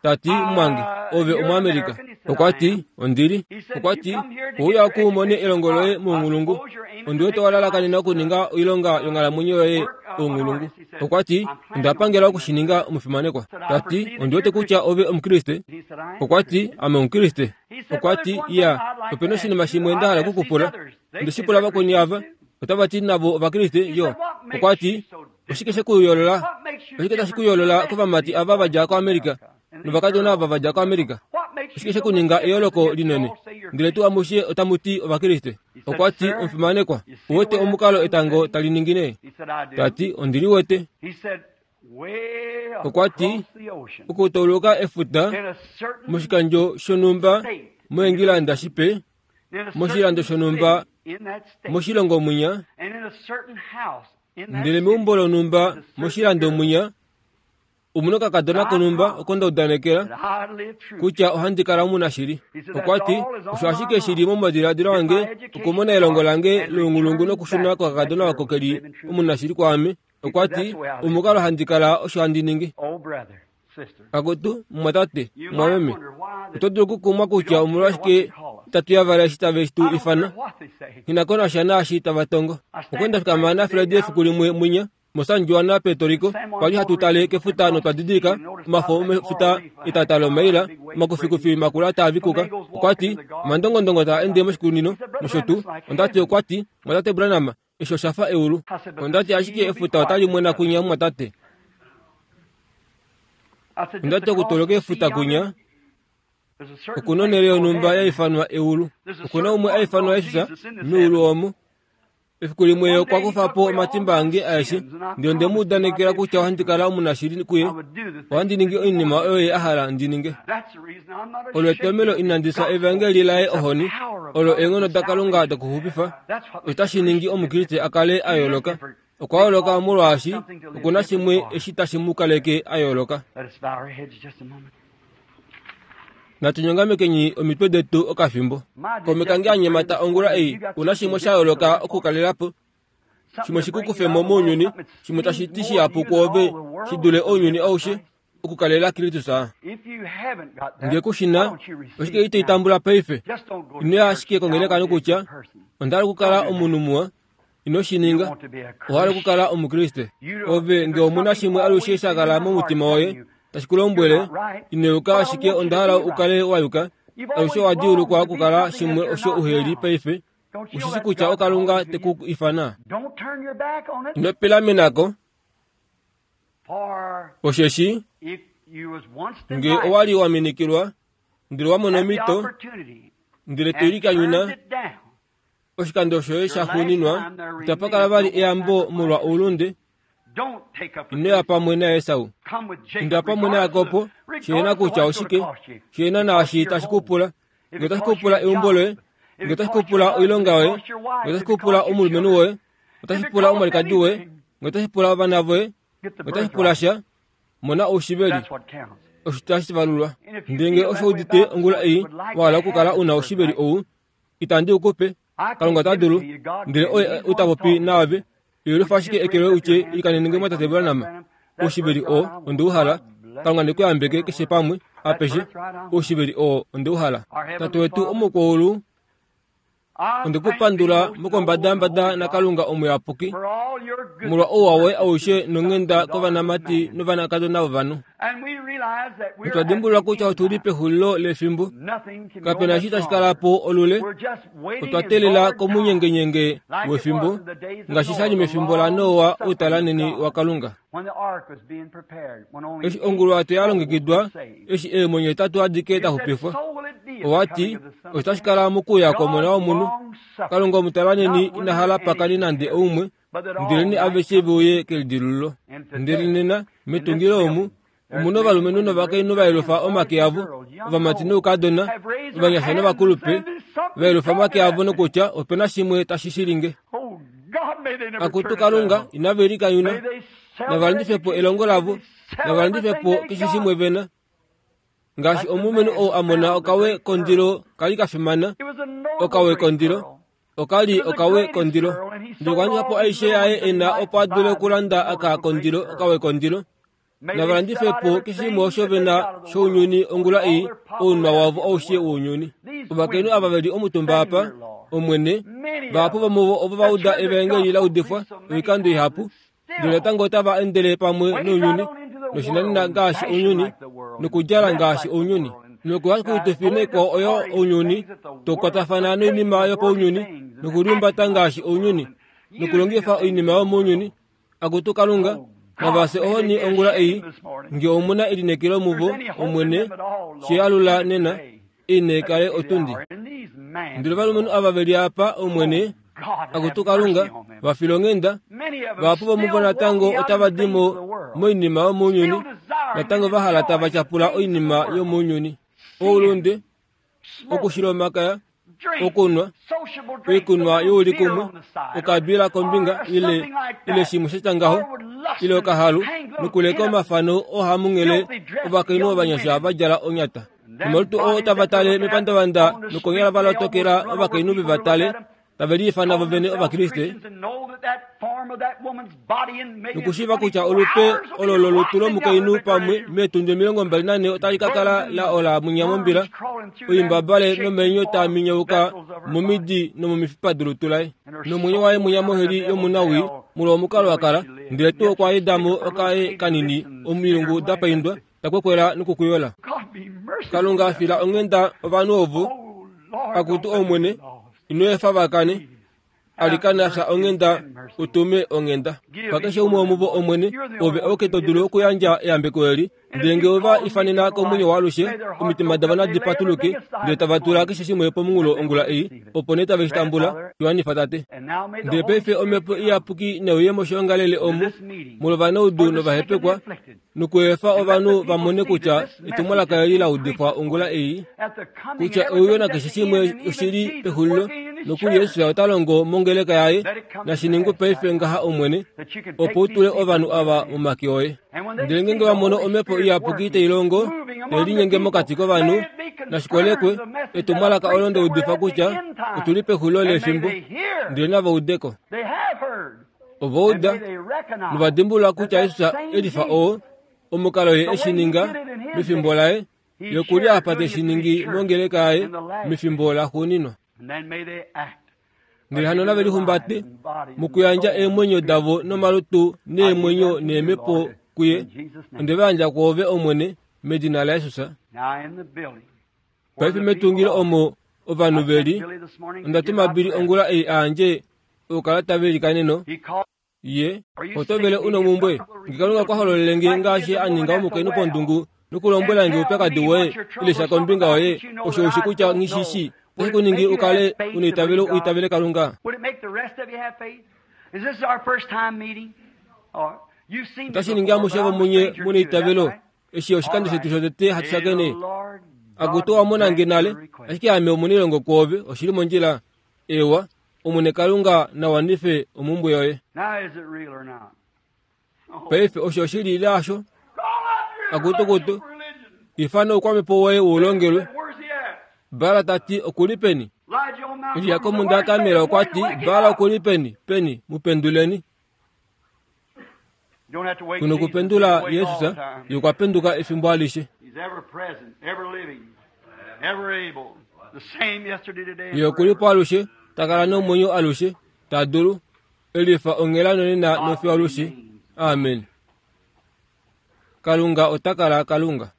ta ti, mumwange, ove Omuamerica. Okwa ti, ondili. Okwa ti, ouya oku umone elongo loye mounghulungu. Ondi wete wa lalakanena okuninga oilonga yonghalamwenyo yoye ounghulungu. Okwa ti, onda pangela okushininga omufimanekwa. Ta ti, ondi wete kutya ove Omukriste. Okwa ti, ame Omukriste. Okwa ti, iya, opena oshinima shimwe nda hala okukupula. Onde shi pula vakweni ava, otava ti navo Ovakriste, yo. Okwa ti, oshike she ku yoolola? Oshike tashi ku yoolola kovamati ava va dja koAmerica novakadona ava va dja koAmerica? Oshike she ku ninga eyooloko linene? Ndele tuu amushe otamu ti Ovakriste. Okwa ti, omufimanekwa, uwete omukalo etango tali ningine? Ta ti, ondi li wete. Okwa ti, okutauluka efuta moshikandjo shonhumba moEngilanda shipe, moshilando shonhumba moshilongo mwinya, ndele meumbo lonhumba moshilando mwinya, omuna okakadona konhumba oko nda udanekela kutya ohandi kala omunashili. Okwa ti, osho ashike shili momadiladilo ange okumona elongo lange lounghulungu nokushuna kokakadona oko ke li omunashili kwaame. Okwa ti, omukalo handi kala osho handi ningi. Akutu, mumwatate, mumwameme, oto dulu okukumwa kutya omolwashike itatu yavala eshi tave tu ifana. Nghi ko nasha naashi tava tongo. Okwa enda fikama naFred efiku limwe mwinya, moSan Juan, Puerto Rico, kwa li hatu tale kefuta notwa didilika omafo omefuta etata lomaila, omakufikufi makula taa vikuka. Okwa ti, omandongondongo taa ende moshikunino nosho tuu. Onda ti, okwa ti, mumwatate Branham, eshi osha fa eulu. Onda ti, ashike efuta otali mwena kwinya, mumwatate. Onda ti, okutoloka efuta kwinya, okuna onhele yonhumba ya ifanwa eulu. Okuna umwe a ifanwa Jesus meulu omo. Efiku limwe okwa kufa po omatimba ange aeshe, ndele onde mu udanekela kutya ohandi kala omunashili kuye, ohandi ningi oinima oyo ye a hala ndi ninge. Olo etomelo inandi fya evangeli laye ohoni, olo eenghono daKalunga dokuxupifa. Otashi ningi Omukriste a kale a yooloka. Okwa yooloka molwaashi okuna shimwe eshi tashi mu kaleke a yooloka. Natu nyongamekeni omitwe detu okafimbo. Kaume kange a nyemata ongula ei, una shimwe sha yooloka okukalela po, shimwe shikukufemo mounyuni, shimwe tashi ti shihapu kwoove shi dule ounyuni aushe, okukalela Kristus. Nge kushina, oshike ito itambula paife? Ino ya ashike kongeleka nokutya, onda hala okukala omunhu muwa. Ino shi ninga. Owa hala okukala Omukriste. Ove nge omuna shimwe alushe sha kala momutima woye tashi ku lombwele, ino yuka ashike onda hala u kale wa yuka. Alushe owa djuulukwa okukala shimwe osho uheli paife. Ushishi kutya oKalunga te ku ifana. Ino pilamenako, osheshi nge owa li wa minikilwa, ndele wa mona omhito, ndele to likanyuna, oshikando shoye sha xuuninwa, itapa kala vali eyambo molwa oulunde. Ino ya pamwe naEsau, inda pamwe naJakob, shihena kutya oshike, shihena naashi tashi ku pula. Nge otashi ku pula eumbo loye, nge otashi ku pula oilonga yoye, nge otashi ku pula omulumenhu woye, otashi pula omwalikadi woye, nge otashi pula ovana voye, nge otashi pula sha, mona oushiveli. Osho tashi valulwa. Ndele nge osho udite ongula ei wa hala okukala una oushiveli ou, itandi u kupe. Kalunga ota dulu, ndele oye ou ta popi naave. Yelifa ashike eke loye utye, ilikanene nge mwatate Branham. Oushiveli oo onde u hala. Kalunga ne ku yambeke keshe pamwe, apeshe. Oushiveli oo onde u hala. Tate wetu omukwaulu, onde ku pandula mokombadambada naKalunga omuyapuki, molwa ouwa woye aushe nonghenda kovanamati novanakadona vovanhu. Otwa dimbulula kutya otu li pexulilo lefimbo. Kape na eshi tashi kala po olule. Otwa teelela komunyengenyenge wefimbo, ngaashi sha li mefimbo laNoa outalaneni waKalunga. Eshi onguluwato ya longekidwa, eshi eemwenyo hetatu adike da xupifwa, owa ti, otashi kala mokuuya kwOmona wOmunhu. Kalunga omutalaneni ina hala pakani nande oumwe, ndeleni aveshe ve uye kelidilululo. Ndele nena, metungilo omu, omuna ovalumenhu novakainhu va yelufa omake avo, ovamati noukadona, ovanyasha novakulupe, va yelufa omake avo nokutya opena shimwe tashi shilinge. Akutu Kalunga, inave likanyuna, nava landife po elongo lavo, nava landife po keshe shimwe vena. Ngaashi omulumenhu ou a mona okawe kondilo kali ka fimana, okawe kondilo, okali okawe kondilo. Ndele okwa landifa po aishe yaye e na opo a dule okulanda aka kondilo, okawe kondilo. Nava landife po keshe shimwe osho vena shounyuni ongula ei, ounwa wavo aushe wounyuni. Ovakainhu ava ve li omutumba apa, Omwene, vahapu vomuvo ovo va uda evangeli la udifwa oikando ihapu, ndele natango otava endele pamwe nounyuni, noshinanena ngaashi ounyuni, nokudjala ngaashi ounyuni, nokuya koitufi naikwao oyo ounyuni, tokwatafana noinima yopaunyuni, nokuliumbata ngaashi ounyuni, nokulongifa oinima yomounyuni. Akutu Kalunga, navase ohoni ongula ei, nge omuna elineekelo muvo, Omwene, shiyalula nena, ine kale otundi. Ndele ovalumenhu ava ve li apa, Omwene, akutu Kalunga, va fila onghenda, vahapu vomuvo natango otava di mo moinima yomounyuni, natango va hala tava tyapula oinima yomounyuni. Oulunde, okushila omakaya, okunwa, oikunwa youlikumwe, okabila kombinga ile ile shimwe sha tya ngaho, ile okahalu, nokuleka omafano ohamunghele ovakainhu ovanyasha va djala onyata. Nomalutu oo tava tale mepandavanda nokonyala va lotokela ovakainhu ve va tale, tave liifana vo vene Ovakriste, nokushiiva kutya olupe olo lolutu lomukainhu pamwe meetundi omilongo mbali nane otali ka kala la ola mwinya mombila, oimbabale nomeenyo taa minyauka momidi nomomifipa dolutu laye, nomwenyo waye mwinya moheli yomunawii molwa omukalo wa kala, ndele tuu okwa eda mo okaye kanini omilungu da paindwa takwekwela nokukuyola. Kalunga fila onghenda ovanhu ovo, akutu Omwene, ino efa va kane. Alikana fya onghenda utume onghenda. Pakeshe umwe womuvo Omwene, ove auke to dulu okuyandja eyambeko eli, ndele ngee ova ifanena komwenyo waalushe, omitima davo nadi patuluke, ndele tava tula keshe shimwe pomunghulo ongula ei, opo nee tave shi tambula. Shiwanifa Tate. Ndele paife Omhepo Iyapuki neuye moshiongalele omu, molwovanaudu novahepekwa, nokuefa ovanhu va mone kutya etumwalaka eli la udifwa ongula ei, kutya euyo nakeshe shimwe oshili pexulilo, nokuli Jesus ota longo mongeleka yaye, nashiningwe paife ngaha Omwene, opo u tule ovanhu ava momake oye. Ndele ngeenge va mono Omhepo Iyapuki tai longo, tai linyenge mokati kovanhu, nashikolekwe etumwalaka olo nda udifa kutya otuli pexulilo lefimbo, ndele nava udeko. Ova uda novadimbulula kutya Jesus elifa oo, omukalo ye eshi ninga mefimbo laye, ye okuli apa teshi ningi mongeleka yaye mefimbo laxuuninwa. Ndele hano nave lihumbate mokuyandja eemwenyo davo nomalutu neemwenyo neemhepo kuye, onde va yandja kwoove Omwene, medina laJesus. Paife metungilo omo ovanhu veli, onda tuma Billy ongula ei aandje oukalata velikaneno. Ye oto vele una omumbwe, nge Kalunga okwa hololele nge ngaashi a ninga omukainhu pondungu nokulombwela nge oupyakadi woye ile sha kombinga yoye, osho ushi kutya nghishishi, otashi ku ningi ukale una eitavelo u itavele Kalunga. Otashi ningi amushe vomunye muna eitavelo, eshi oshikando shetu shotete hatu shakene. Akutu owa mona nge nale, ashike ame omunailongo kwoove, oshili mondjila. Ewa, Omwene Kalunga na wanife omumbwe yoye. Paife osho oshili ile hasho? Akutukutu, ifana oukwamhepo woye ulongelwe. Baala tati okuli peni? Elia komhunda yaKarmel okwa ti, Baala okuli peni? Peni, mu penduleni. Kuna okupendula Jesus, ye okwa penduka efimbo alishe. Ye okuli po alushe, ta kala nomwenyo alushe, ta dulu, elifa onghela nonena nofiyo alushe. Amen. Kalunga ota kala Kalunga.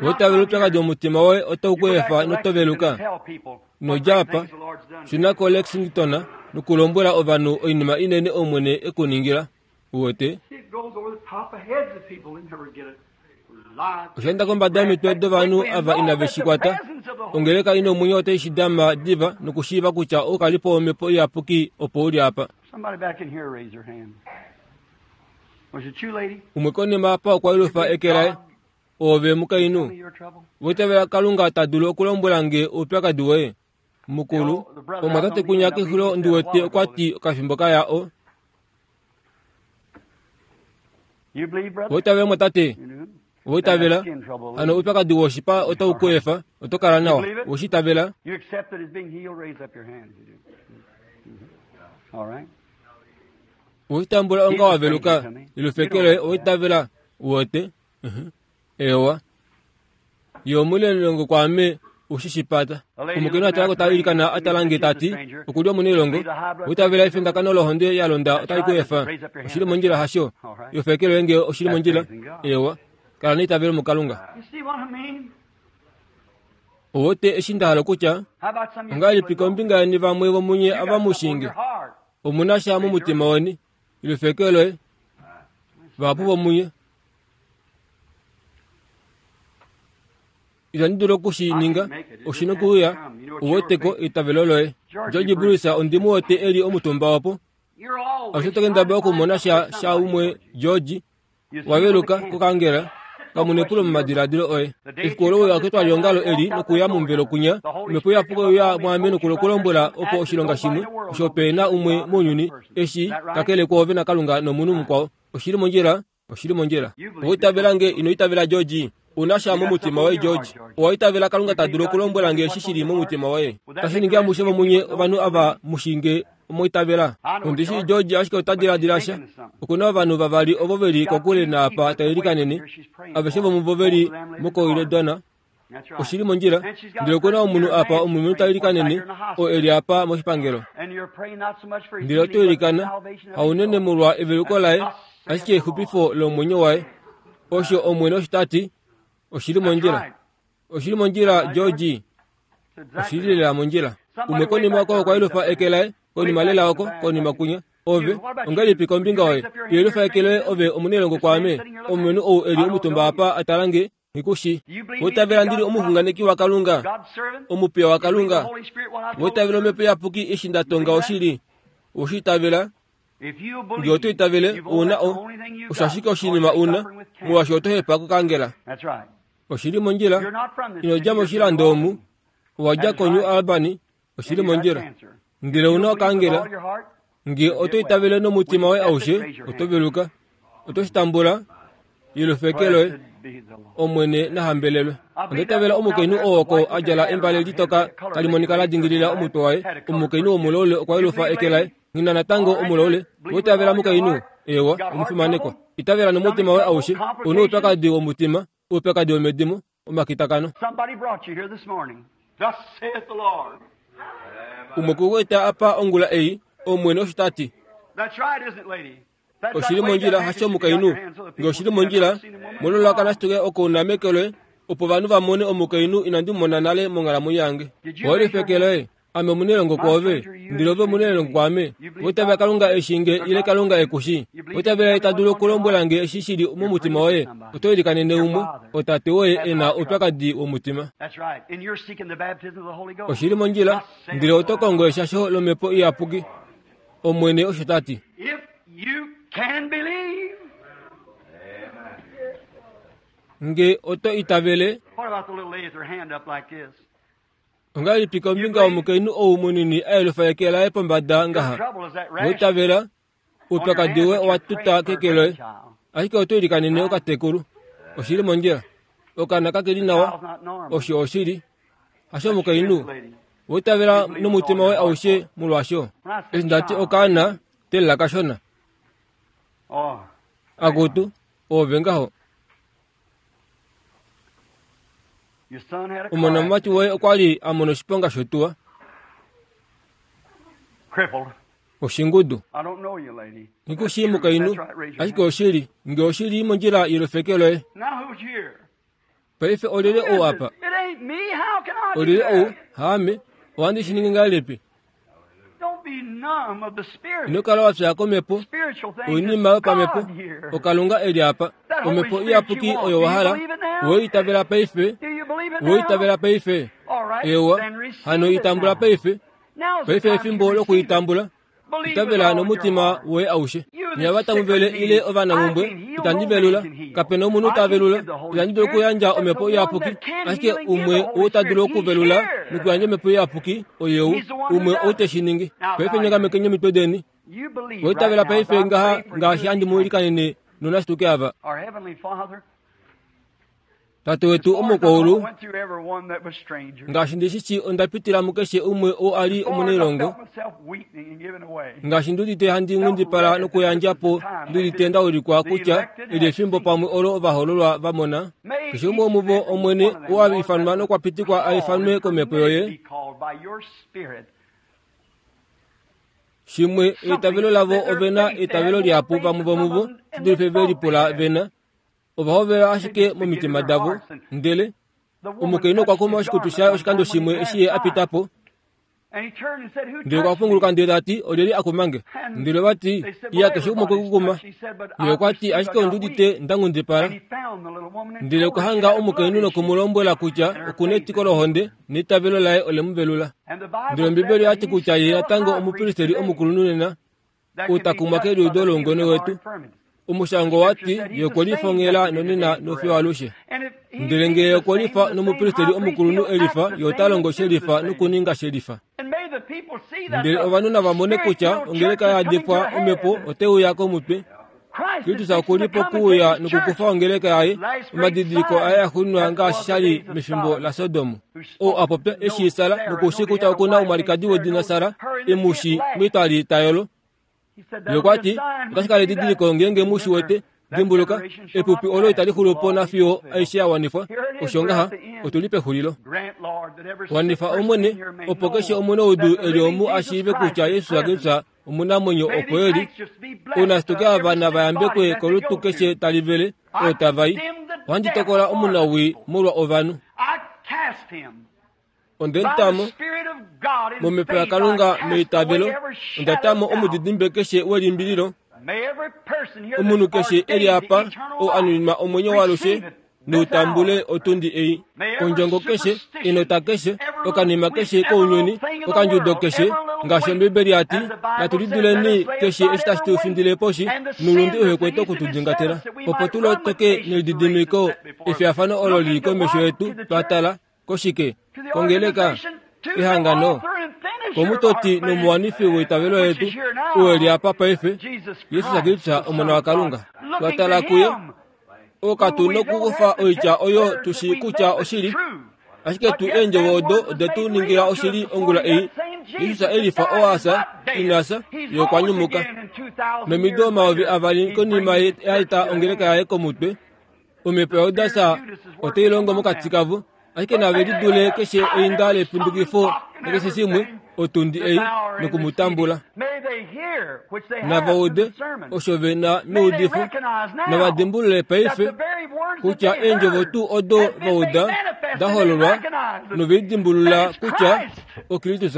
Otavela oupyakadi womutima woye otau ku efa notoveluka. Nodja apa, shuna koLexington nokulombwela ovanhu oinima inene Omwene e ku ningila. Uwete? Osha enda kombada yomitwe dovanhu ava inave shi kwata. Ongeleka ina omwenyo otai shi dama diva nokushiiva kutya oukalipo wOmhepo Iyapuki opo uli apa. Umwe konima apa okwa yelufa eke laye. Oove mukainhu, voitavela Kalunga ta dulu okulombwela nge oupyakadi woye. Mukulu, omwatate kunya kexulo ndi wete okwa ti okafimbo kaya o. Voitavela mwatate, voitavela, hano oupyakadi woshipa otau ku efa, oto kala nawa. Woshitavela. Woshitambula onga wa veluka, ilufeke loye oitavela, uwete. Ewa. Ye omunailongo kwaame ushishipata. Omukainhu atalako ta ilikana atala nge tati, okuli omunailongo, oitavela efindakano lohonde ya londa otali ku efa. Oshili mondjila hasho? Ilufeke loye nge oshili mondjila. Ewa. Kala neitavelo muKalunga. Owote eshi nda hala kutya, ongahelipi kombinga yeni vamwe vomunye ava mushinge? Omuna sha momutima weni, ilufeke loye. Vahapu vomunye. Itandi dulu okushi ninga, oshi nokuuya, uweteko eitavelo loye. George Bruce ondimu wete eli omutumba opo. Alushe to kendabala okumona sha sha umwe George waveluka kokangela, kamunepulo momadiladilo oye. Efiku olo uya ketwaliongalo eli nokuya momuvelo kunya, Omhepo Iyapuki oya mwaame nokulombwela opo oshilonga shimwe, osho pe na umwe mounyuni, eshi kakele kwoove naKalunga nomunhu mukwao. Oshili mondjila, oshili mondjila. Owa nge ino itavela George? Una sha momutima woye George? Owa itavela Kalunga ta dulu okulombwela nge eshi shili momutima woye? Tashi ningi amushe vomunye ovanhu ava mushinge omoitavela. Ondishi George ashike ota diladila sha. Okuna ovanhu vavali ovo veli kokule naapa ta ilikanene, aveshe vomuvo veli mokoiledona. Oshili mondjila, ndele okuna omunhu apa omulumenhu ta ilikanene, oo eli apa moshipangelo. Ndele oto ilikana, haunene molwa eveluko laye, ashike exupifo lomwenyo waye. Osho Omwene osho ta ti, oshili mondjila. Oshili mondjila George. Oshili lela mondjila. Umwe konima oko okwa yelufa eke laye, konima lela oko, konima kunya. Ove, ongahelipi kombinga woye? Yelufa eke loye ove omunailongo kwaame. Omulumenhu ou eli omutumba apa a tala nge, nghikushi. Wotavela ndili omuxunganeki waKalunga, omupiya waKalunga. Wotavela omhepo iyapuki eshi nda tonga oshili. Oweshi itavela? Ngee oto itavele, ouna o, osho ashike oshinima una, molwaashi oto hepa kokangela. Oshili mondjila, ino dja moshilando omu, owa dja koNew Albany, oshili mondjila. Ndele ouna okangela, ngee oto itavele nomutima woye aushe, oto veluka. Oto shi tambula, yelufa eke loye, Omwene na hambelelwe. Onda itavela omukainhu oo oko a djala embale litoka tali monika la dingilila omutwe waye. Omukainhu womulaule okwa yelufa eke laye. Nghi na natango omulaule. Owa itavela mukainhu? Eewa, omufimanekwa. Itavela nomutima woye aushe. Ouna oupyakadi womutima, oupyakadi womedimo, omakitakano. Umwe okwe eta apa ongula ei, Omwene osho ta ti. Oshili mondjila hasho omukainhu? Nge oshili mondjila, mololaka nashituke oko una meke loye, opo ovanhu va mone omukainhu inandi mu mona nale monghalamwenyo yange. Owe eke loye, ame omunailongo kwoove, ndele ove omunailongo kwaame. Oitavela Kalunga eshi nge ile Kalunga e ku shi. Oitavela ye ta dulu okulombwela nge eshi shi li momutima woye. Oto ilikanene umwe, otate woye e na oupyakadi womutima. Oshili mondjila, ndele oto kongo eshasho lomhepo iyapuki. Omwene osho ta ti. Nge oto itavele. Ongahelipi kombinga yomukainhu ou munini a yelufa eke laye pombada ngaha? Oitavela, oupyakadi woye owa tuta keke loye. Ashike oto ilikanene okatekulu. Oshili mondjila. Okaana kake li nawa. Osho oshili. Hasho omukainhu. Oitavela nomutima woye aushe molwaasho. Eshi nda ti okaana, telela kashona. Akutu, oove ngaho. Omonamati woye okwa li a mona oshiponga shotuwa. Oshingudu. Nghi ku shii mukainhu, ashike oshili, nge oshili mondjila yelufeke loye. Paife olyelye ou apa? Olyelye ou? Haame, ohandi shi ningi ngahelipi? Ino kala wa fya komhepo, oinima yopamhepo, oKalunga e li apa. Omhepo iyapuki oyo wa hala, owe itavela paife, owe itavela paife. Ewa, hano i tambula paife. Paife efimbo lokuitambula. Itavela nomutima woye aushe. Nye ava tamu vele ile ovanamhumbwe, itandi velula. Kape na omunhu ta velula. Itandi dulu okuyandja omhepo iyapuki. Ashike umwe ou ta dulu okuvelula nokuyandja omhepo iyapuki, oye ou. Umwe ou te shi ningi. Paife nyangamekeni omitwe deni. Oitavela paife ngaha ngaashi handi mu ilikanene nonashituke ava. Tate wetu omukwaulu, ngaashi ndi shi shii onda pitila mukeshe umwe oo a li omunailongo, ngaashi ndi udite handi nghundipala nokuyandja po ndi udite nda ulikwa kutya eli efimbo pamwe olo ovahoololwa va mona. Keshe umwe womuvo, Omwene, oo a ifanwa nokwa pitikwa a ifanwe komhepo yoye, shimwe, eitavelo lavo ove na eitavelo lihapu vamwe vomuvo shi dulife ve lipula ve na. Ova hovela ashike momitima davo, ndele omukainhu okwa kuma oshikutu shaye oshikando shimwe eshi ye a pita po. Ndele okwa punguluka ndele ta ti, Olyelye a kuma nge? Ndele ova ti, Iya, keshe umwe okwe ku kuma. Ye okwa ti, Ashike ondi udite nda nghundipala. Ndele okwa hanga omukainhu noku mu lombwela kutya oku na etiko lohonde, neitavelo laye ole mu velula. Ndele Ombibeli oya ti kutya ye natango omupristeli omukulunhu nena, ou ta kumwa keliudo loungone wetu. Omushango wa ti ye okwe lifa onghela nonena nofiyo alushe. Ndele ngee ye okwe lifa nomupristeli omukulunhu e lifa, ye ota longo she lifa nokuninga she lifa. Ndele ovanhu nava mone kutya ongeleka ya yadifwa omhepo otai uya komutwe. Kristus oku li pokuuya nokukufa ongeleka yaye, omadidiliko aye axuuninwa ngaashi sha li mefimbo laSodom. Ou a popya e shii Sara noku shii kutya oku na omwalikadi wedina Sara e mu shii metwali ta yolo. Ye okwa ti, Otashi kala edidiliko ngeenge mu shi wete. Dimbuluka, epupi olo itali xulu po nafiyo aishe ya wanifwa. Osho ngaha, otu li pexulilo. Wanifa, Omwene, opo keshe omunaudu e li omu a shiive kutya Jesus Kristus omunamwenyo opo e li. Ounashituke ava nava yambekwe kolutu keshe tali vele, oo tava i. Ohandi tokola omunawii molwa ovanhu. Onde mutamo momhepo yaKalunga meitavelo, onda tamo omudidimbe keshe welimbililo. Omunhu keshe eli apa ou anuninwa omwenyo waalushe noutambule otundi ei. Ondjongo keshe, enota keshe, okanima keshe kounyuni, okandjudo keshe, ngaashi Ombibeli yati, natu liduleni keshe eshi tashi tu findile poshi, noulunde uhe kwete okutudingatela, opo tu lotoke nelididimiko efiyafano olo lili komesho yetu twa tala koshike, kongeleka, ehangano, komutoti nomuwanifi weitavelo yetu, ou eli apa paife, Jesus Kristus Omona waKalunga. Twa tala kuye, okatu nokukufa oitya oyo tushi kutya oshili, ashike tu eendjovo odo ode tu ningila oshili ongula ei. Jesus elifa oasa inasa yokwanyumuka nomido omayovi avali konima yaita ongeleka yaye komutwe, omhepo yaJudas otai longo mokati kavo, ashike nave lidule keshe einda lepundukifo nakeshe shimwe otundi ei nokumutambula. Nava ude osho ve na meudifo, nava dimbulule paife kutya eendjovo tuu odo va uda da hololwa novelidimbulula kutya oKristus.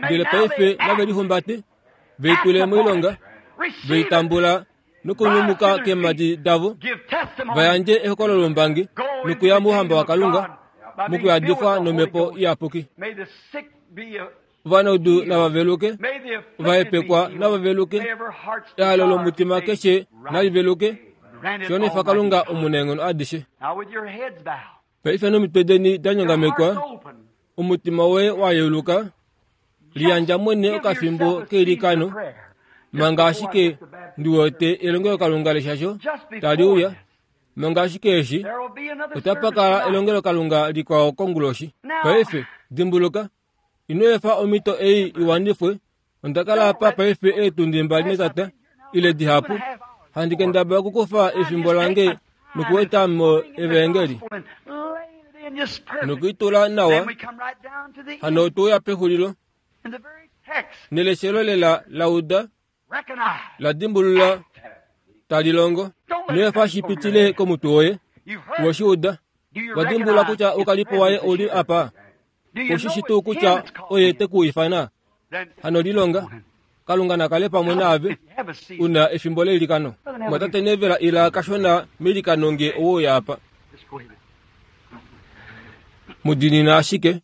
Ndele paife nave lihumbate, veitule moilonga, veitambula nokunyumuka keemhadi davo, va yandje ehokololo lombangi nokuya mouhamba waKalunga mokuyadifwa nomhepo iyapuki. Ovanaudu nava veluke, ovahepekwa nava veluke, ehalo lomutima keshe nali veluke, shonifa Kalunga omunaenghono adishe. Paife nomitwe deni da nyongamekwa, omutima woye wa yeuluka, liyandja mwene okafimbo keilikano, manga ashike ndi wete elongelokalunga leshasho tali uya, manga ashike eshi otapa kala elongelokalunga likwao konguloshi. Paife dimbuluka, ino efa omhito ei iwanifwe. Onda kala apa paife eetundi mbali netata ile dihapu, handi kendabala okukufa efimbo lange nokueta mo evangeli nokuitula nawa. Hano otuuya pexulilo neleshelo lela lauda la dimbulula tali longo. Ino efa shi pitile komutwe woye. Oweshi uda, wa dimbulula kutya oukalipo waye ouli apa. Oshishi tuu kutya oye te ku ifana. Hano lilonga, Kalunga nakale pamwe naave una efimbo leilikano. Mwatate Nevela ila kashona meilikano nge owouya apa. Mudinina ashike.